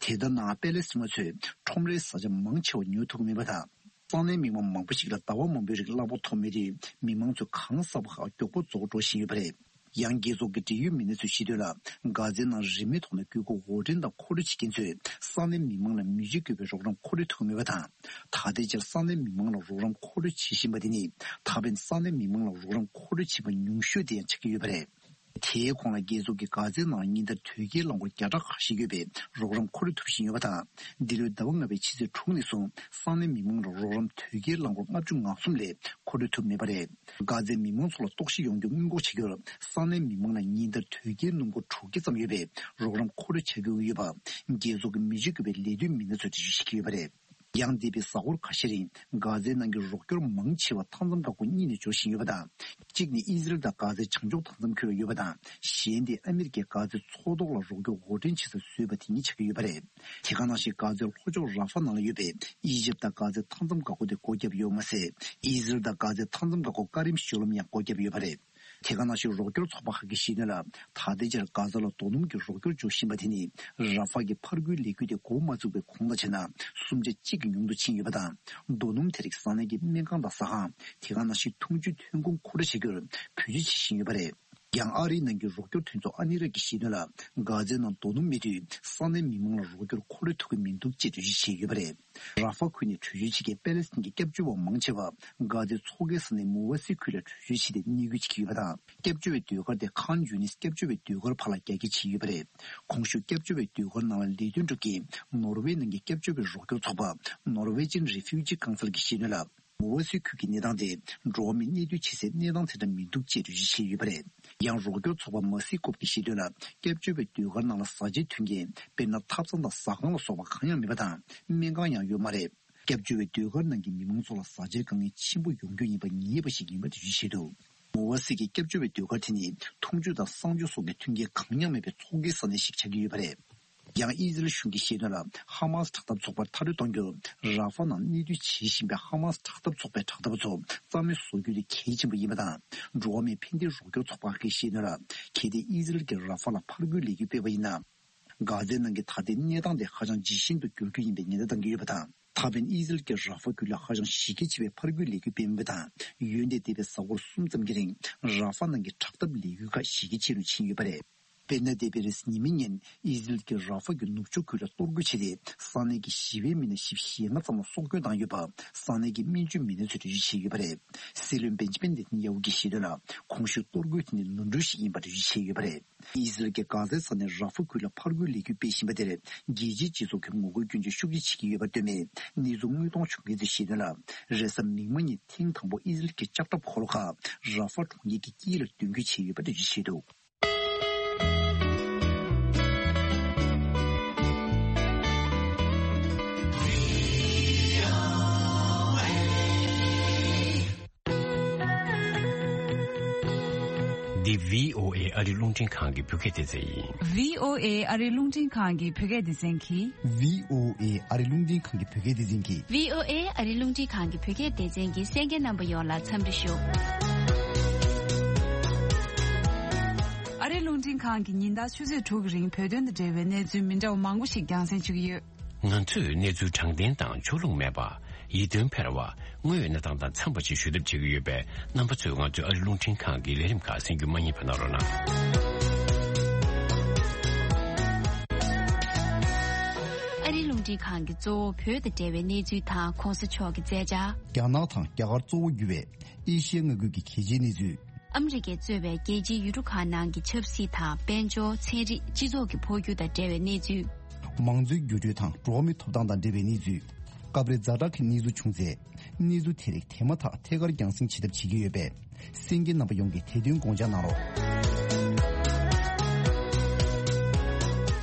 དེ་ལྟར་ན་པེ་ལེ་སི་ཐན་པ་ཚོས་ཁྲོམ་རའི་བཟའ་བཅའ་མང་ཆེ་བ་ཉོ་ཐུབ་ཀྱི་མེད་པ་དང་། ས་གནས་མི་མང་མང་པོ་ཞིག་ལ་ཟླ་བ་མང་པོའི་རིང་གླ་ཕོགས་ཐོབ་མེད་དུས། མི་མང་ཚོས་གང་ཟག་པ་ཁག་མགྱོགས་པོ་རྫོགས་འགྲོ་བཞིན་ཡོད་པ་རེད། ཡང་རྒྱལ་ཚོགས་ཀྱི་འབྲེལ་ཡོད་མི་སྣ་ཚོས་བཤད་དོན་ལ། གྷ་ཛའི་ནང་རིན་མེད་ཐོག་ནས་དགོས་མཁོ་དབོར་འདྲེན་དང་མཁོ་སྤྲོད་བྱེད་མཁན་ཚོས་ས་གནས་མི་མང་ལ་མི་རྒྱུ་དགོས་པའི་རོགས་རམ་མཁོ་སྤྲོད་ཐུབ་མེད་པ་དང་། ད་ལྟའི་ཆར་ས་གནས་མི་མང་ལ་རོགས་རམ་མཁོ་སྤྲོད་བྱེད་བཞིན་པ་དེ་ནི། ད་ཕན་ས་གནས་མི་མང་ལ་རོགས་རམ་མཁོ་སྤྲོད་བྱས་པ་ཉུང་ཤོས་དེ་ཡང་ཆགས་ཀྱི་ཡོད་པ་རེད། དེའི་གོང་ལ་རྒྱལ་ཚོགས་ཀྱིས་གྷ་ཛའི་ནང་ཉིན་ལྟར་དོས་སྐྱེལ་རླངས་འཁོར་བརྒྱ་ཕྲག་ཁ་ཤས་ཡོད་པའི་རོགས་རམ་མཁོ་སྤྲོད་ཐུབ་བཞིན་ཡོད་པ་དང་། འདི་ལོའི་ཟླ་བ་ལྔ་པའི་ཕྱི་ཚེས་དྲུག་ནས་བཟུང་ས་གནས་མི་མང་ལ་རོགས་རམ་དོས་སྐྱེལ་རླངས་འཁོར་ལྔ་བཅུ་ང་གསུམ་ལས་མཁོ་སྤྲོད་ཐུབ་མེད་པ་རེད། གྷ་ཛའི་མི་མང་ཚོ་ལ་གཏོར་བཤིག་ཡོང་རྒྱུ་སྔོན་འགོག་བྱ་རྒྱུར་ས་གནས་མི་མང་ལ་ཉིན་ལྟར་དོས་སྐྱེལ་སྣུམ་འཁོར་དྲུག་བརྒྱ་ཙམ་ཡོད་པའི་རོགས་རམ་མཁོ་སྤྲོད་བྱ་རྒྱུ་ཡོད་པ། རྒྱལ་ཚོགས་ཀྱི་མི་རྒྱུ་དགོས་པའི་ལས་དོན་མི་སྣ་ཚོས་འགྲེལ་བརྗོད་བྱེད་ཀྱི་ཡོད་པ་རེད། ཡང་འདས་པའི་གཟའ་འཁོར་ཁ་ཤས་རིང་གྷ་ཛའི་ནང་གི་རོགས་སྐྱོར་མང་ཆེ་བ་མཐའ་མཚམས་འགག་སྒོ་གཉིས་ནས་འབྱོར་བཞིན་ཡོད་པ་དང་། གཅིག་ནི་ཨི་ཟི་རལ་དང་གྷ་ཛའི་བྱང་ཕྱོགས་མཐའ་མཚམས་ཁུལ་ལ་ཡོད་པ་དང་། གཞན་དེ་ཨ་མི་རི་ཀས་གྷ་ཛའི་མཚོ་ཐོག་ལ་རོགས་སྐྱོར་འགོ་འདྲེན་བྱེད་ས་བཟོས་པ་དེ་ཉིད་ཆགས་ཀྱི་ཡོད་པ་རེད། དེ་ག་ནང་བཞིན་གྷ་ཛའི་ལྷོ་ཕྱོགས་ར་ཧྥ་ནང་ལ་ཡོད་པའི་ཨི་ཇིབ་དང་གྷ་ཛའི་མཐའ་མཚམས་འགག་སྒོ་དེ་སྒོ་བརྒྱབ་ཡོད་མ་ཟད། ཨི་ཟི་རལ་དང་གྷ་ཛའི་མཐའ་མཚམས་འགག་སྒོ་ཀ་རིམ་ཞོ་ལོམ་ཡང་སྒོ་བརྒྱབ་ཡོད་པ་རེད། དེ་ག་ནང་བཞིན་རོགས་སྐྱོར་ཚོགས་པ་ཁག་གིས་བཤད་དོན་ལ། ད་ལྟའི་ཆར་གྷ་ཛ་ལ་རྡོ་སྣུམ་གྱི་རོགས་སྐྱོར་འབྱོར་བཞིན་པ་དེ་ནི་ར་ཧྥ་གི་ཕར་རྒོལ་ལས་འགུལ་དེ་འགོ་མ་བཙུགས་པའི་གོང་ལ་བྱས་ན། སུམ་ཆ་གཅིག་གི་ཉུང་དུ་ཕྱིན་ཡོད་པ་དང་། རྡོ་སྣུམ་དེ་རིགས་ས་གནས་ཀྱི་སྨན་ཁང་དང་ཟ་ཁང་། དེ་ག་ནང་བཞིན་འཐུང་ཆུའི་ཐོན་ཁུངས་མཁོ་སྤྲོད་བྱ་རྒྱུར་བེད་སྤྱོད་བྱེད་བཞིན་ཡོད་པ་རེད། ཡང་ཨ་རིའི་ནང་གི་རོགས་སྐྱོར་མཐུན་ཚོགས་ཨ་ནི་ར་གིས་བཤད་དོན་ལ། གྷ་ཛའི་ནང་རྡོ་སྣུམ་མེད་དུས་ས་གནས་མི་མང་ལ་རོགས་སྐྱོར་མཁོ་སྤྲོད་ཐུབ་ཀྱི་མི་འདུག་ཅེས་འགྲེལ་བརྗོད་བྱས་ཡོད་པ་རེད། ར་ཧྥ་ཁུལ་ནས་བྲོས་བྱོལ་བྱེད་མཁན་པེ་ལེ་སི་ཐན་གྱི་སྐྱབས་བཅོལ་བ་མང་ཆེ་བ་གྷ་ཛའི་མཚོ་ཁའི་ས་གནས་མུ་ཝ་སི་ཁུལ་ལ་བྲོས་བྱོལ་བྱས་ཏེ་གནས་སྐོར་བྱེད་ཀྱི་ཡོད་པ་དང་། སྐྱབས་བཅོལ་བའི་ཟློས་གར་དེ་ཁཱན་ཡུ་ནིས་སྐྱབས་བཅོལ་བའི་ཟློས་གར་བར་ལ་རྒྱ་སྐྱེད་བྱས་ཡོད་པ་རེད། གོང་ཞུས་སྐྱབས་བཅོལ་བའི་ཟློས་གར་ནང་ལ་ལས་དོན་སྒྲུབ་མཁན་ནོར་ཝེ་ནང་གི་སྐྱབས་བཅོལ་བའི་རོགས་སྐྱོར་ཚོགས་པ་Norwegian Refugee Council གྱིས་བཤད་དོན་ལ། མུ་ཝ་སི་ཁུལ་གྱི་གནས་སྟངས་དེ་འགྲོ་བ་མིའི་གནས་སྡོད་བྱེད་སའི་གནས་སྟངས་དེ་འདྲ་མི་འདུག་ཅེས་འགྲེལ་བརྗོད་བྱས་ཡོད་པ་རེད། ཡང་རོགས་སྐྱོར་ཚོགས་པ་མ་སི་ཀོབ་ཀྱིས་བཤད་དོན་ལ། སྐྱབས་བཅོལ་བའི་ཟློས་གར་ནང་ལ་བཟའ་བཅའི་མཐུན་རྐྱེན། དཔེར་ན་ཐབ་ཚང་དང་ཟ་ཁང་ལ་སོགས་པ་གང་ཡང་མེད་པ་དང་། སྨན་ཁང་ཡང་ཡོད་མ་རེད། སྐྱབས་བཅོལ་བའི་ཟློས་གར་ནང་གི་མི་མང་ཚོ་ལ་བཟའ་བཅའི་དཀའ་ངལ་ཆེན་པོ་ཡོང་རྒྱུ་ཡིན་པ་ངེས་པ་ཞིག་ཡིན་པ་འགྲེལ་བརྗོད་བྱས་འདུག་མུ་ཝ་སི་གི་སྐྱབས་བཅོལ་བའི་ཟློས་གར་དེ་ནི་འཐུང་ཆུ་དང་གསང་སྤྱོད་སོགས་ཀྱི་མཐུན་རྐྱེན་གང་ཡང་མེད་པའི་མཚོ་ཁའི་ས་གནས་ཤིག་ཆགས་ཀྱི་ཡོད་པ་རེད། ཡང་ཨི་ཟི་རལ་གཞུང་གིས་བཤད་དོན་ལ། ཧ་མ་སི་དྲག་འཐབ་ཚོགས་པར་མཐའ་སྐྲོད་གཏོང་རྒྱུར། ར་ཧྥ་ནང་གནས་སྡོད་བྱེད་བཞིན་པའི་ཧ་མ་སི་དྲག་འཐབ་ཚོགས་པའི་དྲག་འཐབ་པ་ཚོ་རྩ་མེད་བཟོ་རྒྱུ་དེ་གལ་ཆེན་པོ་ཡིན་པ་དང་། འགྲོ་བ་མིའི་ཕན་བདེའི་རོགས་སྐྱོར་ཚོགས་པ་ཁག་གིས་བཤད་དོན་ལ། གལ་ཏེ་ཨི་ཟི་རལ་གྱིས་ར་ཧྥ་ལ་ཕར་རྒོལ་ལས་འགུལ་སྤེལ་བ་ཡིན་ན། གྷ་ཛའི་ནང་གི་ད་ལྟའི་གནས་སྟངས་དེ་ཧ་ཅང་ཇི་བཞིན་དུ་འགྱུར་རྒྱུ་ཡིན་པའི་ཉེན་བརྡ་བཏང་གི་ཡོད་པ་དང་། ད་ཕན་ཨི་ཟི་རལ་གྱིས་ར་ཧྥ་ཁུལ་ལ་ཧ་ཅང་གཞི་རྒྱ་ཆེ་བའི་ཕར་རྒོལ་ལས་འགུལ་སྤེལ་མུས་པ་དང་། ཡོན་ཏན་ལྡན་པའི་གཟའ་འཁོར་གསུམ་ཙམ་གྱི་རིང་ར་ཧྥ་ནང་གི་དྲག་འཐབ་ལས་འགུལ་ཁག་གཞི་རྒྱ་ཆེ་རུ་ཕྱིན་ཡོད་པ་རེད། དཔེར་ན། འདས་པའི་རེས་གཟའ་ཉི་མའི་ཉིན་ཨི་ཟི་རལ་གྱིས་ར་ཧྥ་གྱི་ནུབ་ཕྱོགས་ཁུལ་ལ་གཏོར་རྒོལ་བྱས་ཏེ། ས་གནས་ཀྱི་ཞི་བའི་མི་སྣ་བཞི་བཅུ་ཞེ་ལྔ་ཙམ་ལ་སྲོག་སྐྱོན་བཏང་ཡོད་པ་ས་གནས་ཀྱི་སྨན་བཅོས་མི་སྣ་ཚོས་འགྲེལ་བརྗོད་བྱས་ཡོད་པ་རེད། སྲིད་བློན་བེན་ཇི་མིན་ནེ་ཐན་ཡ་ཧུ་གྱིས་བཤད་དོན་ལ། གོང་ཞུས་གཏོར་རྒོལ་དེ་ནི་ནོར་འཁྲུལ་ཞིག་ཡིན་པར་འགྲེལ་བརྗོད་བྱས་ཡོད་པ་རེད། ཨི་ཟི་རལ་གྱིས་གྷ་ཛའི་ས་གནས་ར་ཧྥ་ཁུལ་ལ་ཕར་རྒོལ་ལས་འགུལ་སྤེལ་བཞིན་པ་དེར་རྒྱལ་སྤྱིའི་སྤྱི་ཚོགས་ཀྱིས་ངོ་རྒོལ་སྐྱོན་བརྗོད་ཤུགས་ཆེ་བྱེད་ཀྱི་ཡོད་པར་ལྟོས་ནས། གནས་ཚུལ་དངོས་མཐོང་བྱུང་མཁན་ཚོས་བཤད་དོན་ལ། རེས་གཟའ་མིག་དམར་ཉིན་ཐེངས་དང་པོ་ཨི་ཟི་རལ་གྱི་ལྕགས་ཁྲབ་འཁོར་ལོ་ཁག་ར་ཧྥ་གྲོང་ཁྱེར་གྱི་དཀྱིལ་ལ་འདོན་རྒྱུ་བྱས་ཡོད་པ་འགྲེལ་བརྗོད་བྱས་འདུག་འདི་བྷི་ཨོ་ཨེ་ཨ་རི་རླུང་འཕྲིན་ཁང་གི་བོད་སྐད་སྡེ་ཚན་ཡིན། བྷི་ཨོ་ཨེ་ཨ་རི་རླུང་འཕྲིན་ཁང་གི་བོད་སྐད་སྡེ་ཚན་གྱིས། བྷི་ཨོ་ཨེ་ཨ་རི་རླུང་འཕྲིན་ཁང་གི་བོད་སྐད་སྡེ་ཚན་གྱིས། བྷི་ཨོ་ཨེ་ཨ་རི་རླུང་འཕྲིན་ཁང་གི་བོད་སྐད་སྡེ་ཚན་གྱི་གསན་མཁན་རྣམ་པ་ཡོངས་ལ་འཚམས་འདྲི་ཞུ། ཨ་རི་རླུང་འཕྲིན་ཁང་གིས་ཉིན་ལྟར་ཆུ་ཚོད་དྲུག་གི་རིང་བོད་དོན་དང་འབྲེལ་བའི་གནས་ཚུལ་མི་འདྲ་བ་མང་པོ་ཞིག་རྒྱང་སྲིང་ཞུ་གི་ཡོད། ང་ཚོས་གནས་ཚུལ་དྲང་བདེན་དང་ཕྱོགས་ལྷུང་མེད་པ། ཡིད་རྟོན་འཕེར་བ། དངོས་ཡོད་གནས་སྟངས་དང་འཚམས་པ་ཞིག་ཞུ་ཐབས་བྱེད་ཀྱི་ཡོད་པས། རྣམ་པ་ཚོས་ང་ཚོའི་ཨ་རི་རླུང་འཕྲིན་ཁང་གི་ལས་རིམ་ཁག་གསན་རྒྱུ་མ་བསྙེལ་བ་གནང་རོགས་གནང་། ཨ་རི་རླུང་འཕྲིན་ཁང་གི་གཙོ་བོ་བོད་དང་འབྲེལ་བའི་གནས་ཚུལ་དང་གོང་ས་མཆོག་གི་མཛད་འཆར། རྒྱ་ནག་དང་རྒྱ་གར་གཙོ་བོ་གྱུར་བའི་ཨེ་ཤི་ཡ་མངའ་ཁུལ་གྱི་གལ་ཆེའི་གནས་ཚུལ། ཨ་མི་རི་ཀས་གཙོས་པའི་རྒྱལ་སྤྱིའི་ཡུལ་གྲུ་ཁག་ནང་གི་ཆབ་སྲིད་དང་། དཔལ་འབྱོར། ཚན་རིག་སྤྱི་ཚོགས་ཀྱི་འཕོ་འགྱུར་དང་འབྲེལ་བའི་གནས་ཚུལ། མང་གཙོའི་འགྱུར་འགྲོས་དང་འགྲོ་བ་མིའི་ཐོབ་ཐང་དང་འབྲེལ་བའི་གནས་ཚུལ། སྐབས་རེ་ཛ་དྲག་གི་གནས་ཚུལ་བྱུང་ཚེ། གནས་ཚུལ་དེ་རིགས་དེ་མ་ཐག་ཐད་ཀར་རྒྱང་སྲིང་བྱེད་ཐབས་བྱེད་ཀྱི་ཡོད་པས། གསན་མཁན་རྣམ་པ་ཡོངས་ཀྱིས་དེ་དོན་དགོངས་འཇགས་གནང་རོགས།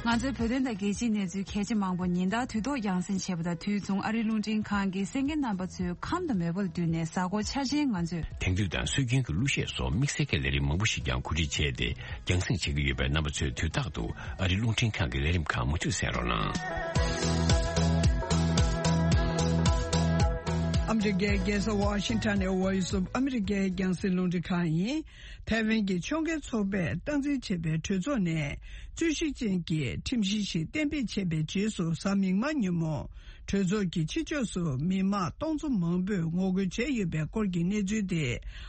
ང་ཚོའི་བོད་དོན་དང་རྒྱལ་སྤྱིའི་གནས་ཚུལ་གལ་ཆེ་མང་པོ་ཉིན་ལྟར་དུས་ཐོག་རྒྱང་སྲིང་བྱེད་པ་དང་། དུས་མཚུངས་ཨ་རིའི་རླུང་འཕྲིན་ཁང་གིས་གསན་མཁན་རྣམ་པ་ཚོའི་ཁམས་དང་མོས་པ་ལ་བསྟུན་ནས། གཟའ་འཁོར་འཆར་ཅན་ང་ཚོས། དེང་དུས་དང་སྲོལ་རྒྱུན་གྱི་གླུ་གཞས་སོགས་དམིགས་བསལ་གྱི་ལས་རིམ་མང་པོ་ཞིག་ཀྱང་གོ་སྒྲིག་བྱས་ཏེ། རྒྱང་སྲིང་བྱེད་ཀྱི་ཡོད་པས། རྣམ་པ་ཚོས་དུས་རྟག་ཏུ་ཨ་རིའི་རླུང་འཕྲིན་ཁང་གི་ལས་རིམ་ཁག་མུ་མཐུད་གསན་རོགས་གནང་། ཨ་མི་རི་ཀའི་རྒྱལ་ས་ཝ་ཤིང་ཊོན་ནས་Voice of America རྒྱང་སྲིང་རླུང་འཕྲིན་ཁང་ཡིན། ཐའེ་ཝན་གྱི་ཕྱོགས་འགལ་ཚོགས་པས་སྟངས་འཛིན་བྱས་པའི་གྲོས་ཚོགས་ནས། རྩོད་གཞི་ཅན་གྱི་ཁྲིམས་གཞི་ཞིག་གཏན་འབེབས་བྱས་པའི་རྗེས་སུ། གཟའ་མིག་དམར་ཉིན་མོ། གྲོས་ཚོགས་ཀྱི་ཕྱི་ཕྱོགས་སུ་མི་མང་སྟོང་ཚོ་མང་པོས་ངོ་རྒོལ་བྱས་ཡོད་པའི་སྐོར་གྱི་གནས་ཚུལ་དེ།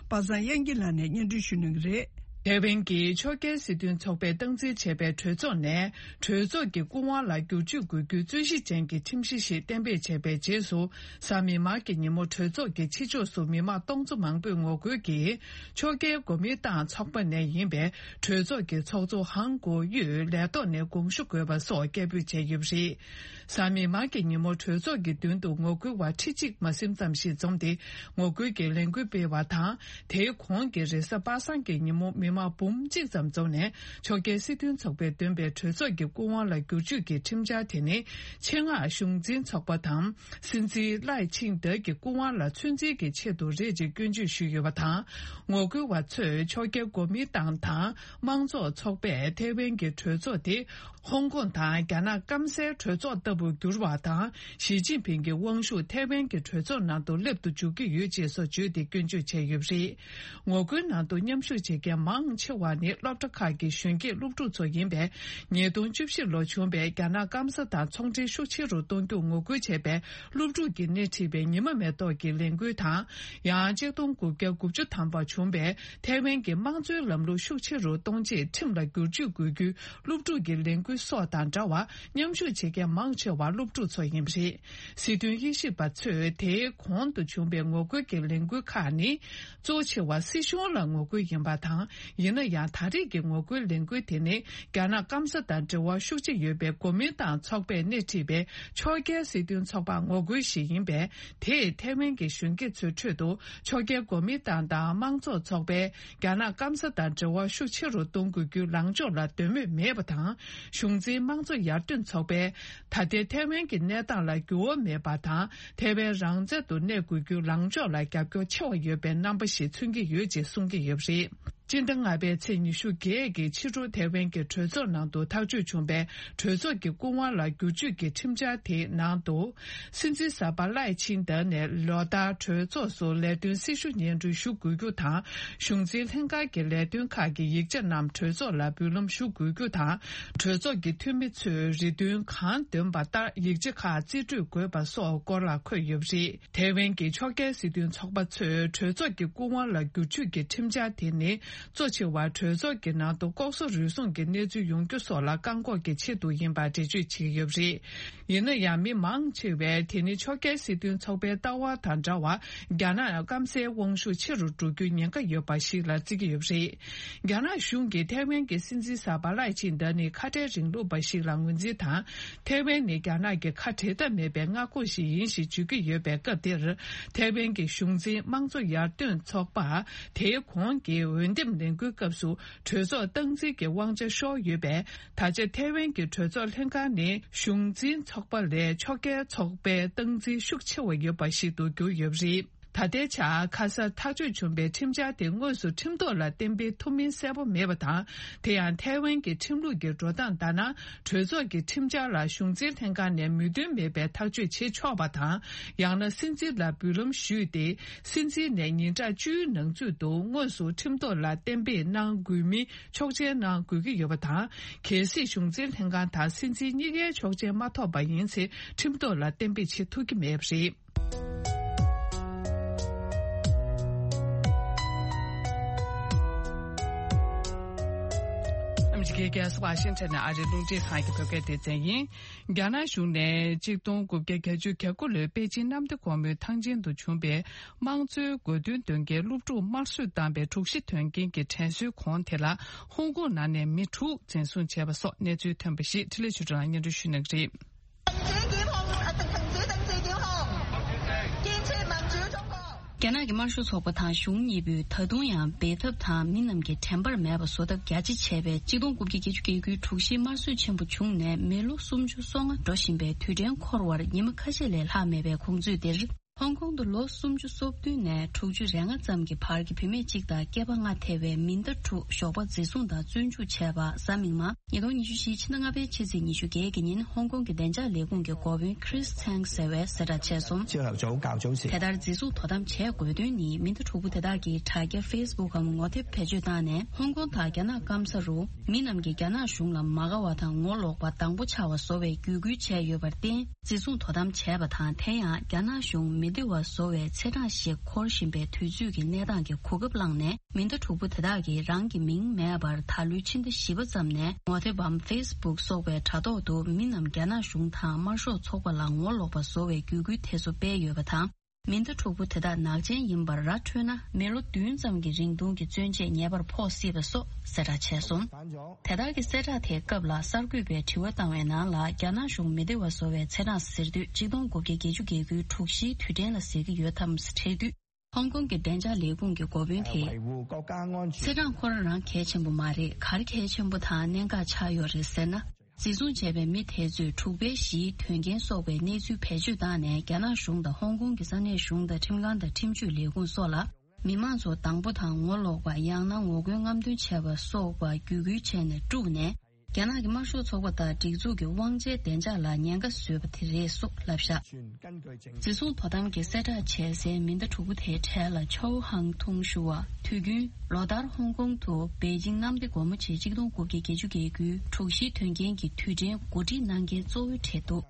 པ་སངས་དབྱངས་སྐྱིད་ལགས་ནས་སྙན་སྒྲོན་ཞུ་གནང་གི་རེད། ཐའེ་ཝན་གྱི་ཕྱོགས་འགལ་སྲིད་དོན་ཚོགས་པས་སྟངས་འཛིན་བྱས་པའི་གྲོས་ཚོགས་ནས། གྲོས་ཚོགས་ཀྱི་སྐུ་དབང་ལ་བསྒྱུར་བཅོས་དགོས་རྒྱུའི་རྩོད་གཞི་ཅན་གྱི་ཁྲིམས་གཞི་ཞིག་གཏན་འབེབས་བྱས་པའི་རྗེས་སུ། གཟའ་མིག་དམར་གྱི་ཉིན་མོ་གྲོས་ཚོགས་ཀྱི་ཕྱི་ཕྱོགས་སུ་མི་མང་སྟོང་ཚོ་མང་པོས་ངོ་རྒོལ་གྱིས། ཕྱོགས་འགལ་གོ་མིན་ཏང་ཚོགས་པ་ནས་ཡིན་པའི་གྲོས་ཚོགས་ཀྱི་ཚོགས་གཙོ་ཧང་གོ་ཡུས་ལས་ཐོག་ནས་དགོངས་ཞུ་དགོས་པ་སོགས་སྐད་འབོད་བྱས་ཡོད་པ་རེད། གཟའ་མིག་དམར་གྱི་ཉིན་མོ་གྲོས་ཚོགས་ཀྱི་མདུན་དུ་ངོ་རྒོལ་བ་ཁྲི་གཅིག་མ་ཟིན་ཙམ་ཞིག་འཛོམས་ཏེ་ངོ་རྒོལ་གྱི་ལས་འགུལ་སྤེལ་བ་དང་། དེའི་གོང་གི་རེས་གཟའ་པ་སངས་ཀྱི་ཉིན་མོ་མི་མང་འབུམ་གཅིག་ཙམ་འཛོམས་ནས། ཕྱོགས་འགལ་སྲིད་དོན་ཚོགས་པས་འདོན་པའི་གྲོས་ཚོགས་ཀྱི་སྐུ་དབང་ལ་བསྒྱུར་བཅོས་ཀྱི་ཁྲིམས་འཆར་དེ་ནི། ཆེད་མངགས་གཞུང་འཛིན་ཚོགས་པ་དང་། སྲིད་འཛིན་ལའེ་ཆིང་ཏེ་གི་སྐུ་དབང་ལ་ཚོད་འཛིན་གྱི་ཆེད་དུ་རེད་ཅེས་སྐྱོན་བརྗོད་ཞུས་ཡོད་པ་དང་། ངོ་རྒོལ་བ་ཚོས་ཕྱོགས་འགལ་གོ་མིན་ཏང་དང་དམངས་གཙོ་ཚོགས་པས་ཐའེ་ཝན་གྱི་གྲོས་ཚོགས་དེ། ཧོང་ཀོང་དང་རྒྱ་ནག་སྐམ་སའི་གྲོས་ཚོགས་ལྟ་བུར་འགྱུར་བ་དང་། ཞི་ཅིན་ཕིང་གི་དབང་ཤུགས་ཐའེ་ཝན་གྱི་གྲོས་ཚོགས་ནང་དུ་སླེབས་དུ་འཇུག་གི་ཡོད་ཅེས་སོགས་བརྗོད་དེ་སྐྱོན་བརྗོད་བྱས་ཡོད་པ་རེད། ངོ་རྒོལ་ནང་དུ་མཉམ་ཞུགས་བྱེད་མཁན་མང་ཆེ་བ་ནི་སློབ་གྲྭ་ཁག་གི་གཞོན་སྐྱེས་སློབ་ཕྲུག་ཚོ་ཡིན་པས། ཉིས་སྟོང་བཅུ་བཞི་ལོར་བྱུང་བའི་རྒྱ་ནག་སྐམ་ས་དང་ཚོང་འབྲེལ་ཤུགས་ཆེ་རུ་གཏོང་རྒྱུར་ངོ་རྒོལ་བྱས་པའི་སློབ་ཕྲུག་གིས་སྣེ་ཁྲིད་པའི་ཉི་མ་མེ་ཏོག་གི་ལས་འགུལ་དང་། ཡང་ཆིག་སྟོང་དགུ་བརྒྱ་དགུ་བཅུ་ཐམ་པར་བྱུང་བའི་ཐའེ་ཝན་གྱི་དམངས་གཙོའི་ལམ་ལུགས་ཤུགས་ཆེ་རུ་གཏོང་ཆེད་ཁྲིམས་ལ་བསྒྱུར་བཅོས་དགོས་རྒྱུའི་སློབ་ཕྲུག་གི་ལས་འགུལ་སོགས་དང་འདྲ་བར། མཉམ་ཞུགས་བྱེད་མཁན་མང་ཆེ་བ་སློབ་ཕྲུག་ཚོ་ཡིན་པ་རེད། སྲིད་དོན་དབྱེ་ཞིབ་པ་ཚོས་དེའི་གོང་དུ་བྱུང་བའི་ངོ་རྒོལ་གྱི་ལས་འགུལ་ཁག་ནི། གཙོ་ཆེ་བ་སྲིད་གཞུང་ལ་ངོ་རྒོལ་ཡིན་པ་དང་། ཡིན་ན་ཡང་ད་རེས་ཀྱི་ངོ་རྒོལ་ལས་འགུལ་དེ་ནི། རྒྱ་ནག་སྐམ་ས་དང་འབྲེལ་བ་ཤུགས་ཆེ་ཡོད་པའི་གོ་མིན་ཏང་ཚོགས་པས་སྣེ་ཁྲིད་པའི་ཕྱོགས་འགལ་སྲིད་དོན་ཚོགས་པར་ངོ་རྒོལ་ཞིག་ཡིན་པས། དེས་ཐའེ་ཝན་གྱི་གཞོན་སྐྱེས་ཚོའི་ཁྲོད་དུ། ཕྱོགས་འགལ་གོ་མིན་ཏང་དང་དམངས་གཙོ་ཚོགས་པས། རྒྱ་ནག་སྐམ་ས་དང་འབྲེལ་བ་ཤུགས་ཆེ་རུ་གཏོང་དགོས་རྒྱུའི་ལངས་ཕྱོགས་ལ་འདོད་མོས་མེད་པ་དང་། གཞུང་འཛིན་དམངས་གཙོ་ཡར་ཐོན་ཚོགས་པས། ད་ལྟའི་ཐའེ་ཝན་གྱི་གནས་སྟངས་ལ་འགྱུར་བ་མེད་པ་དང་། ཐའེ་ཝན་རང་བཙན་དུ་གནས་དགོས་རྒྱུའི་ལངས་ཕྱོགས་ལ་རྒྱབ་སྐྱོར་ཆེ་བ་ཡོད་པའི་རྣམ་པ་ཞིག་མཚོན་གྱི་ཡོད་ཅེས་གསུང་གི་ཡོད་པ་རེད། སྤྱི་ཟླ་ལྔ་པའི་ཚེས་ཉི་ཤུ་བརྒྱད་ཀྱི་ཕྱི་དྲོ་ཐའེ་ཝན་གྱི་གྲོས་ཚོགས་ནང་དུ་ཐག་གཅོད་བྱུང་བའི་གྲོས་ཚོགས་ཀྱི་སྐུ་དབང་ལ་བསྒྱུར་བཅོས་ཀྱི་ཁྲིམས་འཆར་དེའི་ནང་དུ། སྲིད་འཛིན་གསར་པ་ལའེ་ཆིང་ཏེ་ནས་ལོ་ལྟར་གྲོས་ཚོགས་སུ་ལས་དོན་སྲི་ཞུ་སྙན་སྒྲོན་ཞུ་དགོས་རྒྱུ་དང་། གཞུང་འཛིན་ལྷན་ཁང་གི་ལས་དོན་ཁག་གི་ཡིག་ཆ་རྣམས་གྲོས་ཚོགས་ལ་འབུལ་ལམ་ཞུ་དགོས་རྒྱུ་དང་། གྲོས་ཚོགས་ཀྱི་འཐུས་མི་ཚོས་རེ་འདུན་གང་འདོན་པ་ལྟར་ཡིག་ཆ་ཁག་རྩིས་སྤྲོད་དགོས་པ་སོགས་སྐོར་ལ་འཁོད་ཡོད་པ་རེད། ཐའེ་ཝན་གྱི་ཕྱོགས་འགལ་སྲིད་དོན་ཚོགས་པ་ཚོས་གྲོས་ཚོགས་ཀྱི་སྐུ་དབང་ལ་བསྒྱུར་བཅོས་ཀྱི་ཁྲིམས་འཆར་དེ་ནི། གཙོ་ཆེ་བ་གྲོས་ཚོགས་ཀྱི་ནང་དུ་ལྐོག་ཟ་རུལ་སུངས་ཀྱི་གནས་ཚུལ་ཡོང་རྒྱུ་སོགས་ལ་བཀག་འགོག་གི་ཆེད་དུ་ཡིན་པ་འགྲེལ་བརྗོད་བྱེད་ཀྱི་ཡོད་པ་རེད། ཡིན་ན་ཡང་། མི་མང་ཆེ་བས་དེ་ནི་ཕྱོགས་འགལ་སྲིད་དོན་ཚོགས་པའི་ལྟ་བ་དང་འདྲ་བར། རྒྱ་ནག་སྐམ་སའི་དབང་ཤུགས་ཆེ་རུ་འགྲོ་རྒྱུའི་ཉེན་ཁ་ཡོད་པ་ཞིག་ལ་བརྩི་གི་ཡོད་པ་རེད། རྒྱ་ནག་གཞུང་གིས་ཐའེ་ཝན་གྱི་སྲིད་འཛིན་གསར་པ་ལའེ་ཆིང་ཏེ་ནི་ཁ་བྲལ་རིང་ལུགས་པ་ཞིག་ལ་ངོས་འཛིན་དང་། ཐའེ་ཝན་ནི་རྒྱ་ནག་གི་ཁ་བྲལ་ཐབས་མེད་པའི་མངའ་ཁོངས་ཤིག་ཡིན་ཞེས་བརྗོད་ཀྱི་ཡོད་པའི་སྐབས་འདིར། ཐའེ་ཝན་གྱི་གཞུང་འཛིན་དམངས་གཙོ་ཡར་ཐོན་ཚོགས་པ། དེའི་གོང་གི་འོས་འདེམས་ལས་འགུལ་སྐབས་སུ་གྲོས་ཚོགས་སྟངས་འཛིན་གྱི་དབང་ཆ་ཤོར་ཡོད་པས། ད་ཆ་ཐའེ་ཝན་གྱི་གྲོས་ཚོགས་ལྷན་ཁང་ནི་གཞུང་འཛིན་ཚོགས་པ་ལས་ཕྱོགས་འགལ་ཚོགས་པའི་སྟངས་འཛིན་ཤུགས་ཆེ་བ་ཡོད་པ་ཞིག་ཏུ་གྱུར་ཡོད་པ་རེད། ད་ལྟའི་ཆར་ཁ་སང་ཐག་གཅོད་བྱུང་བའི་ཁྲིམས་འཆར་དེ་དངོས་སུ་ཁྲིམས་ཐོག་ལ་གཏན་འབེབས་ཐུབ་མིན་གསལ་པོ་མེད་པ་དང་། དེ་ཡང་ཐའེ་ཝན་གྱི་ཁྲིམས་ལུགས་ཀྱི་འགྲོ་སྟངས་ལྟར་ན། གྲོས་ཚོགས་ཀྱི་ཁྲིམས་འཆར་ལ་གཞུང་འཛིན་ལྷན་ཁང་ནས་མོས་མཐུན་མེད་པའི་ཐག་གཅོད་བྱེད་ཆོག་པ་དང་། ཡང་ན་སྲིད་འཛིན་ལ་འབུལ་ལམ་ཞུས་ཏེ། སྲིད་འཛིན་ནས་ཉིན་གྲངས་བཅུའི་ནང་ཚུད་དུ་དངོས་སུ་ཁྲིམས་ཐོག་ལ་གཏན་འབེབས་གནང་དགོས་མིན་ཆོག་མཆན་གནང་དགོས་ཀྱི་ཡོད་པ་དང་། གལ་སྲིད་གཞུང་འཛིན་ལྷན་ཁང་དང་སྲིད་འཛིན་གཉིས་ཀའི་ཆོག་མཆན་མ་ཐོབ་པ་ཡིན་ཚེ། ཁྲིམས་ཐོག་ལ་གཏན་འབེབས་བྱེད་ཐུབ་ཀྱི་མེད་པ་རེད། ཨ་མི་རི་ཀའི་རྒྱལ་ས་ཝ་ཤིང་ཊོན་ནས་ཨ་རིའི་རླུང་འཕྲིན་ཁང་གི་བོད་སྐད་སྡེ་ཚན་ཡིན། རྒྱ་ནག་གཞུང་ནས་གཅིག་སྟོང་དགུ་བརྒྱ་བརྒྱད་ཅུ་གྱ་དགུ་ལོའི་པེ་ཅིན་གནམ་བདེ་སྒོ་མོའི་ཐང་ཆེན་དུ་བྱུང་བའི་དམངས་གཙོའི་དགོས་འདུན་འདོན་མཁན་སློབ་ཕྲུག་དམར་གསོད་བཏང་བའི་དྲུག་བཞི་དོན་རྐྱེན་གྱི་དྲན་གསོའི་གོང་དེ་ལ་ཧོང་ཀོང་ནང་ནས་མི་དྲུག་འཛིན་བཟུང་བྱས་པ་སོགས་གནས་ཚུལ་ཐོན་པ་ཞིག་འཕྲིན་ལས་ཆོས་སྒྲོན་ལགས་སྙན་སྒྲོན་ཞུ་གནང་གི་རེད། རྒྱ་ནག་གི་དམར་ཤོག་ཚོགས་པ་དང་གཞུང་གཉིས་པོས་ད་དུང་ཡང་འབད་འཐབ་དང་མི་རྣམས་ཀྱི་དྲན་པར་མེད་པ་བཟོ་ཐབས་རྒྱ་ཆེ་བྱས་པའི་གཅིག་སྟོང་དགུ་བརྒྱ་བརྒྱད་ཅུ་གྱ་དགུའི་དྲུག་བཞིའི་དམར་གསོད་ཆེན་པོ་བྱུང་ནས་མི་ལོ་སུམ་ཅུ་སོ་ལྔ་འགྲོ་བཞིན་པའི་དུས་དྲན་འཁོར་བར་ཉི་མ་ཁ་ཤས་ལས་ལྷག་མེད་པའི་གོང་ཚོད་འདིར། ཧོང་ཀོང་དུ་ལོ་སུམ་ཅུ་སོ་བདུན་ནས་དྲུག་ཅུ་རེ་ལྔ་ཙམ་གྱི་བར་གྱི་བུད་མེད་གཅིག་དང་སྐྱེས་པ་ལྔ་ཐེ་བའི་མི་སྣ་དྲུག་ཞོགས་པ་འཛིན་བཟུང་དང་བཙོན་འཇུག་བྱས་པ་གཟའ་མིག་དམར་ཉིས་སྟོང་ཉི་ཤུ་བཞིའི་ཕྱི་ཟླ་ལྔ་པའི་ཕྱི་ཚེས་ཉི་ཤུ་བརྒྱད་ཀྱི་ཉིན་ཧོང་ཀོང་གི་བདེ་འཇགས་ལས་ཁུངས་ཀྱི་འགོ་དཔོན་Chris Tang་ཟེར་བས་གསལ་བསྒྲགས་བྱས་སོང་། དེ་ལྟར་འཛིན་བཟུང་དོ་དམ་བྱས་དགོས་དོན་ནི་མི་སྣ་དྲུག་པོ་དེ་དག་གིས་དྲ་རྒྱ་Facebook་འམ་ངོ་དེབ་བེད་སྤྱོད་བཏང་ནས་ཧོང་ཀོང་དང་རྒྱ་ནག་སྐམ་ས་རུ་མི་རྣམས་ཀྱིས་རྒྱ་ནག་གཞུང་ལ་མ་དགའ་བ་དང་ངོ་ལོག་པ་དང་པོ་ཆགས་པ་བཟོ་བའི་བརྒྱུད་སྐུལ་བྱས་ཡོད་པར་བརྟེན། འཛིན་བཟུང་དོ་དམ་བྱས་པ་དང་། དེ་ཡང་རྒྱ་ནག་གཞུང་མི་བདེ་བ་བཟོ་བའི་ཚེས་གྲངས་ཤིག་འཁོར་བཞིན་པའི་དུས་ཚོད་ཀྱི་གནས་སྟངས་ཀྱི་གོ་སྐབས་བླངས་ནས། མི་སྣ་དྲུག་པོ་དེ་དག་གིས་རང་གི་མིང་མེད་པར་ད་ལོའི་ཕྱི་ཟླ་བཞི་པ་ཙམ་ནས་ངོ་དེབ་བམ་Facebook་སོགས་པའི་དྲ་ཐོག་ཏུ་མི་རྣམས་རྒྱ་ནག་གཞུང་དང་དམར་ཤོག་ཚོགས་པ་ལ་ངོ་ལོག་པ་བཟོ་བའི་བརྒྱུད་སྐུལ་དེ་ཚོ་སྤེལ་ཡོད་པ་དང་། མེ་མདའ་འཁྲུག་པོ་དེ་དག་ནག་ཅན་ཡིན་པར་ར་འཕྲོད་ན། མི་ལོ་བདུན་ཙམ་གྱི་རིང་ཐུང་གི་བཙོན་ཆས་ཉེ་བར་ཕོག་སྲིད་པ་སོགས་གསལ་བསྒྲགས་བྱས་སོང་། དེ་དག་གི་གསལ་བསྒྲགས་དེའི་སྐབས་ལ་གསར་འགོད་པས་དྲི་བ་བཏང་བའི་ནང་ལ། རྒྱ་ནག་གཞུང་མི་བདེ་བ་བཟོ་བའི་ཚེས་གྲངས་ཟེར་དུས་ཆིག་སྟོང་དགུ་བརྒྱ་བརྒྱད་ཅུ་གྱ་དགུའི་དྲུག་བཞིའི་དུས་དྲན་ལ་ཟེར་གྱི་ཡོད་དམ་དྲིས་དུས། ཧོང་ཀོང་གི་བདེ་འཇགས་ལས་ཁུངས་ཀྱི་འགོ་དཔོན་དེས། ཚེས་གྲངས་ཁོ་རང་རང་གལ་ཆེན་པོ་མ་རེད། ག་རེ་གལ་ཆེན་པོ་དང་གནད་འགག་ཆགས་ཡོད་རེད་ཟེར་ན། འཛིན་བཟུང་བྱས་པའི་མི་དེ་ཚོས་འཁྲུག་པའི་གཞིའི་དོན་རྐྱེན་སོགས་པའི་གནས་ཚུལ་བེད་སྤྱོད་བཏང་ནས། རྒྱ་ནག་གཞུང་དང་ཧོང་ཀོང་གི་ས་གནས་གཞུང་དང་ཁྲིམས་ཁང་དང་ཁྲིམས་གཅོད་ལས་ཁུངས་སོགས་ལ། མི་མང་ཚོ་སྡང་པོ་དང་ངོ་ལོག་པ། ཡང་ན་ངོ་རྒོལ་རྔམ་སྟོན་བྱས་པ་སོགས་པ་བརྒྱུད་སྐུལ་བྱས་ནས་དཀྲུགས་ནས། རྒྱ་ནག་གི་དམར་ཤོག་ཚོགས་པ་དང་སྒྲིག་འཛུགས་ཀྱི་དབང་ཆའི་བདེ་འཇགས་ལ་ཉེན་ཁ་བཟོས་པ་དེ་རེད་སོགས་ལབ་བཞག་འཛིན་བཟུང་དོ་དམ་གྱིས་གསལ་བསྒྲགས་བྱས་སའི་མེ་མདའ་དྲུག་པོ་དེའི་གྲས་ལ་ཆའོ་ཧང་ཐུང་ཞུ་བ། དུས་རྒྱུན་ལོ་ལྟར་ཧོང་ཀོང་དུ་པེ་ཅིང་གནམ་བདེ་སྒོ་མོ་ཆེའི་ཆིག་སྟོང་དགུ་བརྒྱ་བརྒྱད་ཅུ་གྱ་དགུའི་དྲུག་བཞིའི་དོན་རྐྱེན་གྱི་དུས་དྲན་གོ་སྒྲིག་གནང་མཁན་གཙོ་བོའི་གྲས་འདུག་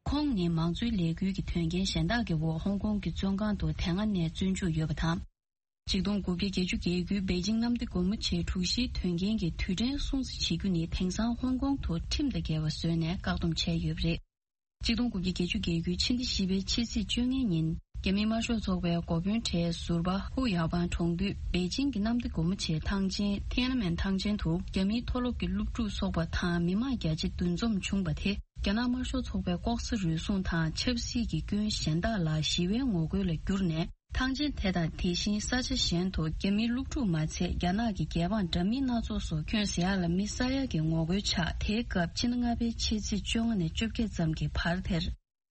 ཁོང་ནི་མང་གཙོའི་ལས་འགུལ་གྱི་དོན་རྐྱེན་གཞན་དག་གི་འོག་ཧོང་ཀོང་གི་བཙོན་ཁང་དུ་དེ་སྔ་ནས་བཙོན་འཇུག་ཡོད་པ་དང་། ཆིག་སྟོང་དགུ་བརྒྱ་བརྒྱད་ཅུ་གྱ་དགུའི་པེ་ཅིང་གནམ་བདེ་སྒོ་མོ་ཆེའི་དྲུག་བཞིའི་དོན་རྐྱེན་གྱི་དུས་དྲན་སྲུང་བརྩི་བྱེད་རྒྱུ་ནི། དེང་སང་ཧོང་ཀོང་དུ་ཁྲིམས་དང་འགལ་བ་བཟོས་ནས་བཀག་སྡོམ་བྱས་ཡོད་པ་རེད། ཆིག་སྟོང་དགུ་བརྒྱ་བརྒྱད་ཅུ་གྱ་དགུའི་ཕྱི་ཟླ་བཞི་པའི་ཕྱི་ཚེས་བཅོ་ལྔ་ཉིན། རྒྱ་མིའི་དམར་ཤོག་ཚོགས་པའི་འགོ་དཔོན་གྲས་ཟུར་པ་ཧུ་ཡའོ་པང་གྲོང་འདུས་པེ་ཅིང་གི་གནམ་བདེ་སྒོ་མོ་ཆེའི་ཐང་ཆེན་ཐེན་ཨན་མེན་ཐང་ཆེན་དུ། རྒྱ་མིའི་མཐོ་སློབ་ཀྱི་སློབ་ཕྲུག་ཚོགས་པ་དང་མི་མང་རྒྱ་ཆེ་འདུ་འཛོམས་བྱུང་བ་དེ། རྒྱ་ནག་དམར་ཤོག་ཚོགས་པའི་ལྐོག་ཟ་རུལ་སུངས་དང་ཆབ་སྲིད་ཀྱི་སྐྱོན་གཞན་དག་ལ་ཞི་བའི་ངོ་རྒོལ་ལ་བསྒྱུར་ནས། ཐང་ཆེན་དེ་དང་དེ་བཞིན་ས་ཆ་གཞན་དུ་རྒྱ་མིའི་སློབ་ཕྲུག་མ་ཚད། རྒྱ་ནག་གི་རྒྱལ་འབངས་འདྲ་མིན་སྣ་ཚོགས་སུ་ཁྱོན་ཟ་ཡག་ལ་མི་ཟ་ཡག་གི་ངོ་རྒོལ་ཆགས། དེའི་སྐབས་ཕྱི་ཟླ་ལྔ་པའི་ཕྱི་ཚེས་བཅོ་ལྔ་ནས་བཅོ་བརྒྱད་ཙམ་གྱི་བར་དེར།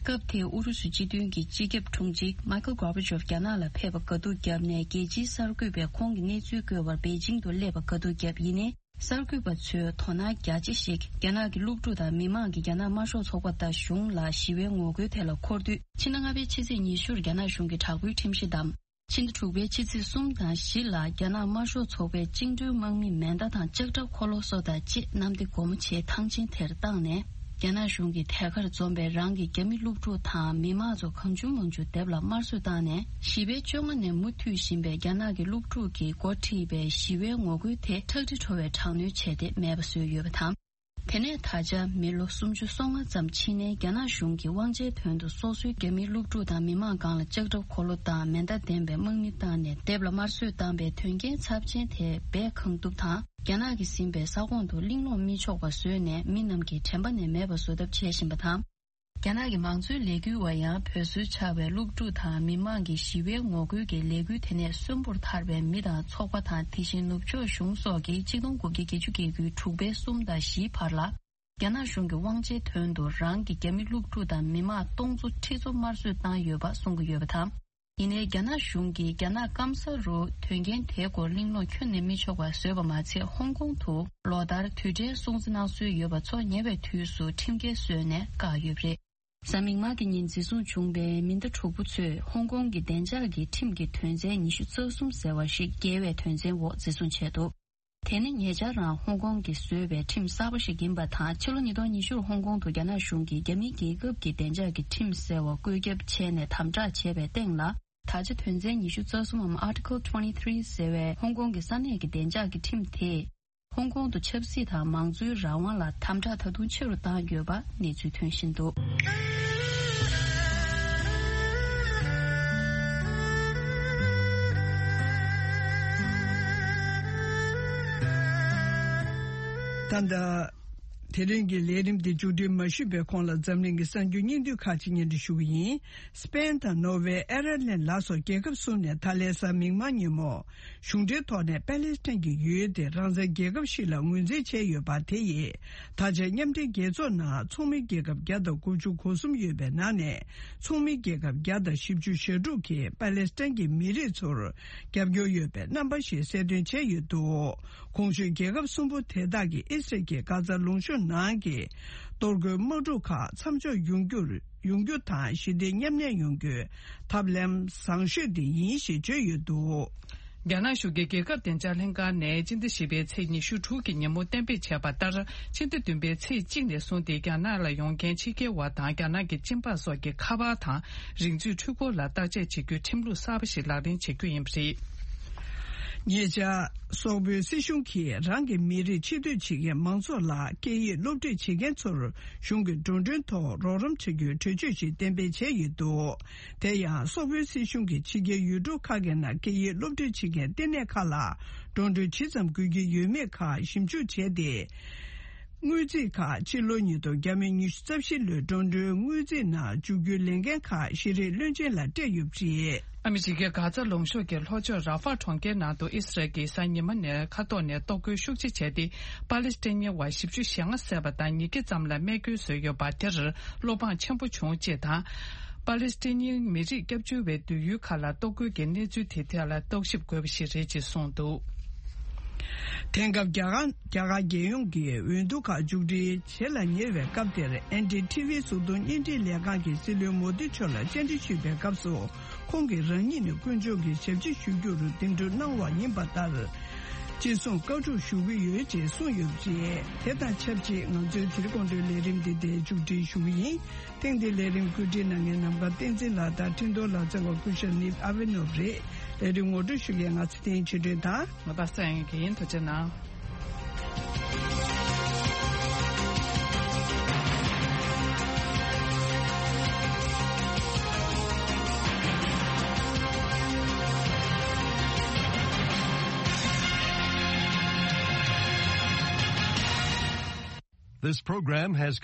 སྐབས་དེའི་ཨུ་རུ་སུ་སྤྱི་མཐུན་གྱི་སྤྱི་ཁྱབ་དྲུང་ཆེ་མཱི་ཁལ་གོར་བྷ་ཆོབ་རྒྱ་ནག་ལ་ཕེབས་པ་དགའ་སྡུག་བརྒྱབ་ནས། རྒྱལ་སྤྱིའི་གསར་འགོད་པས་ཁོང་གི་གནས་ཚུལ་བཀོད་པར་པེ་ཅིང་དུ་སླེབས་པ་དགའ་སྡུག་བརྒྱབ། ཡིན་ནའི། གསར་འགོད་པ་ཚོའི་དོ་སྣང་རྒྱ་ཆེ་ཞིག་རྒྱ་ནག་གི་སློབ་ཕྲུག་དང་མི་མང་གིས་རྒྱ་ནག་དམར་ཤོག་ཚོགས་པ་དང་གཞུང་ལ་ཞི་བའི་ངོ་རྒོལ་དེ་ལ་འཁོར་དུས། ཕྱི་ཟླ་ལྔ་པའི་ཕྱི་ཚེས་ཉི་ཤུར་རྒྱ་ནག་གཞུང་གི་དྲག་པོའི་ཁྲིམས་གཞི་བསྡམས། ཕྱི་ཟླ་དྲུག་པའི་ཕྱི་ཚེས་གསུམ་དང་བཞི་ལ་རྒྱ་ནག་དམར་ཤོག་ཚོགས་པའི་བཅིངས་འགྲོལ་དམག་མིས་མེ་མདའ་དང་ལྕགས་ཁྲབ་འཁོར་ལོ་སོགས་དང་བཅས་གནམ་བདེ་སྒོ་མོ་ཆེའི་ཐང་ཆེན་དེར་བཏང་ནས། རྒྱ་ནག་གཞུང་གིས་ཐད་ཀར་འཛོམས་པའི་རང་གི་རྒྱ་མི་སློབ་ཕྲུག་དང་མི་མང་ཚོ་གང་བྱུང་མང་བྱུང་སྡེབ་ལ་དམར་གསོད་བཏང་ནས། བཞི་པའི་བཅོ་ལྔ་ནས་མུ་མཐུད་བཞིན་པའི་རྒྱ་ནག་གི་སློབ་ཕྲུག་གིས་འགོ་ཁྲིད་པའི་ཞི་བའི་ངོ་རྒོལ་དེ་ཁྲག་དྲི་བྲོ་བའི་དྲག་གནོན་བྱས་ཏེ་མེད་པ་བཟོས་ཡོད་པ་དང་། དེ་ནས་ད་ཆ་མི་ལོ་སུམ་ཅུ་སོ་ལྔ་ཙམ་ཕྱིན་ནས། རྒྱ་ནག་གཞུང་གིས་དབང་ཆའི་དོན་དུ་སོ་སོའི་རྒྱ་མིའི་སློབ་ཕྲུག་དང་མི་མང་སྒང་ལ་ལྕགས་ཁྲབ་འཁོར་ལོ་དང་མེ་མདའ་ལྡན་པའི་དམག་མི་བཏང་ནས་སྡེབ་ལ་དམར་གསོད་བཏང་པའི་དོན་རྐྱེན་ཚབས་ཆེན་དེ་སྦས་གང་ཐུབ་དང་། རྒྱ་ནག་གིས་ཟིན་པའི་ས་ཁོངས་དུ་གླེང་སློང་མི་ཆོག་པ་བཟོས་ནས། མི་རྣམས་ཀྱིས་དྲན་པ་ནས་མེད་པ་བཟོ་ཐབས་བྱེད་བཞིན་པ་དང་། རྒྱ་ནག་གི་མང་གཙོའི་ལས་འགུལ་བ་ཡང་བོད་སྲོལ་ཆགས་པའི་སློབ་ཕྲུག་དང་མི་མང་གི་ཞི་བའི་ངོ་རྒོལ་གྱི་ལས་འགུལ་དེ་ནས་གསོན་པོར་ཐར་བའི་མི་དང་ཚོགས་པ་དང་། དེ་བཞིན་ནུབ་ཕྱོགས་གཞུང་སོགས་ཀྱིས་ཆིག་སྟོང་དགུ་བརྒྱ་བརྒྱད་ཅུ་གྱ་དགུའི་དྲུག་པའི་གསུམ་དང་བཞིའི་བར་ལ། རྒྱ་ནག་གཞུང་གི་དབང་ཆའི་དོན་དུ་རང་གི་རྒྱ་མི་སློབ་ཕྲུག་དང་མི་མང་སྟོང་ཚོ་ཁྲི་ཚོ་དམར་གསོད་བཏང་ཡོད་པ་གསུང་གི་ཡོད་པ་དང་། ཡིན་ནའི། རྒྱ་ནག་གཞུང་གིས་རྒྱ་ནག་སྐམ་ས་རུ་དོན་རྐྱེན་དེའི་སྐོར་གླེང་སློང་ཁྱོན་ནས་མི་ཆོག་པ་བཟོས་པ་མ་ཚད། ཧོང་ཀོང་དུ་ལོ་ལྟར་དུས་དྲན་སྲུང་བརྩི་གནང་སྲོལ་ཡོད་པ་ཚོ་ཉེ་བའི་དུས་སུ་ཁྲིམས་འགལ་བཟོས་ནས་བཀག་ཡོད་པ་རེད། གཟའ་མིག་དམར་གྱི་ཉིན་འཛིན་བཟུང་བྱུང་བའི་མེ་མདའ་དྲུག་པོ་ཚོས་ཧོང་ཀོང་གི་བདེ་འཇགས་ཀྱི་ཁྲིམས་ཀྱི་དོན་ཚན་ཉི་ཤུ་རྩ་གསུམ་ཟེར་བ་ཞིག་འགལ་བའི་དོན་ཚན་འོག་འཛིན་བཟུང་བྱས་འདུག་དེ་ནི་ཉེ་ཆར་རང་ཧོང་ཀོང་གིས་བཟོས་པའི་ཁྲིམས་གསར་པ་ཞིག་ཡིན་པ་དང་། ཕྱི་ལོ་ཉིས་སྟོང་ཉི་ཤུར་ཧོང་ཀོང་དུ་རྒྱ་ནག་གཞུང་གིས་རྒྱ་མིའི་རྒྱལ་ཁབ་ཀྱི་བདེ་འཇགས་ཀྱི་ཁྲིམས་ཟེར་བ་བཀོད་ཁྱབ་བྱས་ནས་དམ་དྲག་བྱས་པའི་སྟེང་ལ། ད་ཆ་དོན་ཚན་ཉི་ཤུ་རྩ་གསུམ་འམ་Article twenty three ཟེར་བའི་ཧོང་ཀོང་གི་ས་གནས་ཀྱི་བདེ་འཇགས་ཀྱི་ཁྲིམས་དེས། ཧོང་ཀོང་དུ་ཆབ་སྲིད་དང་མང་གཙོའི་རང་དབང་ལ་དམ་དྲག་ད་དུང་ཆེ་རུ་བཏང་ཡོད་པ་གནས་ཚུལ་ཐོན་བཞིན་འདུག་ད་ལྟ། དེ་རིང་གི་ལས་རིམ་འདི་མཇུག་སྒྲིལ་མ་ཞུས་པའི་གོང་ལ། འཛམ་གླིང་གི་གསར་འགྱུར་སྙིང་བསྡུས་ཁག་ཅིག་སྙན་སྒྲོན་ཞུ་གི་ཡིན། སི་པེན་དང་ནོར་ཝེ། ཨེ་ར་ལན་ལ་སོགས་རྒྱལ་ཁབ་གསུམ་ནས་ད་ལན་གཟའ་མིག་དམར་ཉིན་མོ། གཞུང་འབྲེལ་ཐོག་ནས་པེ་ལེ་སི་ཐན་གྱི་ཡུལ་དེ་རང་བཙན་རྒྱལ་ཁབ་ཞིག་ལ་ངོས་འཛིན་བྱས་ཡོད་པ་དེ་ཡིས། ད་ཆ་མཉམ་འབྲེལ་རྒྱལ་ཚོགས་ནང་ཚོགས་མི་རྒྱལ་ཁབ་བརྒྱ་དང་དགུ་བཅུ་གོ་གསུམ་ཡོད་པའི་ནང་ནས། ཚོགས་མི་རྒྱལ་ཁབ་བརྒྱ་དང་བཞི་བཅུ་ཞེ་དྲུག་གིས་པེ་ལེ་སི་ཐན་གྱི་མི་རིགས་ཚོར་རྒྱབ་སྐྱོར་ཡོད་པའི་རྣམ་པ་ཞིག་གསལ་སྟོན་བྱས་ཡོད་འདུག་གོང་ཞུས་རྒྱལ་ཁབ་གསུམ་པོ་དེ་དག་གིས་ཨི་སི་རལ་གྱི་གྷ་ཛ་ལུང་གཤོང་ནང་གི་གཏོར་རྒོལ་དམག་འཁྲུག་ཁག་མཚམས་འཇོག་ཡོང་རྒྱུར། ཡོང་རྒྱུ་དང་། ཞི་བདེ་མཉམ་གནས་ཡོང་རྒྱུའི་ཐབས་ལམ་བཟང་ཤོས་དེ་ཡིན་ཞེས་བརྗོད་ཡོད་འདུག་རྒྱ་ནག་གཞུང་གི་རྒྱལ་ཁབ་བདེ་འཇགས་ལྷན་ཁང་ནས་སྤྱི་ཟླ་བཞི་པའི་ཚེས་ཉི་ཤུ་དྲུག་གི་ཉིན་མོ་གཏན་འབེབས་བྱས་པ་ལྟར། ཕྱི་ཟླ་བདུན་པའི་ཚེས་གཅིག་ནས་བཟུང་སྟེ། རྒྱ་ནག་ལ་ཡོང་མཁན་ཕྱི་རྒྱལ་བ་དང་རྒྱ་ནག་གི་གཅིན་པ་སོགས་ཀྱི་ཁ་པར་དང་རིག་མཛོད་འཕྲུལ་འཁོར་ལ་བརྟག་དཔྱད་བྱེད་རྒྱུའི་ཁྲིམས་ལུགས་གསར་པ་ཞིག་ལག་ལེན་བྱེད་རྒྱུ་ཡིན་པ་རེད། ཉེ་ཆར། སོག་པོའི་སྲིད་གཞུང་གིས་རང་གི་མི་རིགས་ཕྱི་སྡོད་བྱེད་མཁན་མང་ཚོགས་ལ་སྐད་ཡིག་སློབ་ཁྲིད་བྱེད་མཁན་ཚོར་གཞུང་གི་འགྲོ་གྲོན་ཐོག་རོགས་རམ་བྱ་རྒྱུའི་གྲོས་ཆོད་ཞིག་གཏན་འབེབས་བྱས་ཡོད་འདུག་དེ་ཡང་སོག་པོའི་སྲིད་གཞུང་གིས་ཕྱི་རྒྱལ་ཡུལ་གྲུ་ཁག་གི་ནང་སྐད་ཡིག་སློབ་ཁྲིད་བྱེད་མཁན་ལྟེ་གནས་ཁག་ལ་འགྲོ་གྲོན་ཇི་ཙམ་དགོས་ཀྱི་ཡོད་མེད་ཁག་ཞིབ་འཇུག་བྱས་ཏེ། དངུལ་རྩིས་ཁག་ཕྱི་ལོ་ཉིས་སྟོང་ཉི་ཤུ་རྩ་བཞི་ལོའི་འགྲོ་གྲོན་དངུལ་རྩིས་ནང་འཇུག་རྒྱུའི་ལས་འགན་ཁག་ཤེས་རིག་བློན་ཆེན་ལ་སྤྲད་ཡོད་པ་རེད། ཨ་མི་རི་ཀའི་གྷ་ཛ་ལུང་གཤོང་གི་ལྷོ་ཕྱོགས་ར་ཧྥ་གྲོང་ཁྱེར་ནང་དུ་ཨི་སི་རལ་གྱིས་གཟའ་ཉི་མ་ནས་མཁའ་ཐོག་ནས་གཏོར་རྒོལ་ཤུགས་ཆེ་བྱས་ཏེ། པ་ལི་སི་ཐན་ཉི་བ་བཞི་བཅུ་ཞེ་ལྔ་བསད་པ་དང་ཉིས་བརྒྱ་ཙམ་ལ་རྨས་སྐྱོན་བཟོས་ཡོད་པ་དེར་བློ་ཕངས་ཆེན་པོ་བྱུང་ཅེས་དང་། པ་ལི་སི་ཐན་ཉི་མི་རིགས་སྐྱབས་བཅོལ་བའི་སྡོད་ཡུལ་ཁག་ལ་གཏོར་རྒོལ་གྱི་གནས་ཚུལ་དེ་ཐད་ལ་རྟོག་ཞིབ་དགོས་པ་ཞིག་རེད་ཅེས་གསུངས་འདུག་དེང་སྐབས་རྒྱ་གར་རྒྱ་གར་རྒྱལ་ཡོངས་ཀྱི་འོས་བསྡུ་ཁག་མཇུག་སྒྲིལ་བྱེད་ལ་ཉེ་བའི་སྐབས་དེར། ཨེན་ཌི་ཊི་ཝི་གཟུགས་མཐོང་བརྙན་འཕྲིན་ལས་ཁང་གིས་སྲིད་བློན་མོ་དི་མཆོག་ལ་བཅར་འདྲི་ཞུས་པའི་སྐབས་སུ། ཁོང་གིས་རང་ཉིད་ནི་དཀོན་མཆོག་གི་ཞབས་ཕྱི་ཞུ་རྒྱུར་འདེམས་སྒྲུག་གནང་བ་ཡིན་པ་ལྟར། ཅི་གསུང་བཀའ་སྒྲུབ་ཞུ་གི་ཡོད་ཅེས་གསུངས་ཡོད་པ་རེད། དེ་དང་ཆབས་ཅིག་ང་ཚོའི་དེ་རིང་དགོང་དྲོའི་ལས་རིམ་འདི་འདིར་མཇུག་སྒྲིལ་ཞུ་གི་ཡིན། ཐེངས་འདིའི་ལས་རིམ་བཀོད་སྒྲིག་གནང་མཁན་ནམ་མཁའ་བསྟན་འཛིན་ལགས་དང་འཕྲིན་གཏོང་ལག་རྩལ་བ་སྐུ་ཞབས་ནིབ་ཨ་བེ་ནོབ་རེད། ལས་རིམ་ངོ་སྤྲོད་ཞུ་མཁན་ང་ཚེ་བརྟན་ཆོས་སྒྲོན་དང་། ང་པ་སངས་ཡིན་གྱི་ཡིན། ཐུགས་རྗེ་གནང་། This program has